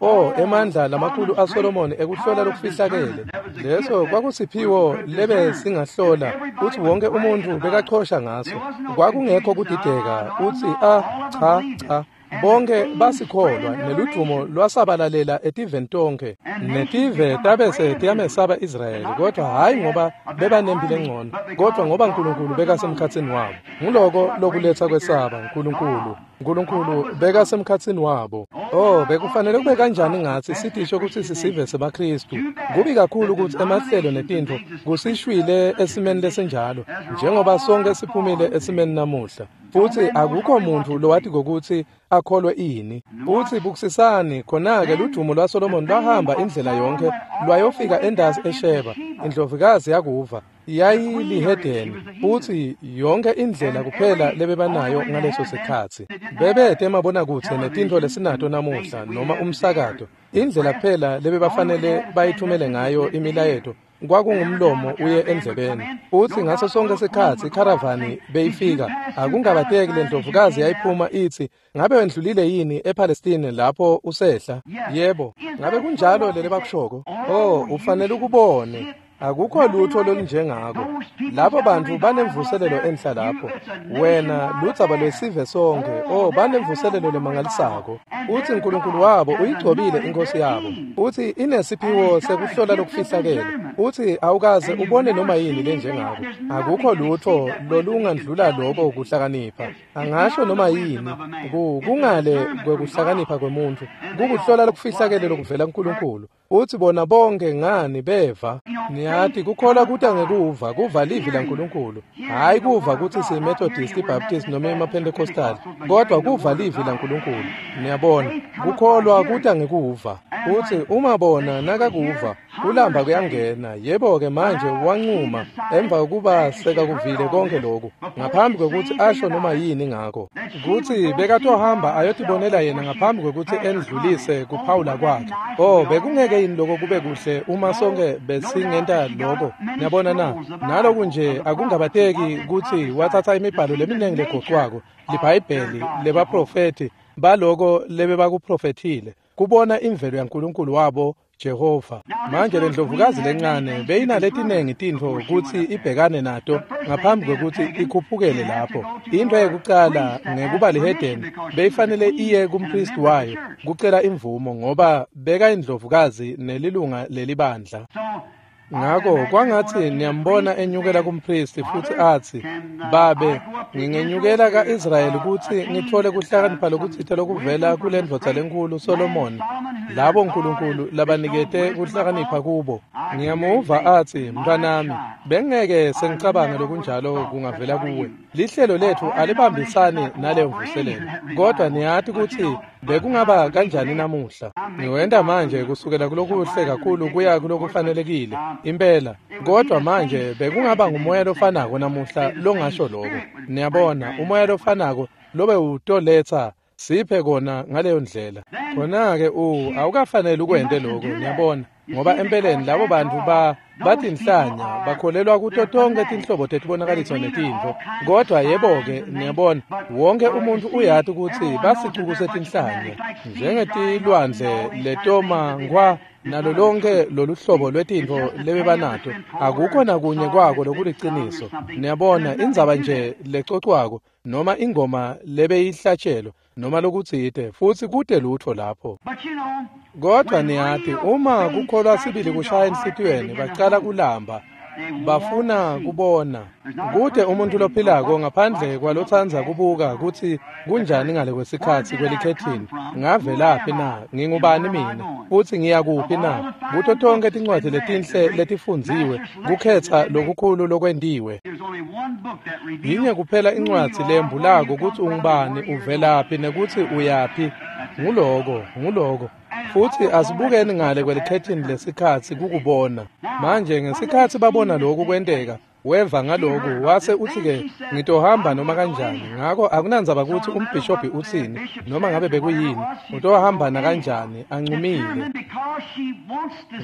Oh, emandla lamakhulu aSolomoni ekuhlola lokufihlakele. Leso kwakusiphiwo lebe singahlola kutsi wonke umuntu bekachosha ngaso. Kwakungekho kudideka utsi ah cha cha. Bonke basikholwa neludvumo lwasabalalela etiveni tonke. Netive tabese tiyamesaba Israyeli, kodwa hayi ngoba bebanempilo engcono, kodwa ngoba uNkulunkulu bekasemkhatsini wabo. Nguloko lokuletsa kwesaba uNkulunkulu. uNkulunkulu bekasemkhatsini wabo. Oh, bekufanele kube kanjani ngatsi sitisho kutsi sisive semaKristu. Kubi kakhulu kutsi emahlelo netintfo kusishwile esimeni lesinjalo, njengoba sonke siphumile esimeni namuhla. Futsi akukho muntu lowati kokutsi akholwe ini. Futsi bukusisani khona-ke ludvumo lwaSolomoni lwahamba indlela yonke lwayofika endasi eSheba. Indlovukazi yakuva yayilihedeni, futsi yonke indlela kuphela lebebanayo ngaleso sikhatsi. Bebete mabonakudze netintfo lesinato namuhla noma umsakato. Indlela kuphela lebebafanele bayithumele ngayo imilayeto kwakungumlomo uye endlebeni. Futsi ngaso sonke sikhatsi ikharavani beyifika, akungabateki lendlovukazi yayiphuma itsi, ngabe wendlulile yini ePalestine lapho usehla? Yebo, ngabe kunjalo lele bakushoko? Oh, ufanele ukubone. Akukho lutho lolunjengako. Labo bantu banemvuselelo enhla lapho. Wena ludzaba lwesive sonke. Oh, banemvuselelo lemangalisako. Uthi uNkulunkulu wabo uyigcobile inkosi yabo. Uthi inesiphiwo sekuhlola lokufihlakele. Uthi awukaze ubone noma yini lenjengako. Akukho lutho lolungandlula lokho kuhlakanipha. Angasho noma yini kungale kwekuhlakanipha kwemuntu. Kukuhlola lokufihlakele lokuvela kuNkulunkulu. Uthi bona bonke ngani beva. Niyathi kukholwa kuta ngekuva, kuva livi laNkulunkulu. Hayi kuva kutsi siyiMethodist, iBaptist noma emaPentecostal, kodwa kuva livi laNkulunkulu. Niyabona, kukholwa kuta ngekuva. Uthi uma bona nakakuva, kulamba kuyangena. Yebo-ke manje wancuma emva kokuba sekakuvile konke lokhu, ngaphambi kwekutsi asho noma yini ngako. Kutsi bekatohamba ayotibonela yena ngaphambi kwekutsi endlulise kuphawula kwakhe. Oh, bekungeke yini lokho kube kuhle uma sonke besingenta lokho? Niyabona na? Naloku nje akungabateki kutsi wathatha imibhalo leminingi legoqwako, liBhayibheli lebaprofethi baloko lebebakuprofethile, kubona imvelo yaNkulunkulu wabo Jehova. Manje lendlovukazi lencane beyinaletinengi tintfo kutsi ibhekane nato ngaphambi kwekutsi ikhuphukele lapho. Into yekucala ngekuba lihedeni beyifanele iye kumpristi wayo kucela imvumo, ngoba beka indlovukazi nelilunga lelibandla. Ngako kwangatsi niyambona enyukela kumpristi futsi atsi, Babe, ngingenyukela ka-Israyeli kutsi ngitfole kuhlakanipha lokutsite lokuvela kulendvodza lenkulu Solomoni, labo Nkulunkulu labanikete kuhlakanipha kubo. Ngiyamuva atsi, mntwanami, bengeke sengicabange lokunjalo kungavela kuwe. Lihlelo letfu alibambisani naleyo mvuselelo, kodwa niyati kutsi bekungaba kanjani namuhla. Ngiwenta manje kusukela kulokuhle kakhulu kuya kulokufanelekile impela, kodwa manje bekungaba ngumoya lofanako namuhla longasho lokho. Niyabona, umoya lofanako lobe utoletsa siphe kona ngaleyo ndlela. Khona-ke u awukafanele ukwente lokho, niyabona, ngoba empeleni labo bantu ba batinhlanya bakholelwa kuto tonke tinhlobo tetibonakaliso netintfo. Kodwa yebo-ke, niyabona, wonke umuntu uyati kutsi basicuku setinhlanya njengetilwandle letoma ngwa nalo lonke lolu hlobo lwetintfo lebebanato. Akukho nakunye kwako lokuliciniso. Niyabona, indzaba nje lecocwako noma ingoma lebeyihlatshelwa noma lokutsite, futsi kute lutho lapho. Kodwa niyati, uma kukholwa sibili kushaya enhlitiyweni, bacala kulamba. Bafuna kubona. Kute umuntu lophilako ngaphandle kwalotsandza kubuka kutsi kunjani ngale kwesikhatsi kwelikhethini. Ngavelaphi na? Ngingubani mina? Futsi ngiyakuphi na? Kuto tonkhe tincwadzi letinhle letifundziwe, kukhetsa lokukhulu lokwentiwe. Yinye kuphela incwadzi leyembulako kutsi ungubani, uvelaphi nekutsi uyaphi. Nguloko, nguloko. Futsi asibukeni ngale kwelikhethini lesikhatsi kukubona. Manje ngesikhatsi babona lokhu kwenteka, weva ngaloku wase utsi-ke ngitohamba noma kanjani. Ngako akunandzaba kutsi umbhishobhi utsini noma ngabe bekuyini, utohamba nakanjani, ancumile.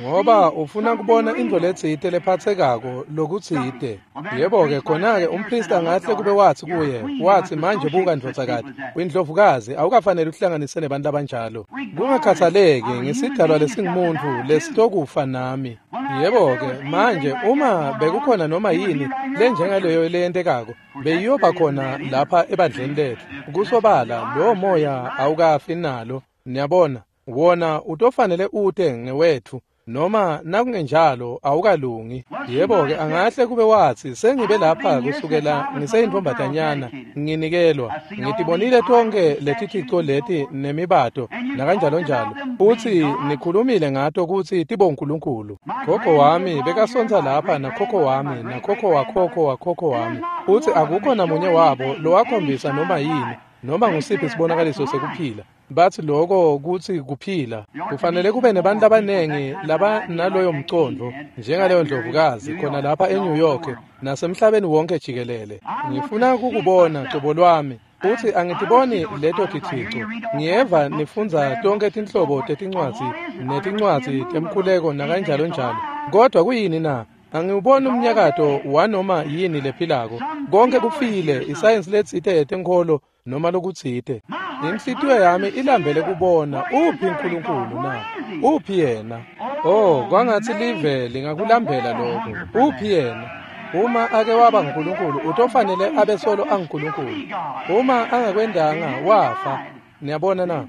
Ngoba ufuna kubona intfo letsite lephatsekako lokutsite. Yebo-ke khona-ke umpristi angahle kube watsi kuye, watsi manje buka ndvodzakati, uyindlovukazi, awukafanele uhlanganise nebantu labanjalo. Kungakhathaleki ngisidalwa lesingumuntfu lesitokufa nami. Yebo-ke manje uma bekukhona noma yini lenjengaleyo leyentekako, beyiyoba khona lapha ebandleni letfu. Kusobala lowo moya awukafi nalo, niyabona, wona utofanele ute ngewetfu noma nakungenjalo awukalungi. Yebo-ke angahle kube watsi sengibe lapha kusukela ngiseyintfombatanyana nginikelwa, ngitibonile tonkhe letithico leti nemibato nakanjalonjalo, futsi nikhulumile ngato kutsi tibonkulunkulu. Gogo wami bekasontsa lapha nakhokho wami nakhokho wakhokho wakhokho wami, futsi akukho namunye wabo lowakhombisa noma yini noma ngusiphi sibonakaliso sekuphila. Batsi loko kutsi kuphila. Kufanele kube nebantu labanengi labanaloyo mcondvo njengaleyo ndlovukazi khona lapha eNew York nasemhlabeni wonke jikelele. Ngifuna kukubona cobo lwami futsi angitiboni leto tithico. Ngiyeva nifundza tonkhe tinhlobo tetincwadzi netincwadzi temkhuleko nakanjalonjalo, kodwa kuyini na? Angiwuboni umnyakato wanoma yini lephilako. Konke kufile, isayensi letsite yetenkholo noma lokutsite. Inhlitiyo yami ilambele kubona uphi uNkulunkulu na? Uphi yena? Oh, kwangatsi live lingakulambela lokho. Uphi yena? Uma ake waba nguNkulunkulu, utofanele abe solo anguNkulunkulu. Uma angakwendanga, wafa. Niyabona na?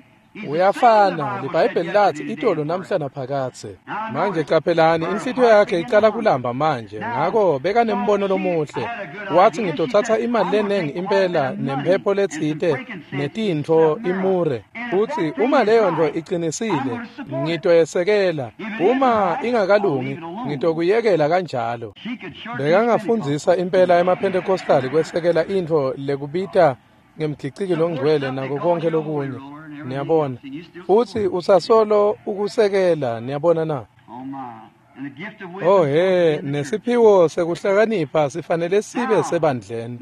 Uyafana, liBhayibheli lathi itolo namhla naphakadze. Manje qaphelani, inhlitiyo yakhe icala kulamba manje. Ngako bekanembono lomuhle. Wathi ngitothatha imali lenengi impela nemphepho letsite netintfo imure. Futsi uma leyo nto iqinisile, ngitoyesekela. Uma ingakalungi, ngitokuyekela kanjalo. Bekangafundzisa impela emaPentecostali kwesekela intfo lekubita ngemgiciki longcwele nako konke lokunye. Niyabona, futsi usasolo ukusekela, niyabona na? Oh he, nesiphiwo sekuhlakanipha sifanele sibe sebandleni.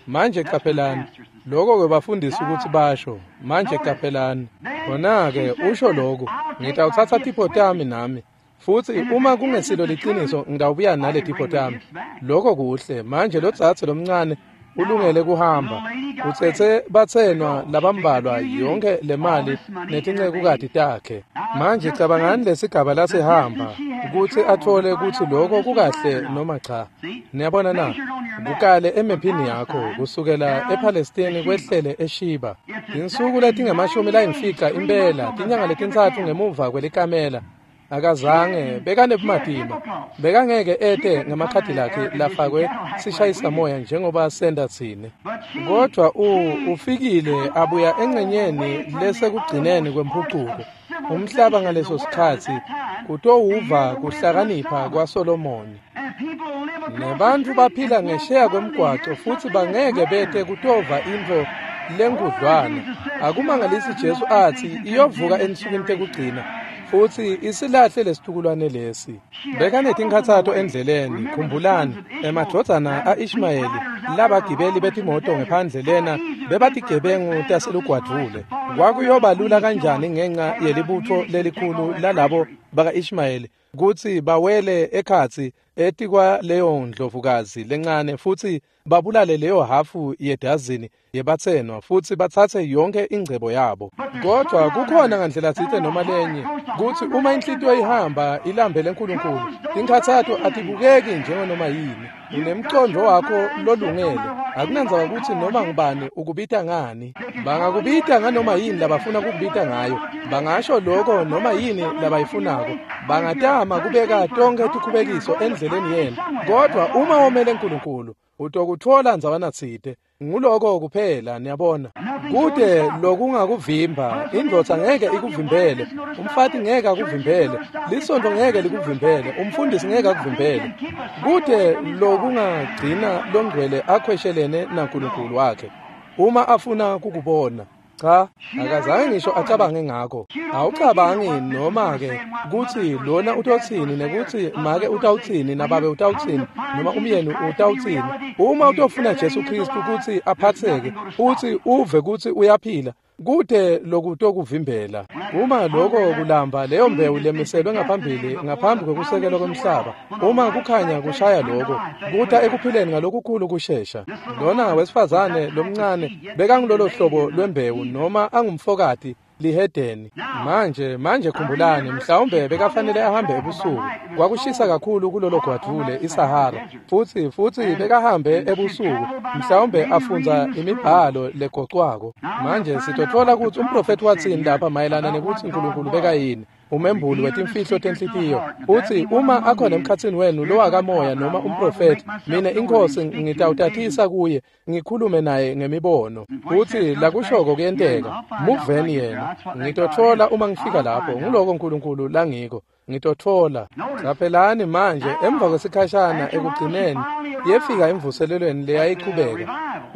Manje qaphelani, lokho kwebafundisi ukuthi basho. Manje qaphelani, khona-ke usho lokhu, ngitawuthatha tipho tami nami. Futsi uma kungesilo liqiniso ngitawubuya nale tipho tami. Lokho kuhle. Manje lo dzadze lomncane ulungele kuhamba. Utsetse batsenwa labambalwa yonke lemali netincekukati takhe. Manje cabangani lesigaba lasehamba kutsi athole kutsi lokho kukahle noma cha. Niyabona na? Kukale emephini yakho kusukela ePalestine kwehlele eShiba. Tinsuku letingamashumi layimfica impela, tinyanga letintsatfu ngemuva kwelikamela. Akazange bekanebumatima, bekangeke ete ngamakhadi lakhe lafakwe sishayisamoya njengoba senda tsine. Kodwa u ufikile abuya engcenyeni lesekugcineni kwemphucuko. Umhlaba ngaleso sikhatsi kutowuva kuhlakanipha kwaSolomoni. Nebantfu baphila ngesheya kwemgwaco futsi bangeke bete kutova intfo lenkudlwana. Akumangalisi Jesu atsi iyovuka ensukwini tekugcina futsi isilahle lesitukulwane lesi. Bekanetinkhatsato endleleni, khumbulani, emadvodzana a-Ishmayeli labagibeli betimoto ngephandle lena bebatigebengu taselugwadvule. Kwakuyoba lula kanjani ngenca yelibutfo lelikhulu lalabo baka-Ishmayeli kutsi bawele ekhatsi etikwa leyo ndlovukazi lencane futsi babulale leyo hafu yedazini yebatsenwa futsi batsatse yonke ingcebo yabo. Kodwa kukhona ngandlela tsite noma lenye kutsi uma inhlitiyo ihamba ilambele Nkulunkulu, tinkhatsato atibukeki njenganoma yini. Unemcondvo wakho lolungele, akunandzaba kutsi noma ngubani ukubita ngani. Bangakubita nganoma yini labafuna kukubita ngayo, bangasho lokho noma yini labayifunako, bangatama kubeka tonkhe tikhubekiso endleleni yenu. Kodwa uma womele Nkulunkulu, utokutfola ndzawana tsite. Nguloko kuphela, niyabona. Kude lokungakuvimba, indvodza ngeke ikuvimbele, umfati ngeke akuvimbele, lisontfo ngeke likuvimbele, umfundisi ngeke akuvimbele. Kude lokungagcina longcwele akhweshelene naNkulunkulu wakhe uma afuna kukubona. Cha, akazange ngisho acabange ngako. Awucabangi noma-ke kutsi lona utotsini nekutsi make utawutsini nababe utawutsini noma umyeni utawutsini. Uma utofuna Jesu Kristu kutsi aphatseke futsi uve kutsi uyaphila, kute lokutokuvimbela. Uma lokho kulamba leyo mbewu lemiselwe ngaphambili ngaphambi kwekusekelwa kwemhlaba, uma kukhanya kushaya lokho, kuta ekuphileni ngalokukhulu kushesha. Lona wesifazane lomncane bekangulolo hlobo lwembewu noma angumfokati lihedeni. Manje manje khumbulani, mhlawumbe bekafanele ahambe ebusuku. Kwakushisa kakhulu kulolo gwadvule iSahara, futsi futsi bekahambe ebusuku, mhlawumbe afundza imibhalo legocwako. Manje sitotfola kutsi umprofethi watsini lapha mayelana nekutsi Nkulunkulu bekayini, umembuli wetimfihlo tenhlitiyo. Utsi uma akhona emkhatsini wenu lowakamoya noma umprofethi, mina iNkhosi ngitawutatisa kuye, ngikhulume naye ngemibono. Utsi lakushoko kuyenteka, muveni yena. Ngitotfola uma ngifika lapho, nguloko Nkulunkulu langiko. Ngitotfola. Caphelani manje, emva kwesikhashana ekugcineni yefika imvuselelweni leyayichubeka.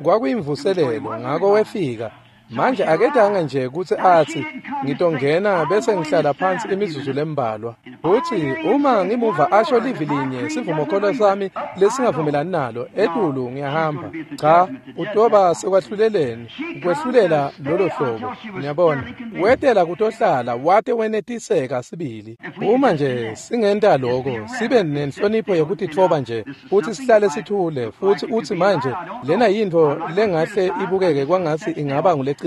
Kwakuyimvuselelo, ngako wefika. Manje akedanga nje kutsi atsi ngitongena bese ngihlala phansi imizuzu lembalwa. Utsi uma ngimuva asho livi linye sivumokholo sami lesingavumelani nalo, etulu ngiyahamba. Cha, utoba sekwahluleleni, kwehlulela lolo hlobo. Niyabona, wetela kutohlala wate wenetiseka sibili. Uma nje singenta lokho, sibe nenhlonipho yekutitfoba nje, futsi sihlale sithule, futsi utsi manje lena yintfo lengahle ibukeke kwangatsi ingaba nguleqinisile.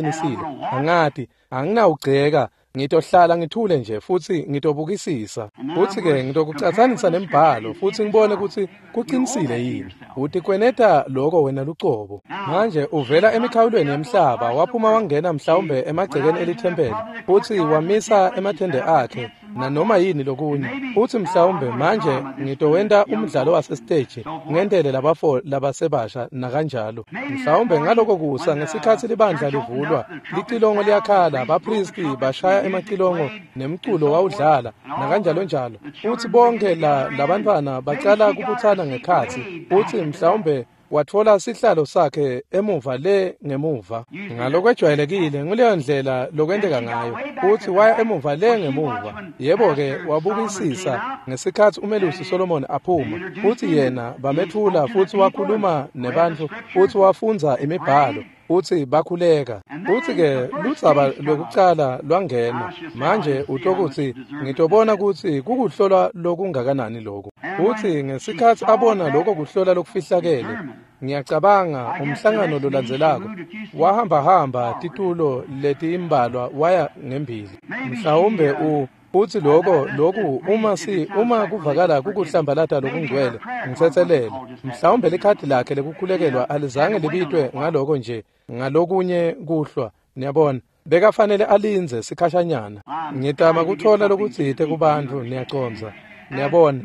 Angati, anginawugceka, ngitohlala ngithule nje futsi ngitobukisisa. Futsi-ke ngitokucatsanisa nembhalo futsi ngibone kutsi kuqinisile yini. Utikweneta lokho wena lucobo. Manje uvela emikhawulweni yemhlaba, waphuma wangena mhlawumbe emagcekeni elithempeli, futsi wamisa emathende akhe nanoma yini lokunye. Futsi mhlawumbe manje ngitowenta umdlalo wasesiteji ngentele labafo labasebasha nakanjalo. Mhlawumbe ngaloko kusa ngesikhatsi libandla livulwa, licilongo liyakhala, baphristi bashaya emacilongo nemculo wawudlala nakanjalo njalo. Futsi bonke la labantwana bacala kubutsana ngekhatsi, futsi mhlawumbe watfola sihlalo sakhe emuva le ngemuva. Ngalokwejwayelekile nguleyo ndlela lokwenteka ngayo. Futsi waya emuva le ngemuva. Yebo-ke wabukisisa ngesikhatsi umelusi Solomon aphuma, futsi yena bametfula futsi wakhuluma nebantfu futsi wafundza imibhalo futsi bakhuleka. Futsi-ke ludzaba lwekucala lwangena. Manje utokutsi ngitobona kutsi kukuhlolwa lokungakanani loku. Futsi ngesikhatsi abona lokho kuhlola lokufihlakele, ngiyacabanga umhlangano lolandzelako wahambahamba titulo letimbalwa waya ngembili. Mhlawumbe u Futsi lokho lokhu uma si uma kuvakala kukuhlambalata lokungcwele, ngitsetselele. Mhlawumbe likhadi lakhe lekukhulekelwa alizange libitwe ngaloko nje, ngalokunye kuhlwa, niyabona. Bekafanele alindze sikhashanyana. Ngitama kutfola lokutsite kubantfu, niyacondza. Niyabona.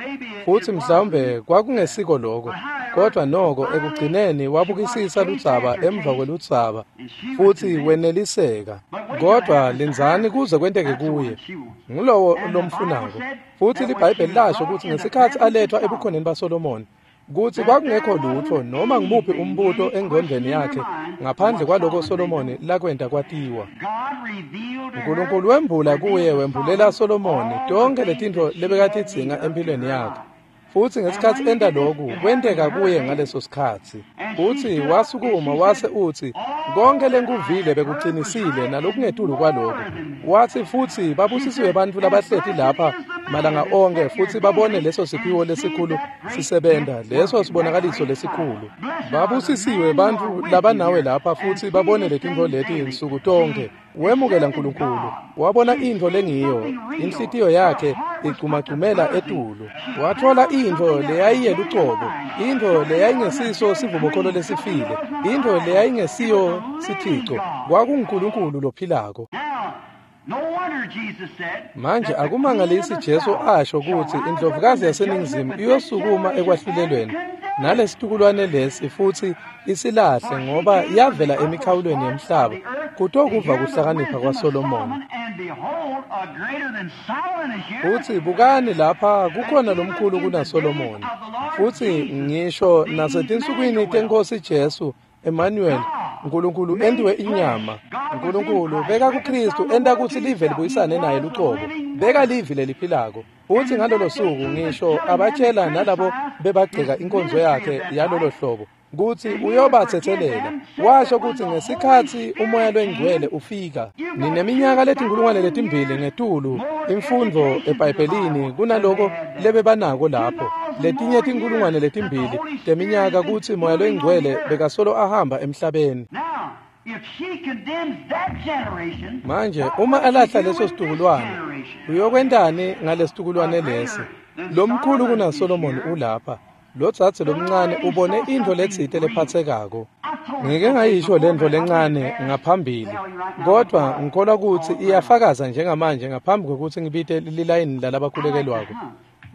Futsi mhlawumbe kwakungesiko lokho, kodwa noko ekugcineni wabukisisa ludzaba emva kweludzaba futsi weneliseka. Kodwa lindzani kuze kwenteke kuye, ngulowo lomfunako. Futsi liBhayibheli lasho kutsi ngesikhatsi alethwa ebukhoneni baSolomoni, kutsi kwakungekho lutfo noma ngumuphi umbuto engqondweni yakhe ngaphandle kwaloko Solomoni lakwenta kwatiwa. Nkulunkulu wembula kuye, wembulela Solomoni tonkhe letintfo lebekatidzinga empilweni yakhe. Futsi ngesikhatsi enta lokhu, kwenteka kuye ngaleso sikhatsi. Futsi wasukuma wase utsi, konke lenkuvile bekuqinisile nalokungetulu kwaloko. Watsi futsi babusisiwe bantfu labahleti lapha malanga onke futsi babone leso siphiwo lesikhulu sisebenta, leso sibonakaliso lesikhulu. Babusisiwe bantfu labanawe lapha futsi babone letintfo leti nsuku tonkhe. Wemukela Nkulunkulu, wabona intfo lengiyo, inhlitiyo yakhe igcumagcumela etulu. Watfola intfo leyayiyelucobo, intfo leyayingesiso sivumokholo lesifile, intfo leyayingesiyo sithico, kwakunguNkulunkulu lophilako. Manje akumangalisi Jesu asho kutsi indlovukazi yaseNingizimu iyosukuma ekwahlulelweni nalesitukulwane lesi futsi isilahle ngoba yavela emikhawulweni yemhlaba kutokuva kuhlakanipha kwaSolomoni. Futsi bukani lapha kukhona lomkhulu kunaSolomoni. Futsi ngisho nasetinsukwini tenkosi Jesu Emmanuel, Nkulunkulu entiwe inyama. Nkulunkulu beka kuKristu enta kutsi live libuyisane naye lucobo. Beka livi leliphilako. Futsi ngalolo suku ngisho abatshela nalabo bebagceka inkonzo yakhe yalolo hlobo kutsi uyobathethelela. Washo kutsi ngesikhatsi umoya lwengcwele ufika, nineminyaka letinkulungwane letimbili ngetulu imfundvo eBhayibhelini kunaloko lebebanako lapho. Letinye tinkulungwane letimbili teminyaka kutsi moya lwengcwele bekasolo ahamba emhlabeni. Manje uma alahla leso situkulwane, uyokwentani ngalesitukulwane lesi? Lomkhulu kunaSolomoni ulapha. Lo dzadze lomncane ubone intfo letsite lephatsekako. Ngike ngayisho lentfo lencane ngaphambili, kodvwa ngikholwa kutsi iyafakaza njengamanje ngaphambi kwekutsi ngibite lilayini lalabakhulekelwako.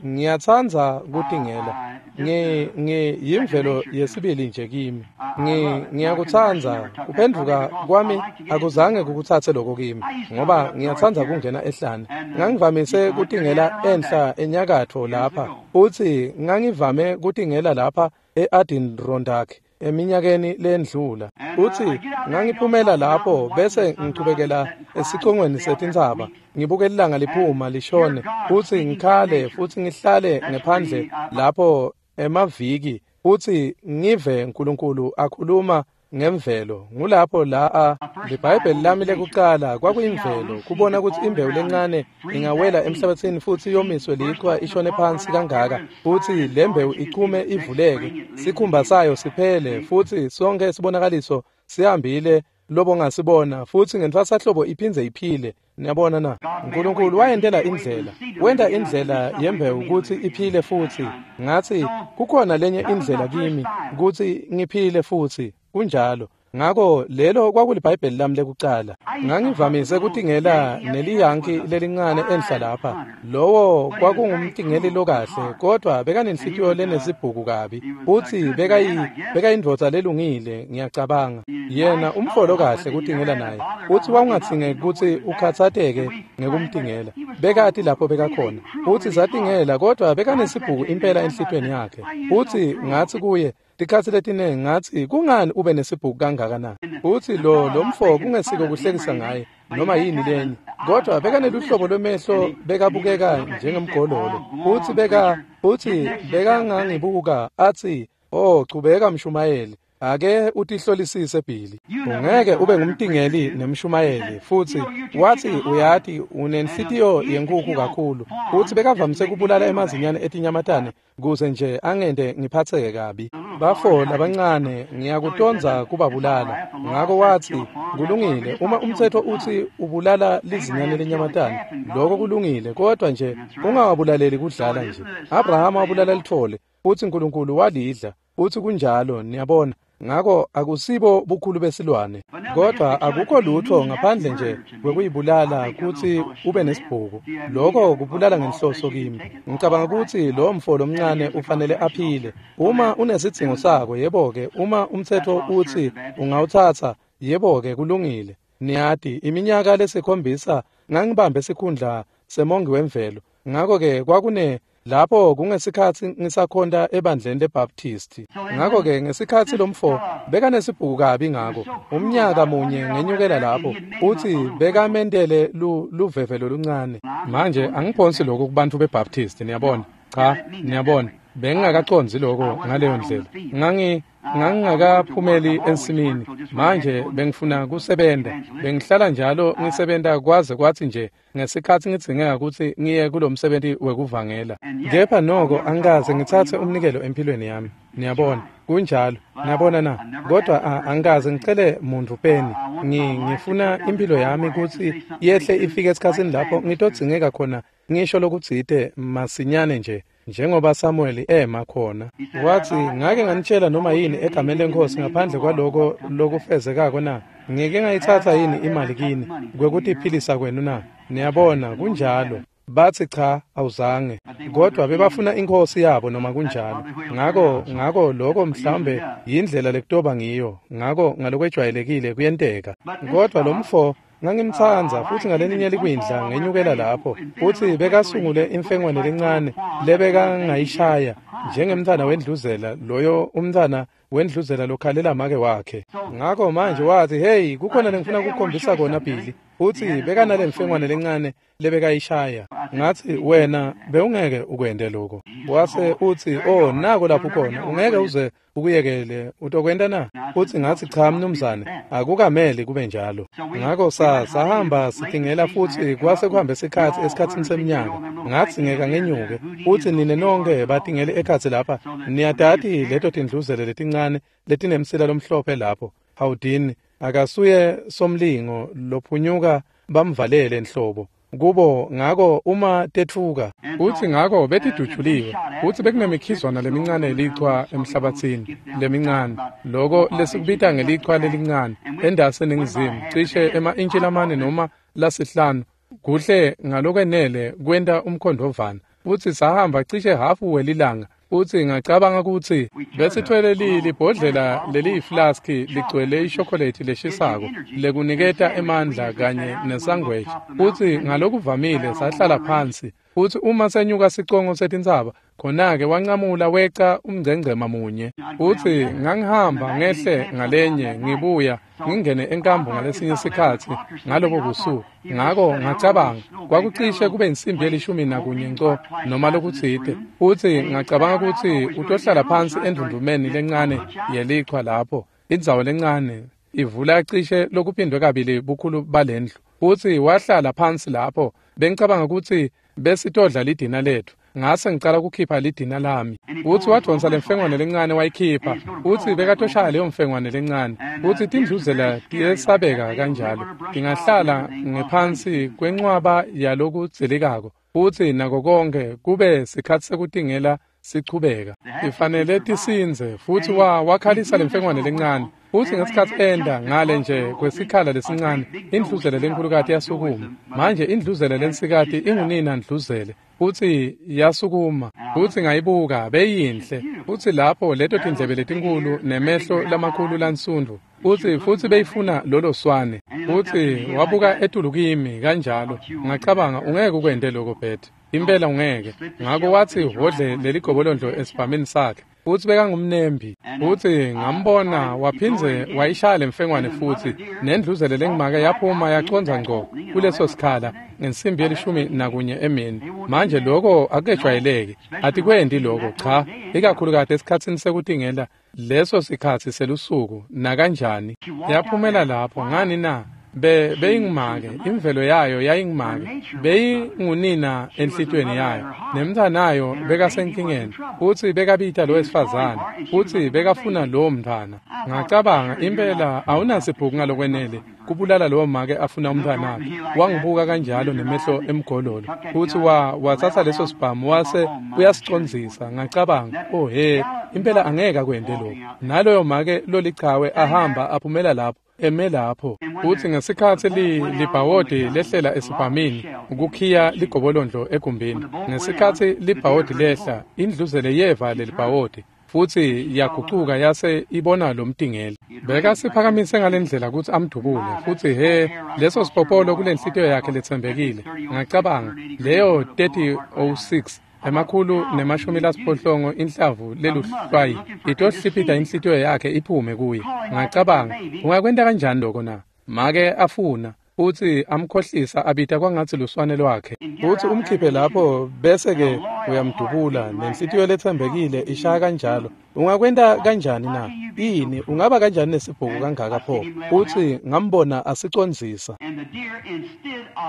Ngiyatsandza kutingela. Ngi ngi yimvelo yesibili nje kimi. Ngi ngiyakutsandza kuphendvuka kwami akuzange kukutsatse lokho kimi ngoba ngiyatsandza kungena ehlane. Ngangivamise kutingela enhla enyakatfo lapha futsi ngangivame kutingela lapha e-Adirondack eminyakeni lendlula. Futsi ngangiphumela lapho bese ngichubekela esicongweni setintsaba ngibuke ilanga liphuma lishone futsi ngikhale futsi ngihlale ngephandle lapho emaviki futsi ngive uNkulunkulu akhuluma ngemvelo. Ngulapho la liBhayibheli lami lekucala kwakuyimvelo, kubona kutsi imbewu lencane ingawela emhlabathini futsi yomiswe lichwa ishone phansi kangaka futsi le mbewu ichume ivuleke sikhumba sayo siphele futsi sonke sibonakaliso sihambile lobo ngasibona futsi ngentfwasahlobo iphindze iphile. Niyabona na? Nkulunkulu wayentela indlela, wenta indlela yembewu kutsi iphile futsi. Ngatsi kukhona lenye indlela kimi kutsi ngiphile futsi. Kunjalo. Ngako lelo kwakuliBhayibheli lami lekucala. Ngangivamise kutingela neliyanki lelincane enhla lapha. Lowo kwakungumtingeli lokahle kodwa bekanenhlitiyo lenesibhuku kabi. Futsi bekayi bekayindvodza lelungile ngiyacabanga. Yena umfolo kahle kutingela naye. Futsi wawungatsingeki kutsi ukhatsateke ngekumtingela. Bekati lapho bekakhona. Futsi satingela kodwa bekanesibhuku impela enhlitiyweni yakhe. Futsi ngatsi kuye tikhatsi letinengi ngatsi kungani ube nesibhuku kangaka na? Futsi lo lomfo kungesiko kuhlekisa ngaye noma yini lenye, kodwa bekaneluhlobo lwemehlo bekabukeka njengemgololo. Futsi beka futsi bekangangibuka atsi, "Oh, chubeka mshumayeli, ake utihlolisise Billy. Ungeke ube ngumtingeli nemshumayeli." Futsi watsi, "Uyati unenhlitiyo yenkukhu kakhulu." Futsi bekavamise kubulala emazinyane etinyamatane kuze nje angente ngiphatseke kabi. Bafo labancane ngiyakutondza kubabulala. Ngako watsi, "Kulungile, uma umtsetfo utsi ubulala lizinyane lenyamatane, lokho kulungile, kodwa nje ungawabulaleli kudlala nje. Abrahama wabulala litfole, futsi Nkulunkulu walidla." Futsi kunjalo, niyabona. Ngako akusibo bukhulu besilwane, kodwa akukho lutho ngaphandle nje kwekuyibulala kutsi ube nesibhuku. Lokho kubulala ngenhloso kimi. Ngicabanga kutsi lo mfo lomncane ufanele aphile. Uma unesidzingo sako, yebo-ke, uma umtsetfo utsi ungawutsatsa, yebo-ke, kulungile. Niyati, iminyaka lesikhombisa ngangibambe sikhundla semongi wemvelo. Ngako-ke kwakune lapho kungesikhatsi ngisakhonta ebandleni leBaptist. Ngako-ke ngesikhatsi lomfo bekanesibhuku kabi ngako, umnyaka munye ngenyukela lapho, futsi bekamentele luveve loluncane. Manje angiphonsi lokhu kubantfu beBaptist, niyabona. Cha, niyabona. Bengingakacondzi lokho ngaleyo ndlela. Ngangi ngangingakaphumeli ensimini. Manje bengifuna kusebenta. Bengihlala njalo ngisebenta kwaze kwathi nje ngesikhathi ngidzingeka kutsi ngiye kulomsebenti wekuvangela. Kepha noko angikaze ngitsatse umnikelo empilweni yami. Niyabona, kunjalo. Niyabona na? Kodwa angikaze ngicele muntu peni. Ngifuna impilo yami kutsi yehle ifike esikhatsini lapho ngitodzingeka khona ngisho lokutsite masinyane nje. Njengoba Samuel ema khona wathi, ngake nganitshela noma yini egameni leNkosi ngaphandle kwaloko lokufezekako na? Ngike ngayitsatsa yini imali kini kwekutiphilisa kwenu na? Niyabona, kunjalo. Bathi cha, awuzange. Kodwa bebafuna inkosi yabo noma kunjalo. Ngako ngako lokho mhlawumbe yindlela lekutoba ngiyo. Ngako ngalokwejwayelekile kuyenteka. Kodwa lo mfo ngangimtsandza futhi ngalelinye likwindla ngenyukela lapho futhi bekasungule imfengwane lencane lebekangayishaya njengemntwana wendluzela, loyo umntwana wendluzela lokhalela make wakhe. Ngakho manje wathi, hey, kukhona lengifuna ukukhombisa kona Billy. Futhi bekanale mfengwane lencane lebekayishaya. Ngathi, wena bewungeke ukwente lokho. Wase uthi, oh, nako lapho khona, ungeke uze ukuyekele, utokwenta na? Futhi ngathi, cha mnumzane, akukameli kube njalo. Ngakho sa sahamba sitingela futhi kwase kuhambe isikhathi esikhathini seminyaka. Ngathi ngeka ngenyuke, futhi nine nonke batingele ekhatsi lapha. Niyatati leto tindluzele letincane letinemsila lomhlophe lapho. Hawudini akasuye somlingo lophunyuka bamvalele enhlobo kubo. Ngako uma tetfuka uthi ngako betidutshuliwe uthi bekunemikhizwana lemincane elichwa emhlabathini lemincane, loko lesikubita ngelichwa lelincane endase eningizimu, cishe ema-intshi lamane noma lasihlanu kuhle ngalokwenele kwenta umkhondvovana. Futhi sahamba cishe hafu welilanga. Futhi ngacabanga ukuthi besithwele libhodlela leliyiflaski ligcwele ishokolate leshisako lekuniketa emandla kanye nesangweji. Futhi ngalokuvamile sahlala phansi. Futhi uma senyuka sicongo setintsaba, khona-ke wancamula weca umngcengcema munye. Futhi ngangihamba ngehle ngalenye ngibuya ngingene enkambu ngalesinye isikhathi ngalobo busuku. Ngako ngacabanga kwakucishe kube insimbi yelishumi nakunye nco noma lokutsite. Futhi ngacabanga ukuthi utohlala phansi endundumeni lencane yelichwa lapho, indzawo lencane ivula cishe lokuphindwe kabili bukhulu balendlu. Futhi wahlala phansi lapho. Bengicabanga ukuthi besitodla lidina lethu. Ngase ngicala ukukhipha lidina lami. Uthi wadonsa lemfengwane lencane wayikhipha. Uthi bekatoshaya leyo mfengwane lencane. Uthi tindluzela tiyesabeka kanjalo. Tingahlala ngephansi kwencwaba yalokudzelikako. Uthi nako konke kube sikhathi sekutingela sichubeka. Ifanele tisindze. Futhi wa wakhalisa lemfengwane lencane. Futhi ngesikhathi enda ngale nje kwesikhala lesincane, indluzele lenkulukati yasukuma. Manje indluzele lensikati ingunina ndluzele. Futhi yasukuma. Futhi ngayibuka beyinhle. Futhi lapho leto tindlebe letinkulu nemehlo lamakhulu lansundu. Futhi futhi beyifuna lolo swane. Futhi wabuka etulu kimi kanjalo. Ngacabanga ungeke ukwente lokho Beth. Impela ungeke. Ngakho wathi hodle leligobolondlo esibhamini sakhe. Futhi bekangumnembi. Futhi ngambona waphindze wayishaya lemfengwane futhi nendluzele lengimake yaphuma yaconza ngco kuleso sikhala ngensimbi yelishumi nakunye emini. Manje lokho akujwayeleki. Atikwendi lokho cha, ikakhulukati esikhatsini sekutingela leso sikhathi selusuku nakanjani. Yaphumela lapho ngani na? Be beyingimake, imvelo yayo yayingimake, beyingunina enhlitweni yayo, nemntanayo bekasenkingeni, futhi bekabita lo wesifazane, futhi bekafuna lowo mntwana. Ngacabanga impela awunasibhuku ngalokwenele kubulala lowo make afuna umntwanakhe. Wangibuka kanjalo nemehlo emgololo, futhi wa wathatha leso sibhamu wase uyasicondzisa. Ngacabanga, oh he, impela angeke akwente lokho. Naloyo make lolichawe ahamba aphumela lapho eme lapho. Futhi ngesikhathi libhawodi lehlela esibhamini ukukhiya ligobolondlo egumbini, ngesikhathi libhawodi lehla, indluzele yeva lelibhawodi futhi yagucuka yase ibona lo mtingeli. Bekasiphakamise ngalendlela ukuthi amdubule. Futhi he, leso sipopolo kulenhlitiyo yakhe letsembekile. Ngacabanga leyo thirty oh six emakhulu nemashumi lasiphohlongo inhlavu leluhlwayi itohliphita inhlitiyo yakhe iphume kuye. Ngacabanga ungakwenta kanjani lokho na? Make afuna. Futsi amkhohlisa abita kwangatsi luswane lwakhe. Futsi umkhiphe lapho bese-ke uyamdubula, nenhlitiyo letsembekile ishaya kanjalo. Ungakwenta kanjani na? Ini, ungaba kanjani nesibhuku kangaka pho? Futsi ngambona asicondzisa.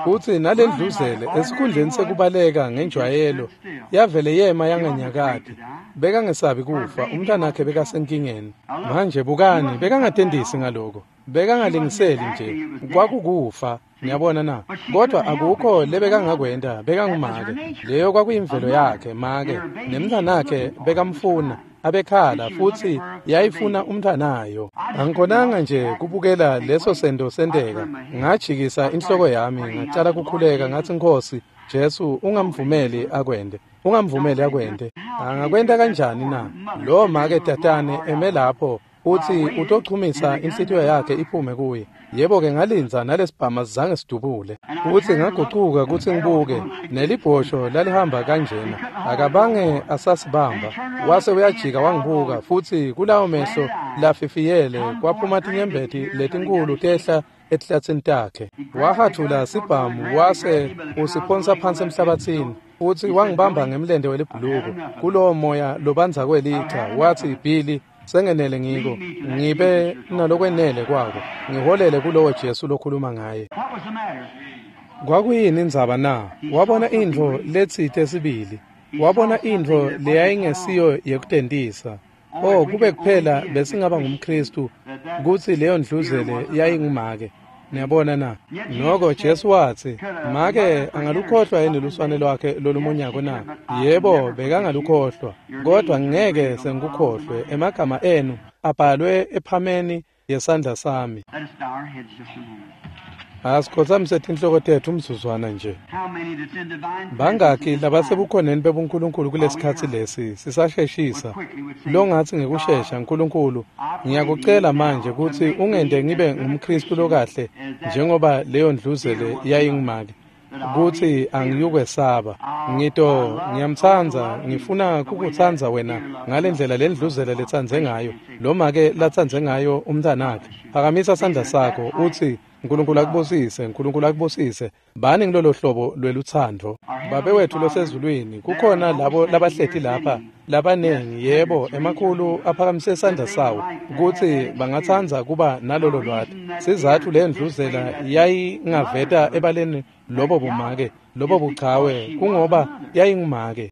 Futsi nalendluzele esikhundleni sekubaleka ngenjwayelo, yavele yema yanganyakati. Bekangesabi kufa, umntanakhe bekasenkingeni. Manje bukani, bekangatendisi ngaloko. Bekangalingiseli nje, kwakukufa, niyabona na? Kodwa akukho lebekangakwenta, bekangumake. Leyo kwakuyimvelo yakhe, make. Nemntanakhe bekamfuna, abekhala futsi yayifuna umntanayo. Angikhonanga nje kubukela leso sento senteka. Ngajikisa inhloko yami, ngacala kukhuleka ngathi, Nkosi Jesu, ungamvumeli akwente. Ungamvumeli akwente. Angakwenta kanjani na? Lo make tatane eme lapho uthi utochumisa inhlitiyo yakhe iphume kuye. Yebo-ke ngalinza nalesibhama zange sidubule. Futsi ngagucuka kutsi ngibuke, nelibhosho lalihamba kanjena. Akabange asasibamba. Wase uyajika wangibuka, futsi kulawo mehlo lafifiyele kwaphuma tinyembeti letinkulu tehla etihlatsini takhe. Wahathula sibhamu wase usiphonsa phansi emhlabathini. Futsi wangibamba ngemlente welibhuluko kulowo moya lobanza kwelicha. Watsi, Billy, sengenele ngiko, ngibe nalokwenele kwako, ngiholele kulowo Jesu lokhuluma ngaye. Kwakuyini indzaba na? Wabona intfo letsite sibili. Wabona intfo leyayingesiyo yekutentisa. Oh, kube kuphela besingaba ngumKhristu kutsi leyo ndluzele yayingumake. Niyabona na? Noko Jesu watsi, make angalukhohlwa yini luswane lwakhe lolumunyako na? Yebo, bekangalukhohlwa, kodwa ngeke sengikukhohlwe. Emagama enu abhalwe ephameni yesandla sami. Asikhotsamise tinhloko tetfu umzuzwana nje. Bangaki labasebukhoneni bebuNkulunkulu kulesikhatsi lesi sisasheshisa, longatsi ngekushesha, Nkulunkulu, ngiyakucela manje kutsi ungente ngibe ngumKhristu lokahle njengoba leyo ndluzele yayingumake, kutsi angiyukwesaba. Ngito ngiyamtsandza, ngifuna kukutsandza wena ngalendlela lendluzele letsandze ngayo, lo make latsandze ngayo umntanakhe. Phakamisa sandla sakho utsi, Nkulunkulu akubusise, Nkulunkulu akubusise. Bani ngilolo hlobo lwelutsandvo. Babe wethu losezulwini, kukhona labo labahleti lapha labanengi, yebo, emakhulu aphakamise sandla sawo kutsi bangatsandza kuba nalolo lwati. Sizatfu lendluzela yayingaveta ebaleni lobo bumake, lobo buchawe, kungoba yayingumake.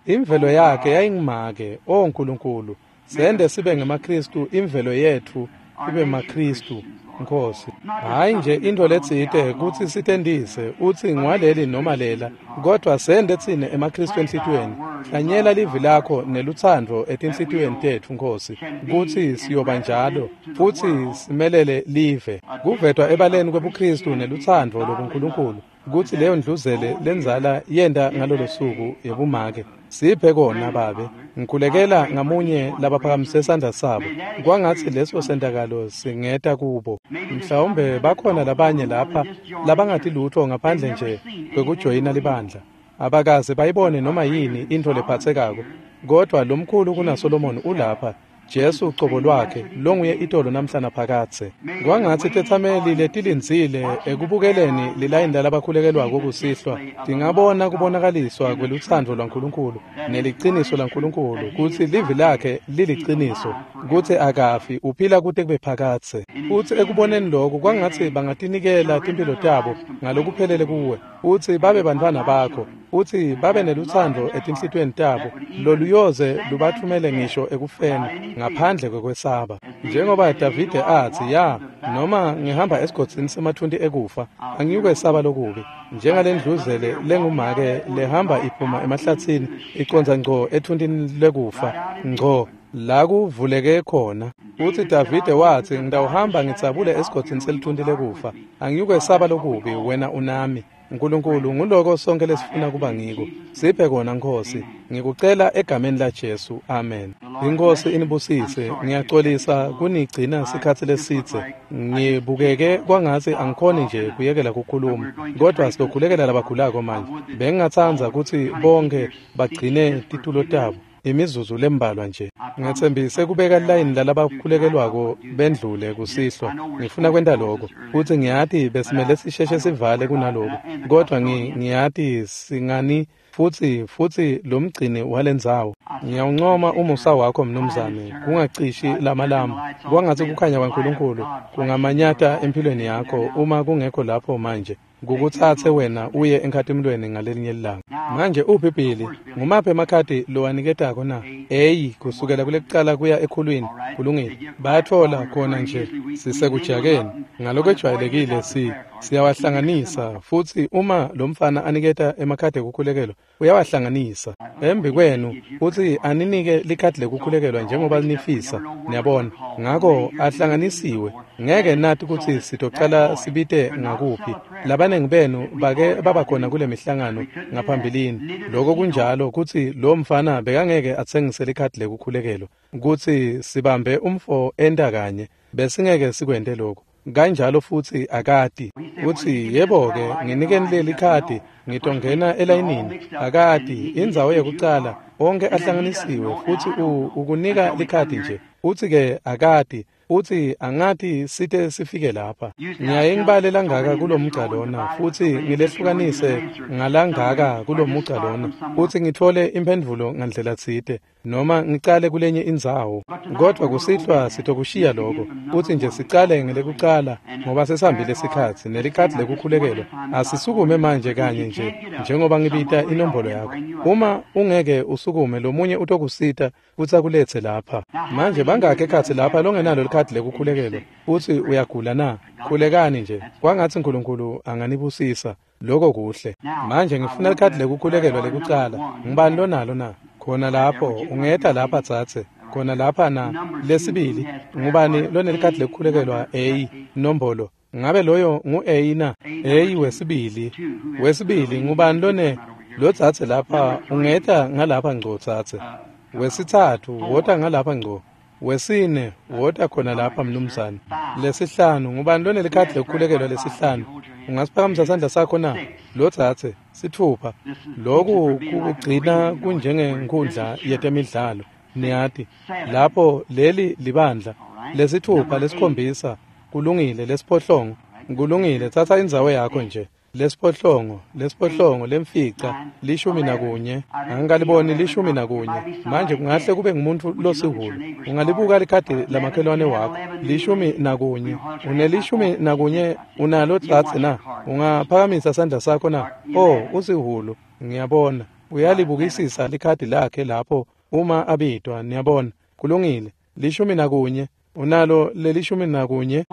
Imvelo yakhe yayingumake. O Nkulunkulu, sende sibe ngemaKhristu, imvelo yetfu ibe maKhristu, Nkosi. Hayi nje intfo letsite kutsi sitendise utsi ngwaleli noma lela, kodwa sende tsine emaKhristu enhlitiyweni. Hlanyela livi lakho nelutsandvo etinhlitiyweni tetfu, Nkosi, kutsi siyoba njalo futsi simelele live. Kuvetwa ebaleni kwebuKhristu nelutsandvo lobuNkulunkulu kutsi leyo ndluzele lendzala yenta ngalolo suku yebumake. Siphe kona, Babe. Ngikhulekela ngamunye labaphakamise sandla sabo, kwangatsi leso sentakalo singeta kubo. Mhlawumbe bakhona labanye lapha labangati lutfo ngaphandle nje kwekujoyina libandla. Abakaze bayibone noma yini intfo lephatsekako, kodwa lomkhulu kunaSolomon ulapha, Jesu cobo lwakhe, longuye itolo namhla naphakadze. Kwangatsi tetsameli letilindzile ekubukeleni lilayini lalabakhulekelwako kusihlwa tingabona kubonakaliswa kwelutsandvo lwaNkulunkulu neliciniso laNkulunkulu, kutsi livi lakhe liliciniso, kutsi akafi, uphila kute kube phakadze. Futsi ekuboneni lokhu, kwangatsi bangatinikela timphilo tabo ngalokuphelele kuwe, futsi babe bantfwana bakho, futsi babe nelutsandvo etinhlitiyweni tabo loluyoze lubatfumele ngisho ekufeni ngaphandle kwekwesaba. Njengoba Davide atsi, ya, noma ngihamba esigodzini semathunti ekufa, angiyukwesaba lokubi. Njengalendluzele lengumake lehamba iphuma emahlatsini icondza ngco ethuntini lekufa, ngco la kuvuleke khona. Futsi Davide watsi, ngitawuhamba ngitsabule esigodzini selithunti lekufa, angiyukwesaba lokubi, wena unami. Nkulunkulu, nguloko sonke lesifuna kuba ngiko. Siphe kona, Nkosi. Ngikucela egameni laJesu. Amen. Inkosi inibusise. Ngiyaxolisa kunigcina sikhatsi lesidze. Ngibukeke kwangatsi angikhoni nje kuyekela kukhuluma, kodwa sizokhulekela labagulako manje. Bengingatsandza kutsi bonke bagcine titulo tabo. Imizuzu lembalwa nje. Ngetsembise kubeka line lalabakhulekelwako bendlule kusihlwa. Ngifuna kwenta lokho. Futsi ngiyati besimele sisheshe sivale kunaloku. Kodwa ngiyati singani futsi futsi lo mgcini walendzawo. Ngiyawuncoma umusa wakho mnumzane, kungacishi lamalamu. Kwangatsi kukhanya kwaNkulunkulu kungamanyata empilweni yakho uma kungekho lapho manje. Kukutsatse wena uye enkhatimulweni ngalelinye ilanga. Manje uphi Billy? Ngumaphi emakhadi lowaniketako na? Eyi, kusukela kulekucala kuya ekhulwini. Kulungile. Bayatfola khona nje sisekujakeni. Ngalokwejwayelekile si siyawahlanganisa futsi uma lo mfana aniketa emakhadi ekukhulekelwa uyawahlanganisa embi kwenu futsi aninike likhadi lekukhulekelwa njengoba nifisa. Niyabona, ngako ahlanganisiwe. Ngeke nathi kutsi sitocala sibite ngakuphi. Labanengi benu bake babakhona kule mihlangano ngaphambilini. Loko kunjalo kutsi lo mfana bekangeke atsengise likhadi lekukhulekelwa kutsi sibambe umfo enta kanye, besingeke sikwente lokho. Kanjalo futsi akati utsi yebo-ke nginikeni leli khadi ngitongena elayinini. Akati indzawo yekucala onke ahlanganisiwe futsi ukunika likhadi nje. Utsi-ke akati utsi angati site sifike lapha. Ngiyaye ngibale langaka kulomugca lona futsi ngilehlukanise ngalangaka kulomugca lona futsi ngitfole imphendvulo ngandlela tsite noma ngicale kulenye indzawo. Kodwa kusihlwa sitokushiya lokho futsi nje sicale ngelekucala ngoba sesihambile sikhatsi nelikhadi lekukhulekelwa. Asisukume manje kanye nje njengoba ngibita inombolo yakho. Uma ungeke usukume lomunye utokusita futsi akuletse lapha. Manje bangakhi ekhatsi lapha longenalo likhadi lekukhulekelwa futsi uyagula na? Khulekani nje kwangatsi Nkulunkulu anganibusisa. Lokho kuhle. Manje ngifuna likhadi lekukhulekelwa lekucala. Ngubani lonalo na? Khona lapho ungeta lapha tsatse. Khona lapha na. Lesibili ngubani lonelikhadi lekukhulekelwa A nombolo? Ngabe loyo ngu A na? A wesibili. Wesibili ngubani lone lotsatse lapha? Ungeta ngalapha ngco tsatse. Wesitsatfu wota ngalapha ngco. Wesine wota khona lapha mnumzane. Lesihlanu ngubani lonelikhadi lekukhulekelwa lesihlanu? Ungasiphakamisa sandla sakho na? Lotsatse. Sitfupha. Loku kukugcina kunjengenkhundla yetemidlalo. Niyati lapho leli libandla. Lesithupha, lesikhombisa, kulungile. Lesiphohlongo, kulungile. Tsatsa indzawo yakho nje. Lesiphohlongo, lesiphohlongo, lemfica, lishumi nakunye. Angikaliboni lishumi nakunye. Manje kungahle kube ngumuntu losihulu. Ungalibuka likhadi lamakhelwane wakho. Lishumi nakunye. Unelishumi nakunye unalo tsatse na? Ungaphakamisa sandla sakho na? Oh, usihulu. Ngiyabona. Uyalibukisisa likhadi lakhe lapho uma abitwa. Niyabona. Kulungile. Lishumi nakunye. Unalo lelishumi nakunye.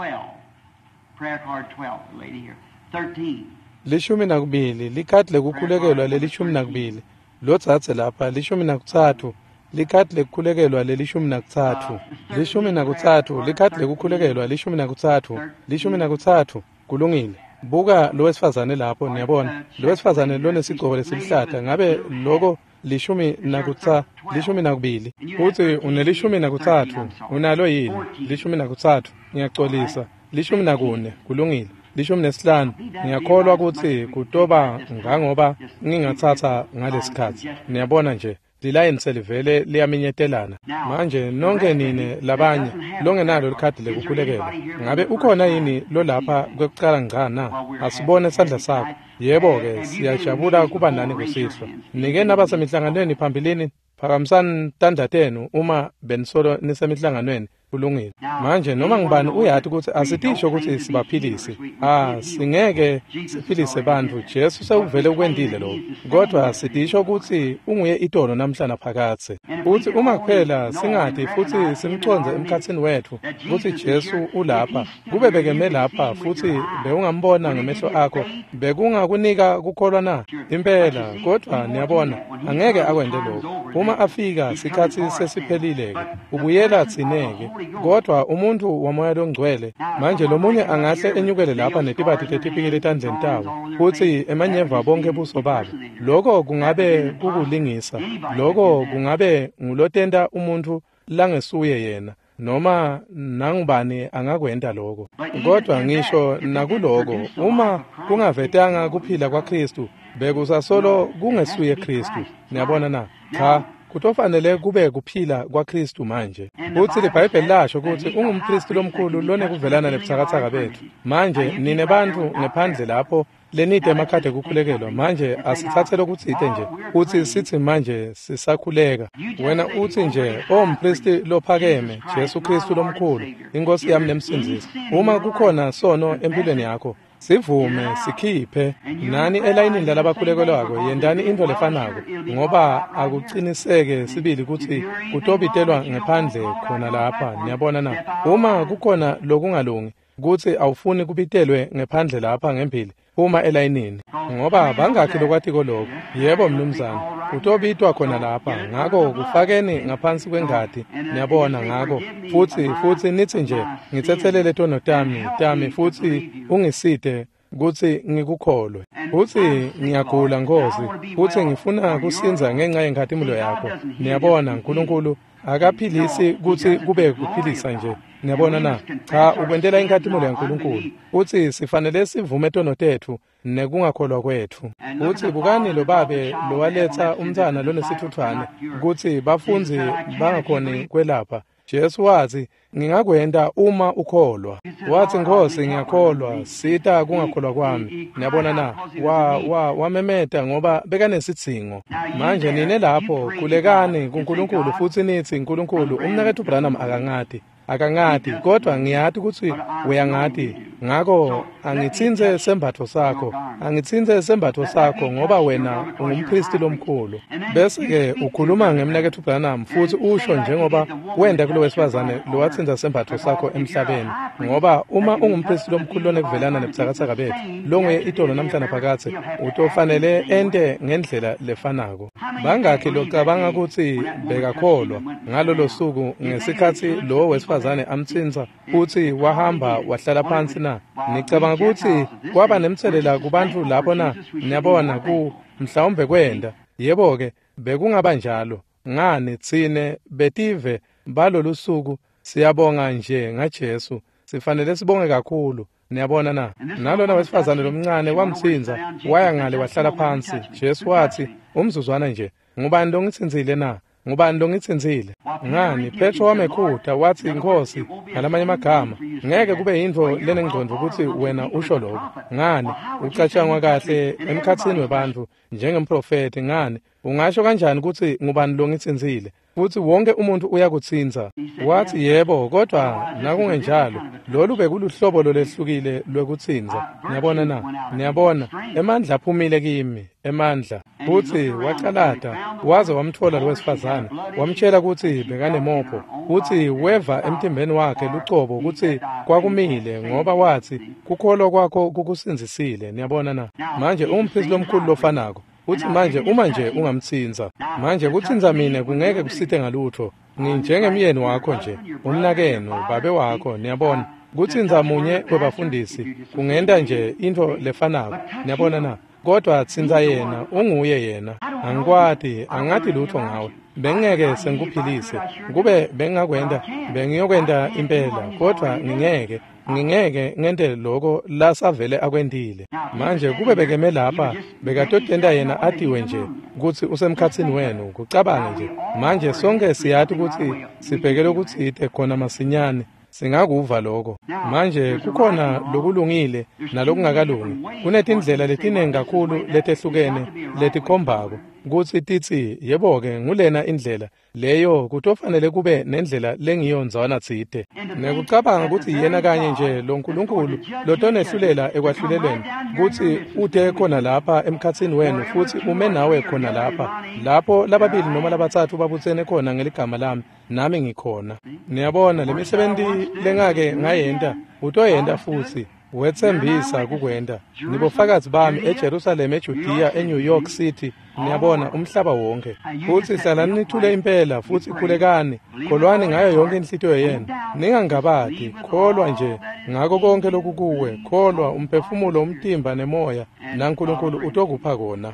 Prayer card twelve, the lady here. thirteen. Lishumi nakubili, likhadi lekukhulekelwa lelishumi nakubili. Lotsatse lapha, lishumi nakutsatfu, likhadi lekukhulekelwa lelishumi nakutsatfu. Lishumi nakutsatfu, likhadi lekukhulekelwa lishumi nakutsatfu, lishumi nakutsatfu. Kulungile. Buka lo wesifazane lapho, niyabona. Lo wesifazane lonesigcobo lesiluhlata, ngabe loko lishumi nakutsa lishumi nakubili. Utsi unelishumi nakutsatfu, unalo yini? Lishumi nakutsatfu, ngiyacolisa. Lishumi nakune, kulungile. Lishumi nesihlanu. Ngiyakholwa kutsi kutoba ngangoba ngingatsatsa ngalesikhatsi. Niyabona nje lilayini selivele liyaminyetelana. Manje nonke nine labanye longenalo likhadi lekukhulekelwa, ngabe ukhona yini lolapha kwekucala ngca na? Asibone sandla sakho. Yebo-ke, siyajabula kuba nani kusihlwa. Nike nabasemihlanganweni phambilini? Phakamisani tandla tenu uma benisolo nisemihlanganweni. Kulungile. Manje noma ngubani uyati kutsi asitisho kutsi sibaphilise. Ah, singeke siphilise bantfu. Jesu sewuvele ukwentile lokho. Kodwa sitisho kutsi unguye itolo namhla naphakadze. Futsi uma kuphela singati futsi simcondze emkhatsini wetfu kutsi Jesu ulapha, kube bekeme lapha futsi bewungambona ngemehlo akho, bekungakunika kukholwa na? Impela. Kodwa niyabona, angeke akwente lokho. Uma afika sikhatsi sesiphelile-ke, ubuyela tsineke. Kodwa umuntu wamoya longcwele manje lomunye angahle enyukele lapha netibati tetipikili etandleni tawo futsi emanyeva bonke buso babo. Loko kungabe kukulingisa. Loko kungabe ngulotenta umuntu langesuye yena. Noma nangubani angakwenta lokho. Kodwa ngisho nakuloko, uma kungavetanga kuphila kwaKristu, bekusasolo kungesuye Kristu. Niyabona na? Cha, Kutofanele kube kuphila kwaKristu manje. Futsi liBhayibheli lasho kutsi ungumpristi lomkhulu lonekuvelana nebutsakatsaka betfu. Manje nine bantfu ngephandle lapho lenide emakhadi ekukhulekelwa, manje asitsatse lokutsite nje kutsi sitsi manje sisakhuleka. Wena utsi nje, "O mpristi lophakeme, Jesu Kristu lomkhulu, iNkosi yami nemsindzisi, uma kukhona sono empilweni yakho, sivume sikhiphe." Nani elayinini lalabakhulekelwako yentani intfo lefanako, ngoba akuciniseke sibili kutsi kutobitelwa ngephandle khona lapha. Niyabona na? Uma kukhona lokungalungi, kutsi awufuni kubitelwe ngephandle lapha ngembili, phuma elayinini, ngoba bangakhi lokwatiko lokho. Yebo mnumzane, utobitwa khona lapha. Ngako kufakeni ngaphansi kwengati, niyabona. Ngako futsi futsi nitsi nje, "Ngitsetselele tono tami tami futsi ungisite kutsi ngikukholwe. Futsi ngiyagula Nkosi, futsi ngifuna kusindza ngenxa yenkhatimulo yakho." Niyabona, uNkulunkulu akaphilisi kutsi kube kuphilisa nje. Niyabona na? Cha, ukwentela inkhatimulo yaNkulunkulu. Futsi sifanele sivume tono tetfu nekungakholwa kwetfu. Futsi bukani lo babe lowaletsa umntfwana lonesitfutfwane kutsi bafundzi bangakhoni kwelapha. Jesu watsi, "Ngingakwenta uma ukholwa." Watsi, "Nkosi, ngiyakholwa, sita kungakholwa kwami." Niyabona na? Wa wa wamemeta ngoba bekanesidzingo. Manje nine lapho khulekani kuNkulunkulu futsi nitsi, "Nkulunkulu, umnaketfu Branham akangati. Akangati, kodwa ngiyati kutsi uyangati. Ngako angitsintse sembatfo sakho. Angitsintse sembatfo sakho ngoba wena ungumpristi lomkhulu." Bese-ke ukhuluma ngemnaketfu Branham futsi usho njengoba wenta kulo wesifazane lowatsintsa sembatfo sakho emhlabeni. Ngoba uma ungumpristi lomkhulu lonekuvelana nebutsakatsaka betfu, longuye itolo namhla naphakadze, utofanele ente ngendlela lefanako. Bangakhi locabanga kutsi bekakholwa ngalolo suku ngesikhatsi lowo wesifazane amtsintsa futsi wahamba wahlala phansi na? Nicabanga kutsi kwaba nemtselela kubantfu lapho na? Niyabona, ku mhlawumbe kwenta. Yebo-ke, bekungaba njalo. Ngani tsine betive balolu suku siyabonga nje ngaJesu. Sifanele sibonge kakhulu. Niyabona na? Nalona wesifazane lomncane wamtsintsa, waya ngale wahlala phansi. Jesu watsi, "Umzuzwana nje, ngubani longitsintsile na? Ngubani longitsintsile?" Ngani, Petro wamekhuta watsi, "Nkosi," ngalamanye amagama, "ngeke kube yintfo lenengcondvo kutsi wena usho lokho. Ngani, ucatshangwa kahle emkhatsini webantfu njengemprofethi. Ngani, ungasho kanjani kutsi ngubani longitsintsile? Futsi wonke umuntu uyakutsintsa." Watsi, "Yebo, kodwa nakungenjalo, lolu bekuluhlobo lolwehlukile lwekutsintsa." Niyabona na? Niyabona, emandla aphumile kimi, emandla. Futsi wacalata waze wamtfola lo wesifazane, wamtshela kutsi bekanemopho, futsi weva emtimbeni wakhe lucobo kutsi kwakumile, ngoba watsi, "Kukholwa kwakho kukusindzisile." Niyabona na? Manje ungumpristi lomkhulu lofanako. Futsi manje uma nje ungamtsintsa, manje kutsintsa mine kungeke kusite ngalutfo. Nginjengemyeni wakho nje, umnakenu, babe wakho, niyabona. Kutsintsa munye webafundisi kungenta nje intfo lefanako. Niyabona na? Kodwa tsintsa yena, unguye yena. Angikwati, angati lutfo ngawe. Bengingeke sengikuphilise. Kube bengingakwenta, bengiyokwenta impela, kodwa ngingeke. Ngingeke ngente loko lasavele akwentile. Manje kube bekeme lapha, bekatotenta yena atiwe nje kutsi usemkhatsini wenu, kucabange nje. Manje sonke siyati kutsi sibheke lokutsite khona masinyane. Singakuva lokho. Manje kukhona lokulungile nalokungakalungi. Kunetindlela letinengi kakhulu letehlukene letikhombako kutsi titsi, "Yebo-ke, ngulena indlela leyo." Kutofanele kube nendlela lengiyo ndzawana tsite. Nekucabanga kutsi yena kanye nje lo Nkulunkulu lotonehlulela ekwahlulelweni, kutsi ute khona lapha emkhatsini wenu futsi ume nawe khona lapha, lapho lababili noma labatsatfu babutsene khona ngeligama lami, nami ngikhona. Niyabona, lemisebenti lengake ngayenta utoyenta futsi. Wetsembisa kukwenta. Nibofakazi bami eJerusalem, eJudea, eNew York City, niyabona, umhlaba wonke. Futsi hlalani nithule impela futsi khulekani, kholwani ngayo yonke inhlitiyo yenu. Ningangabati, kholwa nje ngako konke lokukuwe, kholwa umphefumulo, umtimba nemoya, naNkulunkulu utokupha kona.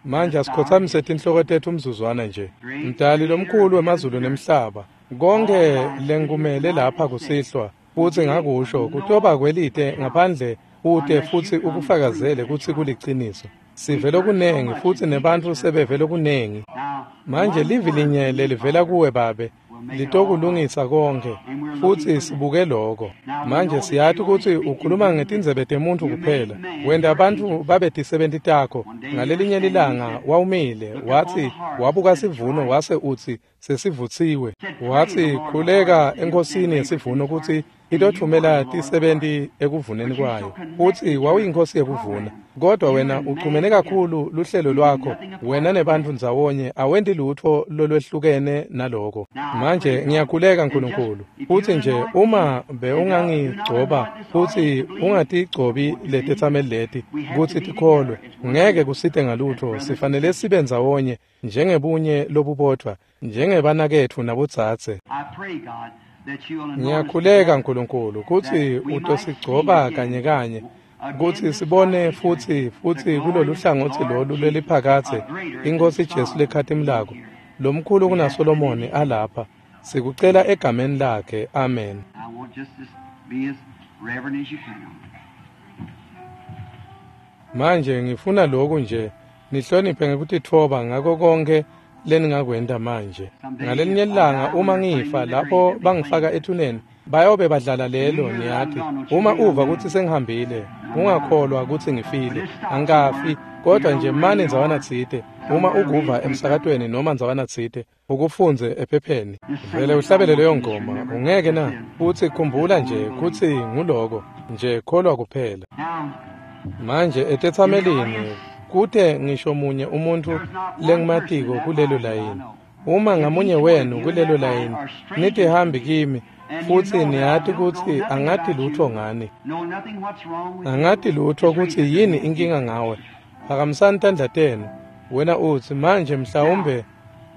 Manje asikhotsamise tinhloko tetfu umzuzwana nje. Mdali lomkhulu wemazulu nemhlaba, konke lengikumele lapha kusihlwa, futsi ngakusho kutoba kwelite ngaphandle ute futsi ukufakazele kutsi kuliciniso. Sive lokunengi futsi nebantfu sebeve lokunengi. Manje livi linye lelivela kuwe Babe litokulungisa konke, futsi sibuke lokho. Manje siyati kutsi ukhuluma ngetindzebe temuntfu kuphela. Wenta bantfu babe tisebenti takho. Ngalelinye lilanga wawumile, watsi wabuka sivuno wase utsi sesivutsiwe. Watsi khuleka enkosini yesivuno kutsi itotfumela tisebenti ekuvuneni kwayo. Futsi wawuyinkosi yekuvuna, kodwa wena uchumene kakhulu luhlelo lwakho, wena nebantfu ndzawonye awenti lutfo lolwehlukene naloko. Manje ngiyakhuleka Nkulunkulu, futsi nje uma bewungangigcoba futsi ungatigcobi letetsameli leti kutsi tikholwe, ngeke kusite ngalutfo. Sifanele sibe ndzawonye njengebunye lobubodvwa, njengebanaketfu nabodzadze. Ngiyakhuleka Nkulunkulu kutsi utosigcoba kanye kanye, kutsi sibone futsi futsi kulolu hlangotsi lolu leliphakadze iNkhosi Jesu lekhatimulako, lomkhulu kunaSolomoni alapha. Sikucela egameni lakhe, amen. Manje ngifuna lokhu nje nihloniphe ngekutitfoba ngako konke leningakwenta manje. Ngalelinye ilanga uma ngifa, lapho bangifaka ethuneni, bayobe badlala lelo, niyati. Uma uva kutsi sengihambile, ungakholwa kutsi ngifile. Angikafi, kodwa nje mane ndzawana tsite. Uma ukuva emsakatweni noma ndzawana tsite, ukufundze ephepheni. Vele uhlabele leyo ngoma, ungeke na? Futsi khumbula nje kutsi nguloko, nje kholwa kuphela. Manje etetsamelini kute ngisho munye umuntfu lengimatiko kulelo layini. Uma ngamunye wenu kulelo layini nitihambi kimi, futsi niyati kutsi angati lutfo ngani, angati lutfo kutsi yini inkinga ngawe, phakamisani tandla tenu. Wena utsi manje mhlawumbe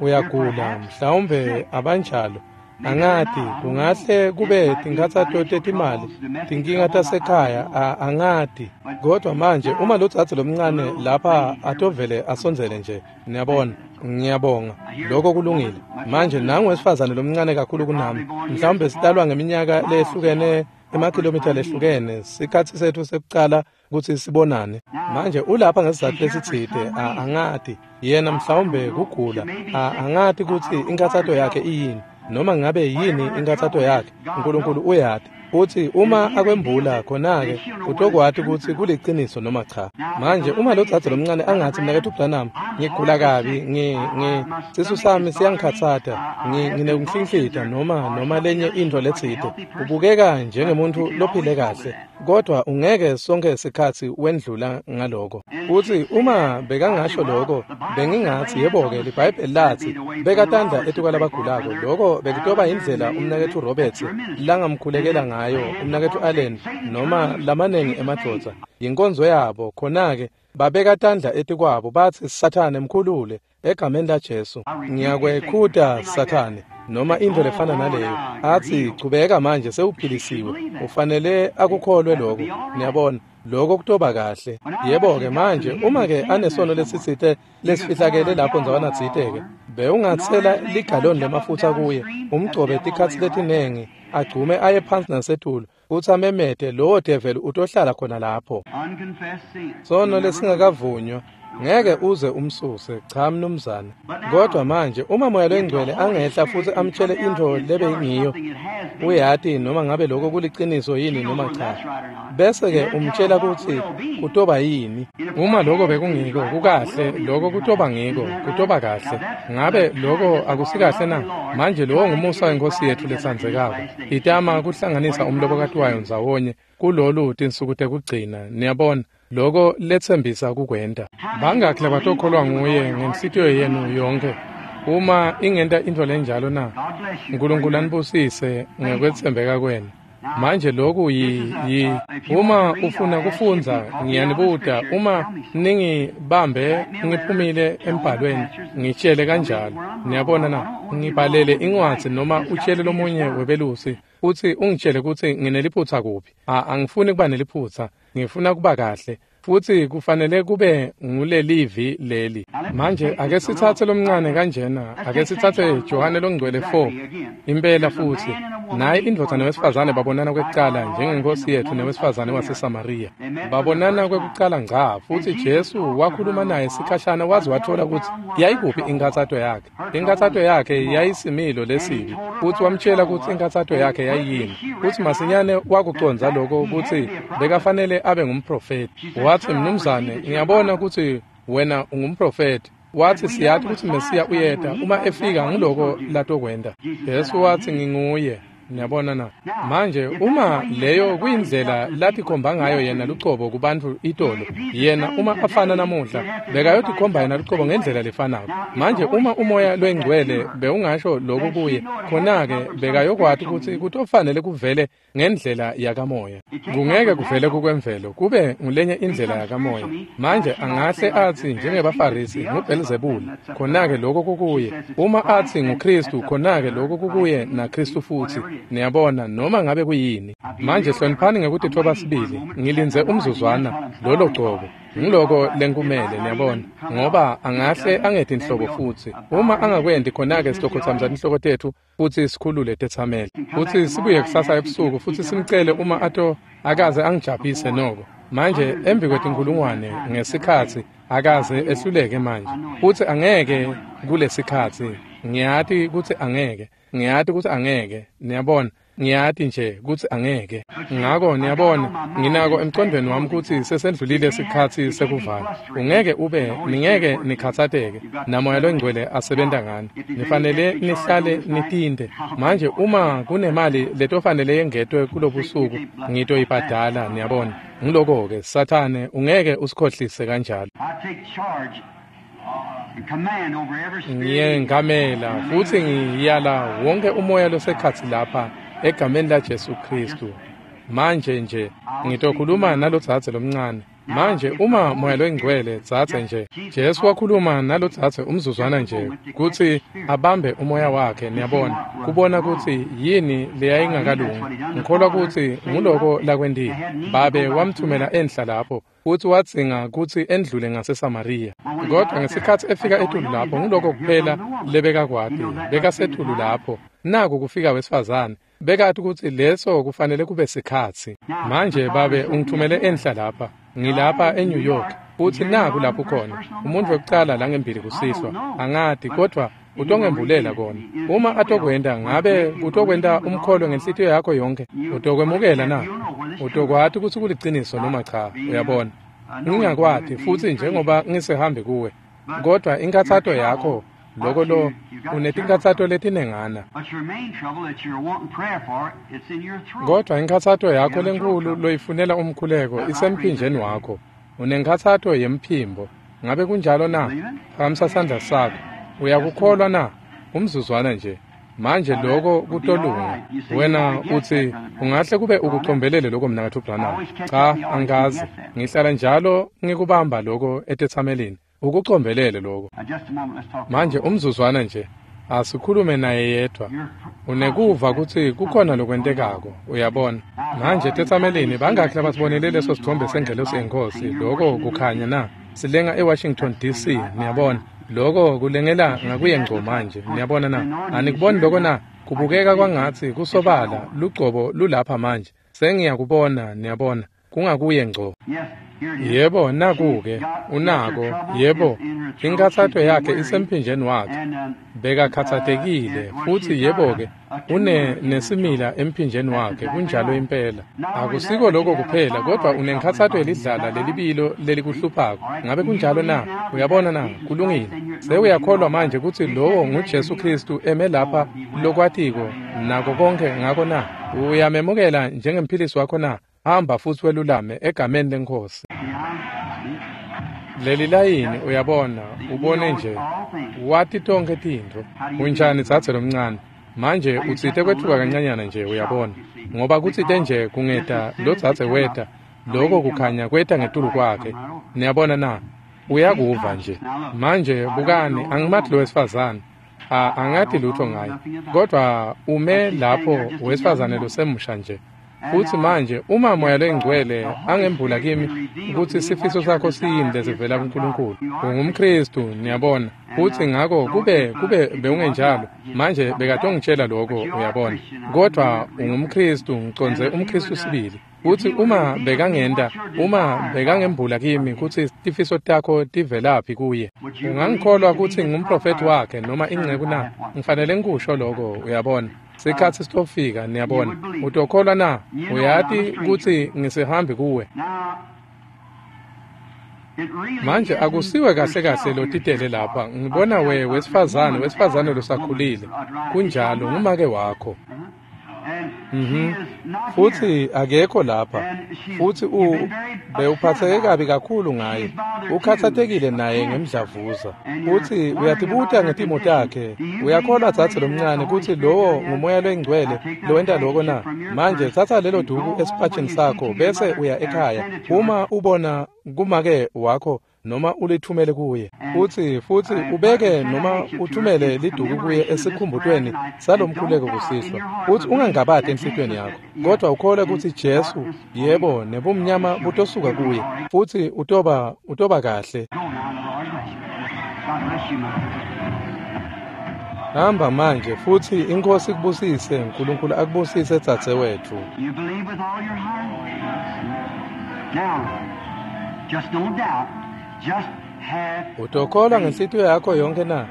uyagula, mhlawumbe abanjalo, angati, kungahle kube tinkhatsato tetimali, tinkinga tasekhaya, angati. Kodwa manje uma lodzadze lomncane lapha atovele asondzele nje, niyabona, ngiyabonga, lokho kulungile. Manje nangu wesifazane lomncane kakhulu kunami, mhlawumbe sitalwa ngeminyaka lehlukene, emakhilomitha lehlukene, sikhatsi setfu sekucala kutsi sibonane. Manje ulapha ngesizatfu lesitsite, angati, yena mhlawumbe kugula, angati kutsi inkhatsato yakhe iyini, noma ngabe yini inkhatsato yakhe, Nkulunkulu uyati. Futsi uma akwembula khona-ke utokwati kutsi kuliciniso noma cha. Manje uma lodzadze lomncane angatsi, mnaketfu Branham, ngigula kabi, ngi ngi sisu sami siyangikhatsata, nginekunhlinhlita noma noma lenye intfo letsite, ubukeka njengemuntfu lophile kahle, kodwa ungeke sonke sikhatsi wendlula ngaloko. Futsi uma bekangasho lokho, bengingatsi yebo-ke liBhayibheli latsi beka tandla etikwalabagulako, lokho bekutoba indlela umnaketfu Roberts langamkhulekela ngayo, umnaketfu Allen noma lamanengi emadvodza, yinkonzo yabo. Khona-ke babeka tandla etikwabo batsi, Sathane mkhulule egameni laJesu, ngiyakwekhuta Sathane, noma intfo lefana naleyo. Atsi chubeka manje, sewuphilisiwe, ufanele akukholwe lokho. Niyabona, lokho kutoba kahle. Yebo-ke manje uma-ke anesono lesitsite lesifihlakele lapho ndzawana tsite-ke, bewungatsela ligaloni lemafutsa kuye, umgcobe tikhatsi letinengi, agcume aye phansi nasetulu, futsi amemete, lowo develi utohlala khona lapho. Sono lesingakavunywa ngeke uze umsuse, cha mnumzane. Kodwa manje uma Moya loNgcwele angehla futsi amtshele intfo lebeyingiyo, uyati noma ngabe lokho kuliciniso yini noma cha, bese-ke umtshela kutsi kutoba yini. Uma lokho bekungiko, kukahle, lokho kutoba ngiko, kutoba kahle. Ngabe lokho akusikahle na? Manje lowo ngumusa weNkhosi yetfu letsandzekako, itama kuhlanganisa umlobokati wayo ndzawonye kulolu tinsuku tekugcina, niyabona, lokho letsembisa kukwenta. Bangakhi labatokholwa nguye ngenhlitiyo yenu yonke uma ingenta intfo lenjalo na? Nkulunkulu anibusise ngekwetsembeka kwenu. Manje lokhu yi, yi uma ufuna kufundza, ngiyanibuta, uma ningibambe ngiphumile embhalweni, ngitshele kanjalo. Niyabona na? Ngibhalele incwadzi noma utshele lomunye webelusi futsi ungitshele kutsi ngineliphutsa kuphi. Angifuni kuba neliphutsa, ngifuna kuba kahle. Futsi kufanele kube ngulelivi leli. Manje ake sitsatse lomncane kanjena, ake sitsatse Johane longcwele four impela futsi. Naye indvodza newesifazane babonana kwekucala njengenkosi yethu newesifazane waseSamariya. Babonana kwekucala ngca, futsi Jesu wakhuluma naye sikhashana waze wathola kutsi yayikuphi inkhatsato yakhe. Inkhatsato yakhe yayisimilo lesibi, futsi wamtshela kutsi inkhatsato yakhe yayiyini. Futsi masinyane wakucondza lokho kutsi bekafanele abe ngumprofeti. Wathi, mnumzane, ngiyabona kutsi wena ungumprofeti. Wathi, siyathi kutsi Mesiya uyeta, uma efika ngiloko latokwenta. Jesu wathi, nginguye. Niyabona na? Manje uma leyo kuyindlela latikhomba ngayo yena lucobo kubantfu itolo, yena uma afana namuhla bekayotikhomba yena lucobo ngendlela lefanako. Manje uma umoya lwengcwele bewungasho lokhu kuye, khona-ke bekayokwati kutsi kutofanele kuvele ngendlela yakamoya. Kungeke kuvele kukwemvelo, kube ngulenye indlela yakamoya. Manje angahle atsi njengebaFarisi nguBhelzebule, khona-ke lokho kukuye. Uma atsi nguKhristu, khona-ke lokho kukuye naKhristu futsi. Niyabona, noma ngabe kuyini. Manje hloniphani ngekutitfoba sibili. Ngilindze umzuzwana lolo gcobo. Ngiloko lenkumele, niyabona, ngoba angahle angeti inhlobo futsi. Uma angakwenti, khona-ke sitokhotsamisa tinhloko tetfu futsi sikhulule tetsameli. Futsi sibuye kusasa ebusuku futsi simcele uma ato akaze angijabhise noko. Manje embi kwetinkhulungwane ngesikhatsi akaze ehluleke manje. Futsi angeke kulesikhatsi. Ngiyati kutsi angeke. Ngiyati kutsi angeke, niyabona, ngiyati nje kutsi angeke. Ngako niyabona, nginako emcondvweni wami kutsi sesendlulile sikhatsi sekuvala. Ungeke ube, ningeke nikhatsateke, namoya longcwele asebenta ngani. Nifanele nihlale nitinte. Manje uma kunemali letofanele yengetwe kulobusuku, ngitoyibhadala, niyabona. Ngiloko-ke, Sathane, ungeke usikhohlise kanjalo. Ngiyengamela futsi ngiyala wonke umoya losekhatsi lapha egameni laJesu Khristu. Manje nje ngitokhuluma nalodzadze lomncane. Manje uma moya longcwele dzadze nje, Jesu wakhuluma nalodzadze umzuzwana nje kutsi abambe umoya wakhe, niyabona, kubona kutsi yini leyayingakalungi. Ngikholwa kutsi nguloko lakwentile. Babe wamthumela enhla lapho futsi wadzinga kutsi endlule ngaseSamariya. Kodwa ngesikhatsi efika etulu lapho, nguloko kuphela lebekakwati, bekasetulu lapho. Naku kufika wesifazane, bekati kutsi leso kufanele kube sikhatsi. Manje babe ungithumele enhla lapha. Ngilapha eNew York, futsi naku lapho khona umuntu wekucala langembili kusihlwa. Angati, kodwa utongembulela kona. Uma atokwenta, ngabe kutokwenta umkholo ngenhlitiyo yakho yonke? Utokwemukela na? Utokwati kutsi kuliciniso noma cha? Uyabona, ngingakwati futsi njengoba ngisehambi kuwe, kodwa inkhatsato yakho loko lo unetinkhatsato letinengana. Kodwa inkhatsato yakho lenkulu loyifunela umkhuleko isemphinjeni wakho. Unenkhatsato yemphimbo. Ngabe kunjalo na? Phakamisa sandla sakho. Uyakukholwa na? Umzuzwana nje. Manje lokho kutolunga. Wena utsi ungahle kube ukucombelele lokho mnakatfu Branham. Cha, angazi. Ngihlala njalo ngikubamba lokho etetsamelini. Ukucombelele lokho. Manje umzuzwana nje, asikhulume naye yedwa. Unekuva kutsi kukhona lokwentekako, uyabona. Manje tetsamelini bangakhi labasibonele leso sithombe sengelosi yenkosi, lokho kukhanya na? Silenga eWashington D C, niyabona. Lokho kulengela ngakuye ngco manje, niyabona na? Anikuboni lokho na? Kubukeka kwangatsi kusobala lugcobo lulapha manje. Sengiyakubona, niyabona. Kungakuye ngco. Yebo, naku-ke, unako, yebo, inkhatsato yakhe isemphinjeni wakhe. Bekakhatsatekile, futsi yebo-ke, une nesimila emphinjeni wakhe, kunjalo impela. Akusiko lokho kuphela, kodwa unenkhatsato yelidlala lelibilo lelikuhluphako. Ngabe kunjalo na? Uyabona na? Kulungile. Sewuyakholwa manje kutsi lowo nguJesu Khristu eme lapha lokwatiko nako konke ngako na? Uyamemukela njengemphilisi wakho na? Hamba futsi welulame egameni leNkhosi. Leli layini, uyabona, ubone nje, wati tonkhe tintfo. Unjani dzadze lomncane? Manje utsite kwetfuka kancanyana nje, uyabona, ngoba kutsite nje kungeta lo dzadze weta, loko kukhanya kweta ngetulu kwakhe. Niyabona na? Uyakuva nje. Manje bukani, angimathi lo wesifazane. A angati lutho ngaye. Kodwa ume lapho wesifazane losemusha nje. Futsi manje uma Moya loyiNgcwele angembula kimi kutsi sifiso sakho siyini lesivela kuNkulunkulu, ungumKhristu, niyabona. Futsi ngako kube kube bewungenjalo, manje bekatongitshela lokho, uyabona. Kodwa ungumKhristu, ngicondze umKhristu sibili. Futsi uma bekangenta, uma bekangembula kimi kutsi tifiso takho tivelaphi kuye, ungangikholwa kutsi ngumprofethi wakhe noma inceku na? Ngifanele ngikusho lokho, uyabona. Sikhatsi sitofika, niyabona. Utokholwa na? Uyati kutsi ngisihambi kuwe. Manje akusiwe kahle kahle lotitele lapha. Ngibona we wesifazane, wesifazane losakhulile. Kunjalo, ngumake wakho. Mhm. Futsi akekho lapha. Futsi u bewuphatheke kabi kakhulu ngaye. Ukhathatekile naye ngemdlavuza. Futsi uyatibuta ngetimo takhe. Uyakholwa dzadze lomncane kutsi lowo nguMoya loyiNgcwele lowenta lokho na? Manje tsatsa lelo duku esipatshini sakho bese uya ekhaya. Uma ubona kumake wakho noma ulithumele kuye, futsi futsi ubeke noma uthumele liduku kuye esikhumbutweni salomkhuleko kusihlwa, futsi ungangabati enhlitiyweni yakho, kodwa ukholwe kutsi Jesu, yebo, nebumnyama butosuka kuye, futsi utoba utoba kahle. Hamba manje, futsi iNkhosi ikubusise, uNkulunkulu akubusise dzadzewetfu. You believe with all your heart? Now, just don't doubt. Just have Utokholwa ngenhlitiyo yakho yonke na?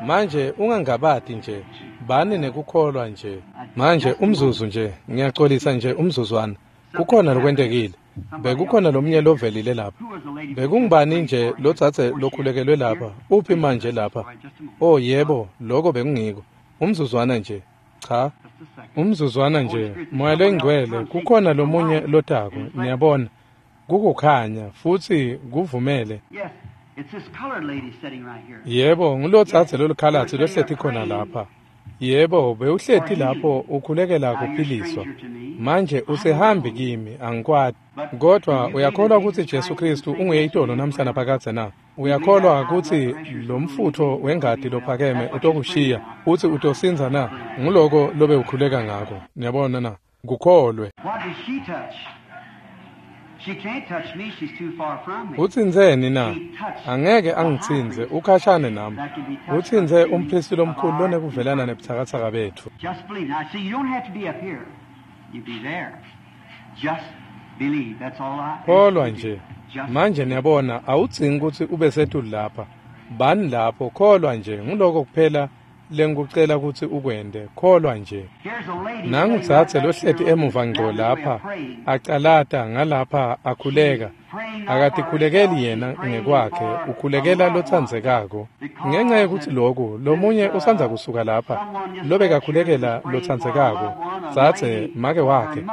Manje ungangabati nje, bani nekukholwa nje. Manje umzuzu nje, ngiyaxolisa nje umzuzwana. Kukhona lokwentekile. Bekukhona lomunye lovelile lapha. Bekungubani nje lodzadze lokhulekelwe lapha? Uphi manje lapha? Oh yebo, lokho bekungiko. Umzuzwana nje. Cha. Umzuzwana nje. Moya loyiNgcwele, kukhona lomunye lotako, niyabona. Kukukhanya futsi kuvumele. Yes, it's this colored lady sitting right here. Yebo, ngulodzadze lolukhalatsi lohleti khona lapha. Yebo, bewuhleti lapho ukhulekela kuphiliswa. Manje usehambi kimi, angikwati. Kodwa uyakholwa kutsi Jesu Kristu unguye itolo namhla naphakadze na? Uyakholwa kutsi lo mfutfo wengati lophakeme utokushiya futsi utosindza na? Nguloko lobe ukhuleka ngako. Niyabona na? Kukholwe. What did she touch? She can't touch me, she's too far from me. Utsintseni na? Angeke angitsintse, ukhashane nami. Utsintse umphristi lomkhulu lonekuvelana nebutsakatsaka betfu. Just believe. Now, see, you don't have to be up here. You be there. Just believe. That's all I ask Kholwa you to do. nje. Just Manje niyabona, awudzingi kutsi ube setulu lapha. Bani lapho, kholwa nje. Nguloko kuphela lengikucela kutsi ukwente. Kholwa nje. Here's a lady Nangu sitting right dzadze back lohleti here emuva ngco down the way lapha, of praying. acalata ngalapha akhuleka. Akatikhulekeli yena ngekwakhe, ukhulekela lotsandzekako. Ngenxa yekutsi loku, lomunye usandza kusuka lapha, lobekakhulekela lotsandzekako, dzadze make wakhe.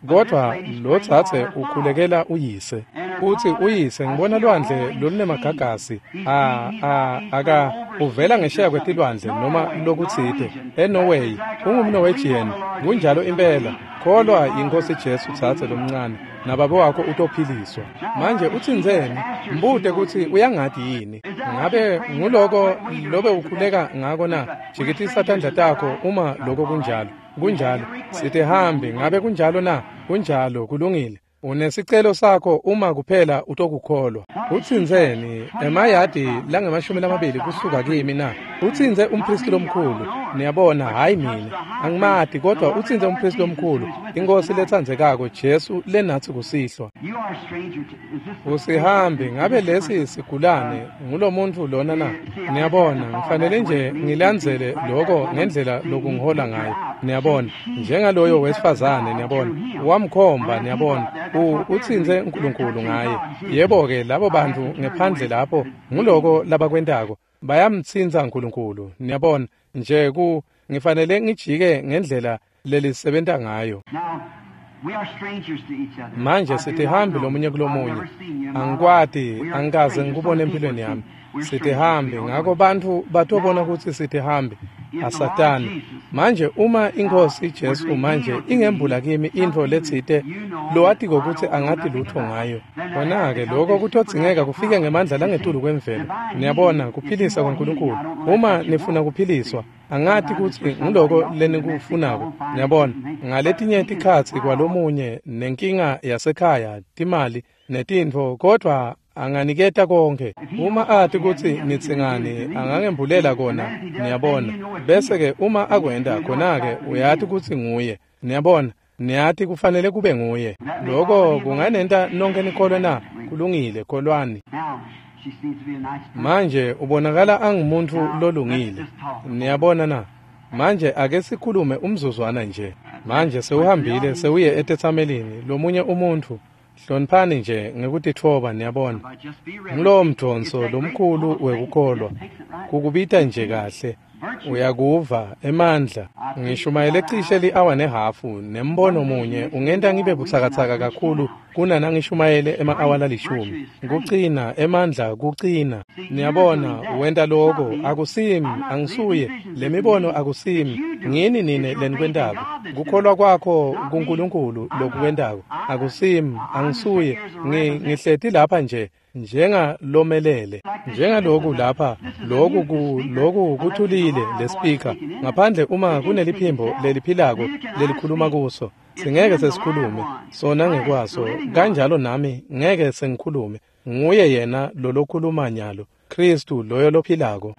Kodwa lo dzadze ukhulekela uyise. Utsi uyise ngibona lwandle lolunemagagasi, a a aka uvela ngesheya kwetilwandle noma lokutsite eNorway, ungumNorwegian, kunjalo impela. Kholwa yiNkhosi Jesu dzadze lomncane, nababe wakho utophiliswa. Manje utsintseni? Mbute kutsi uyangati yini. Ngabe nguloko lobe ukhuleka ngako na? Jikitisa tandla takho uma lokho kunjalo. Kunjalo. Sitihambi, ngabe kunjalo na? Kunjalo, kulungile. Unesicelo sakho uma kuphela utokukholwa. Utsintseni emayadi langemashumi lamabili kusuka kimi na? Utsintse umphristi lomkhulu. Niyabona, hayi mina. Angimati, kodwa utsintse umphristi lomkhulu, iNkhosi letsandzekako Jesu lenatsi kusihlwa. You are a stranger to, is this the Usihambi, ngabe lesi sigulane ngulomuntfu lona na? Niyabona, ngifanele nje ngilandzele lokho ngendlela lokungihola ngayo. Niyabona, njengaloyo wesifazane, niyabona, wamkhomba, niyabona, u utsintse uNkulunkulu ngaye. Yebo-ke, labo bantfu ngephandle lapho, nguloko labakwentako. Bayamtsintsa uNkulunkulu, niyabona, nje ku ngifanele ngijike ngendlela lelisebenta ngayo. Now, we are strangers to each other. Manje I do sitihambi not know lomunye you. I've kulomunye. never seen you in my Angikwati, life. We are angikaze strangers. ngikubone Some people empilweni yami. see we're strangers. Sitihambi, We don't ngakho know. bantfu batobona kutsi sitihambi. Asatani. Manje uma iNkhosi Jesu manje ingembula kimi intfo letsite lowatiko kutsi angati lutfo ngayo. Kona-ke lokho kutodzingeka kufike ngemandla langetulu kwemvelo. Niyabona, kuphilisa kwaNkulunkulu. Uma nifuna kuphiliswa, Angati kutsi nguloko lenikufunako, niyabona. Ngaletinye tikhatsi kwalomunye nenkinga yasekhaya, timali netintfo, kodvwa anganiketa konke. Uma ati kutsi nitsingani, angangembulela kona, niyabona. Bese-ke uma akwenta khona-ke uyati kutsi nguye, niyabona. Niyati kufanele kube nguye. Loko kunganenta nonke nikholwe na? Kulungile, kholwani. Manje ubonakala angumuntu lolungile. Niyabona na? Manje ake sikhulume umzuzwana nje. Manje sewuhambile sewuye etetsamelini lomunye umuntu. Hloniphani nje ngekutitfoba, niyabona. Ngulowo mdvonso lomkhulu wekukholwa. Kukubita nje kahle. Uyakuva emandla. Ngishumayele cishe li-awa nehhafu nembono munye ungenta ngibe butsakatsaka kakhulu kunanangishumayele ema-awa lalishumi. Kucina emandla, kucina. Niyabona, wenta loko akusimi, angisuye. Lemibono akusimi, ngini nine lenikwentako. Kukholwa kwakho kuNkulunkulu lokukwentako akusimi, angisuye. Ngihleti lapha nje njengalomelele, njengaloku lapha, loku ku loku kuthulile le speaker, ngaphandle uma kuneliphimbo leliphilako lelikhuluma kuso, singeke sesikhulume sona ngekwaso, kanjalo nami ngeke sengikhulume. Nguye yena lolokhuluma nyalo, Kristu loyo lophilako.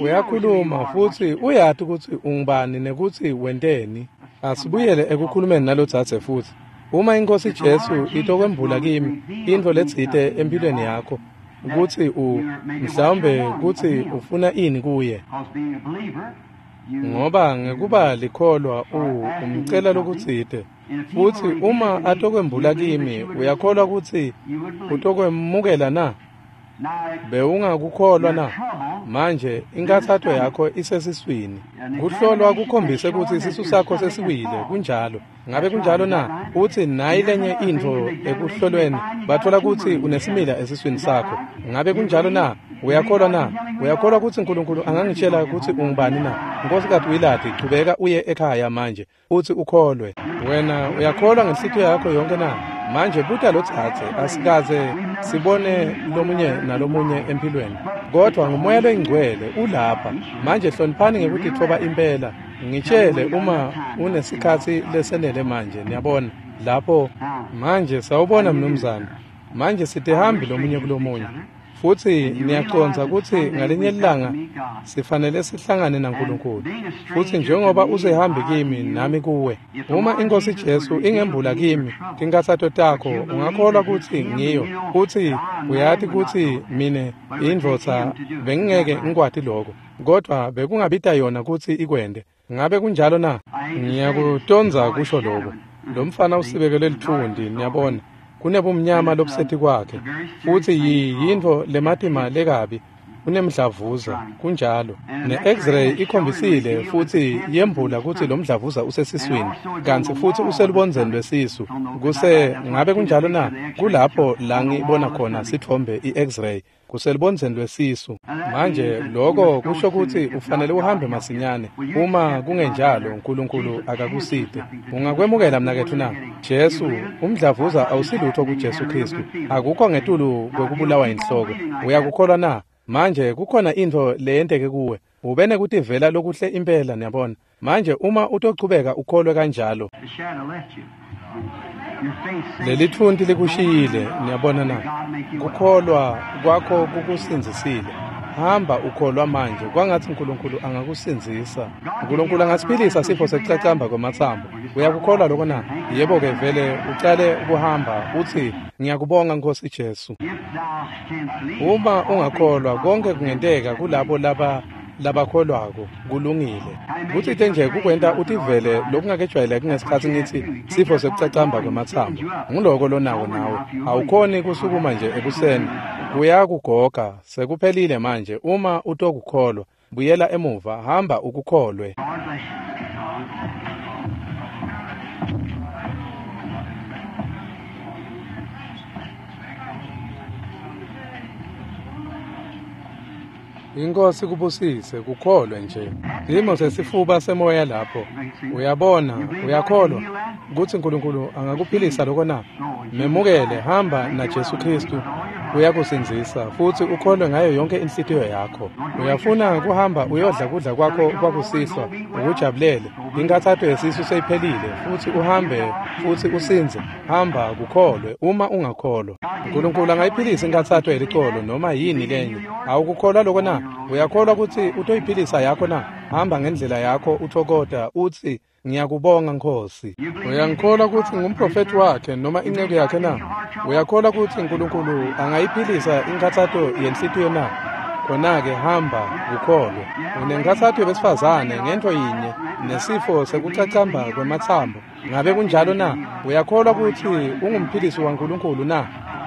Uyakhuluma futsi uyati kutsi ungubani nekutsi wenteni. Asibuyele ekukhulumeni nalodzadze futsi. Uma iNkosi Jesu itokwembula kimi intfo letsite empilweni yakho, kutsi u mhlawumbe kutsi ufuna ini kuye, ngoba ngekuba likholwa u umcela lokutsite, futsi uma atokwembula kimi, uyakholwa kutsi utokwemukela na? Bewungakukholwa na? Manje inkathato yakho isesiswini. Kuhlolwa kukhombise kutsi isisu sakho sesiwile, kunjalo. Ngabe kunjalo na? Utsi nayi lenye intfo ekuhlolweni, bathola kutsi unesimila esiswini sakho. Ngabe kunjalo na? Uyakholwa na? Uyakholwa kutsi uNkulunkulu angangitshela kutsi ungubani na? Nkosikazi Willard, chubeka uye ekhaya manje, utsi ukholwe. Wena uyakholwa ngenhlitiyo yakho yonke na? Manje buta lodzadze, asikaze sibone lomunye nalomunye empilweni, kodvwa nguMoya loyiNgcwele ulapha. Manje hloniphani ngekutitfoba impela. Ngitshele uma unesikhatsi lesenele manje, niyabona. Lapho manje sawubona mnumzane. Manje sitihambi lomunye kulomunye. Futsi niyacondza kutsi ngalinye ilanga sifanele sihlangane naNkulunkulu. Futsi njengoba usehambi kimi nami kuwe, uma iNkosi Jesu ingembula kimi tinkathato takho, ungakholwa kutsi ngiyo, kutsi uyati kutsi mine indvodza bengingeke ngikwati lokho, kodvwa bekungabita yona kutsi ikwente. Ngabe kunjalo na? Ngiyakutondza kusho lokho. Lo mfana usibekele litfundi, niyabona. Kunebumnyama lobuseti kwakhe, futsi yintfo lematima lekabi, unemdlavuza, kunjalo. Ne-X-ray ikhombisile futsi yembula kutsi lo mdlavuza usesiswini, kantsi futsi uselubondzeni lwesisu. Kuse ngabe kunjalo na? Kulapho la ngibona khona sitfombe i-X-ray, kuselubondzeni lwesisu. Manje lokho kusho kutsi ufanele uhambe masinyane. Uma kungenjalo uNkulunkulu akakusite. Ungakwemukela mnaketfu na? Jesu, umdlavuza awusilutho kuJesu Kristu. Akukho ngetulu kwekubulawa inhloko. Uyakukholwa na? Manje kukhona intfo leyenteke kuwe. Ube nekutivela lokuhle impela, niyabona. Manje uma utochubeka ukholwe kanjalo, lelitfunti likushiyile, niyabona na? Kukholwa kwakho kukusindzisile. Hamba ukholwa manje, kwangatsi uNkulunkulu angakusindzisa. uNkulunkulu angasiphilisa sifo sekucacamba kwematsambo. Uyakukholwa lokho na? Yebo-ke, vele ucale ukuhamba utsi ngiyakubonga Nkosi Jesu. Uma ungakholwa, konke kungenteka kulabo laba labakholwako. Kulungile. Kutsite nje kukwenta utivele lokungakejwayeleki ngesikhatsi ngitsi sifo sekucacamba kwematsambo. Nguloko lonako nawe. Awukhoni kusukuma nje ekuseni. Kuyakugoga, sekuphelile manje. Uma utokukholwa, buyela emuva, hamba ukukholwe. Inkosi kubusise, kukholwe nje. Simo sesifuba semoya lapho. Uyabona, uyakholwa kutsi uNkulunkulu angakuphilisa lokho na? Memukele, hamba na Jesu Kristu. uyakusindzisa futsi ukholwe ngayo yonke inhlitiyo yakho. Uyafuna kuhamba uyodla kudla kwakho kwakusihlwa ukujabulele. Inkathato yesisu seyiphelile futsi uhambe futsi usindze. Hamba kukholwe uma ungakholwa. Nkulunkulu angayiphilisa inkathato yelicolo noma yini lenye. Awukukholwa lokho na? Uyakholwa kutsi utoyiphilisa yakho na? Hamba ngendlela yakho uthokota utsi ngiyakubonga Nkosi. Uyangikholwa kutsi ngumprofeti wakhe noma inceku yakhe na? Uyakholwa kutsi Nkulunkulu angayiphilisa inkathato yenhlitiyo na? Khona-ke hamba ukholwe. Unenkathato yebesifazane ngento yinye nesifo sekucacamba kwematsambo. Ngabe kunjalo na? Uyakholwa kutsi ungumphilisi waNkulunkulu na?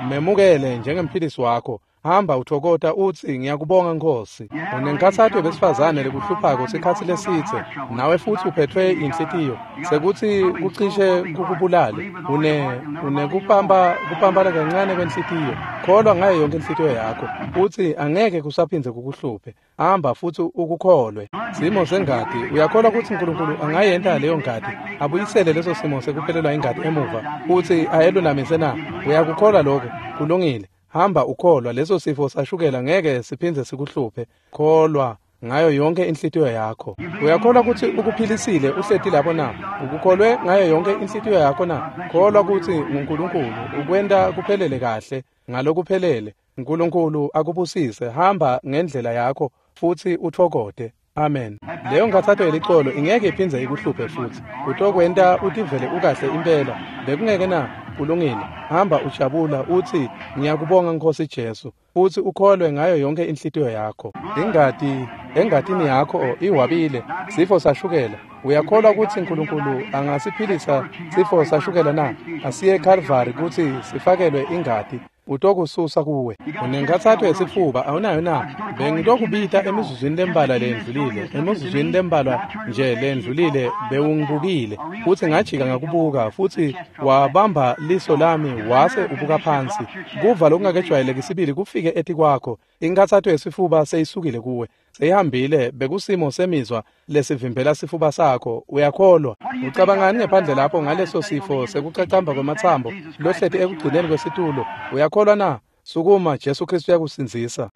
Memukele njengemphilisi wakho. Hamba uthokota utsi ngiyakubonga Nkosi. Unenkathato yebesifazane lekuhluphako sikhatsi lesidze, nawe futsi uphethwe inhlitiyo sekutsi kucishe kukubulale. Une unekupamba kupambana kancane kwenhlitiyo. Kholwa ngayo yonke inhlitiyo yakho utsi angeke kusaphindze kukuhluphe. Hamba futsi ukukholwe. Simo sengati, uyakholwa kutsi Nkulunkulu angayenta leyo ngati, abuyisele leso simo sekuphelelwa ingati emuva utsi ayelulamise na? Uyakukholwa lokho? Kulungile. Hamba ukholwa, leso sifo sashukela ngeke siphindze sikuhluphe. Kholwa ngayo yonke inhlitiyo yakho. Uyakholwa kutsi ukuphilisile uhleti lapho na? Ukukholwe ngayo yonke inhlitiyo yakho na? Kholwa kutsi nguNkulunkulu ukwenta kuphelele kahle ngalokuphelele. Nkulunkulu akubusise. Hamba ngendlela yakho futsi uthokote. Amen. Leyo nkathato yelicolo ingeke iphindze ikuhluphe futsi. Utokwenta utivele ukahle impela. Bekungeke na? Kulungile. Hamba ujabula utsi ngiyakubonga Nkosi Jesu futsi ukholwe ngayo yonke inhlitiyo yakho. Ingati engatini yakho iwabile sifo sashukela. Uyakholwa kutsi Nkulunkulu angasiphilisa sifo sashukela na? Asiye eKalvari kutsi sifakelwe ingati. Utokususa kuwe. Unenkathato yesifuba awunayo na? Bengitokubita emizuzwini lembalwa lendlulile. Emizuzwini lembalwa nje lendlulile bewungibukile futsi ngajika ngakubuka futsi wabamba liso lami wase ubuka phansi. Kuva lokungakejwayeleki sibili kufike etikwakho. Inkathato yesifuba seyisukile kuwe. Seyihambile. Bekusimo semizwa lesivimbela sifuba sakho. Uyakholwa? Ucabangani ngephandle lapho ngaleso sifo sekucacamba kwematsambo lohleti ekugcineni kwesitulo? Uyakholwa na? Sukuma, Jesu Kristu uyakusindzisa.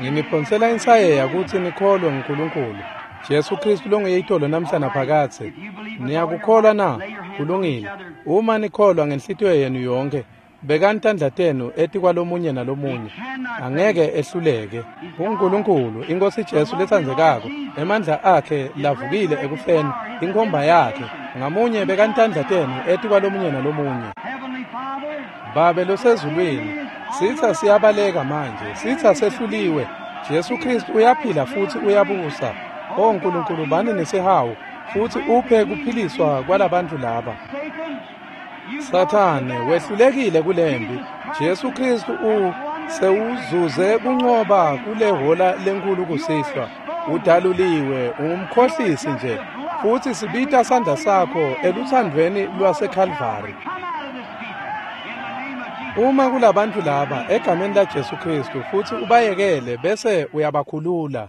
Nginiphonsela insayeya kutsi nikholwe nguNkulunkulu. Jesu Kristu longuye itolo namhla naphakadze. Niyakukholwa na? Kulungile. Uma nikholwa ngenhlitiyo yenu yonke, bekani tandla tenu etikwalomunye nalomunye. Angeke ehluleke. UNkulunkulu, iNkosi Jesu letsandzekako, emandla akhe lavukile ekufeni, inkhomba yakhe. Ngamunye bekani tandla tenu etikwalomunye nalomunye. Babe losezulwini, sitsa siyabaleka manje, sitsa sehluliwe. Jesu Kristu uyaphila futsi uyabusa. O Nkulunkulu, bani nesihawu futsi uphe kuphiliswa kwalabantu laba. Sathane wehlulekile kulembi. Jesu Kristu u sewuzuze kuncoba kule hola lenkulu kusihlwa. Udaluliwe, ungumkhohlisi nje. Futsi sibita sandla sakho eluthandweni lwaseKalvari. Uma kulabantu laba egameni la Jesu Kristu futsi ubayekele bese uyabakhulula.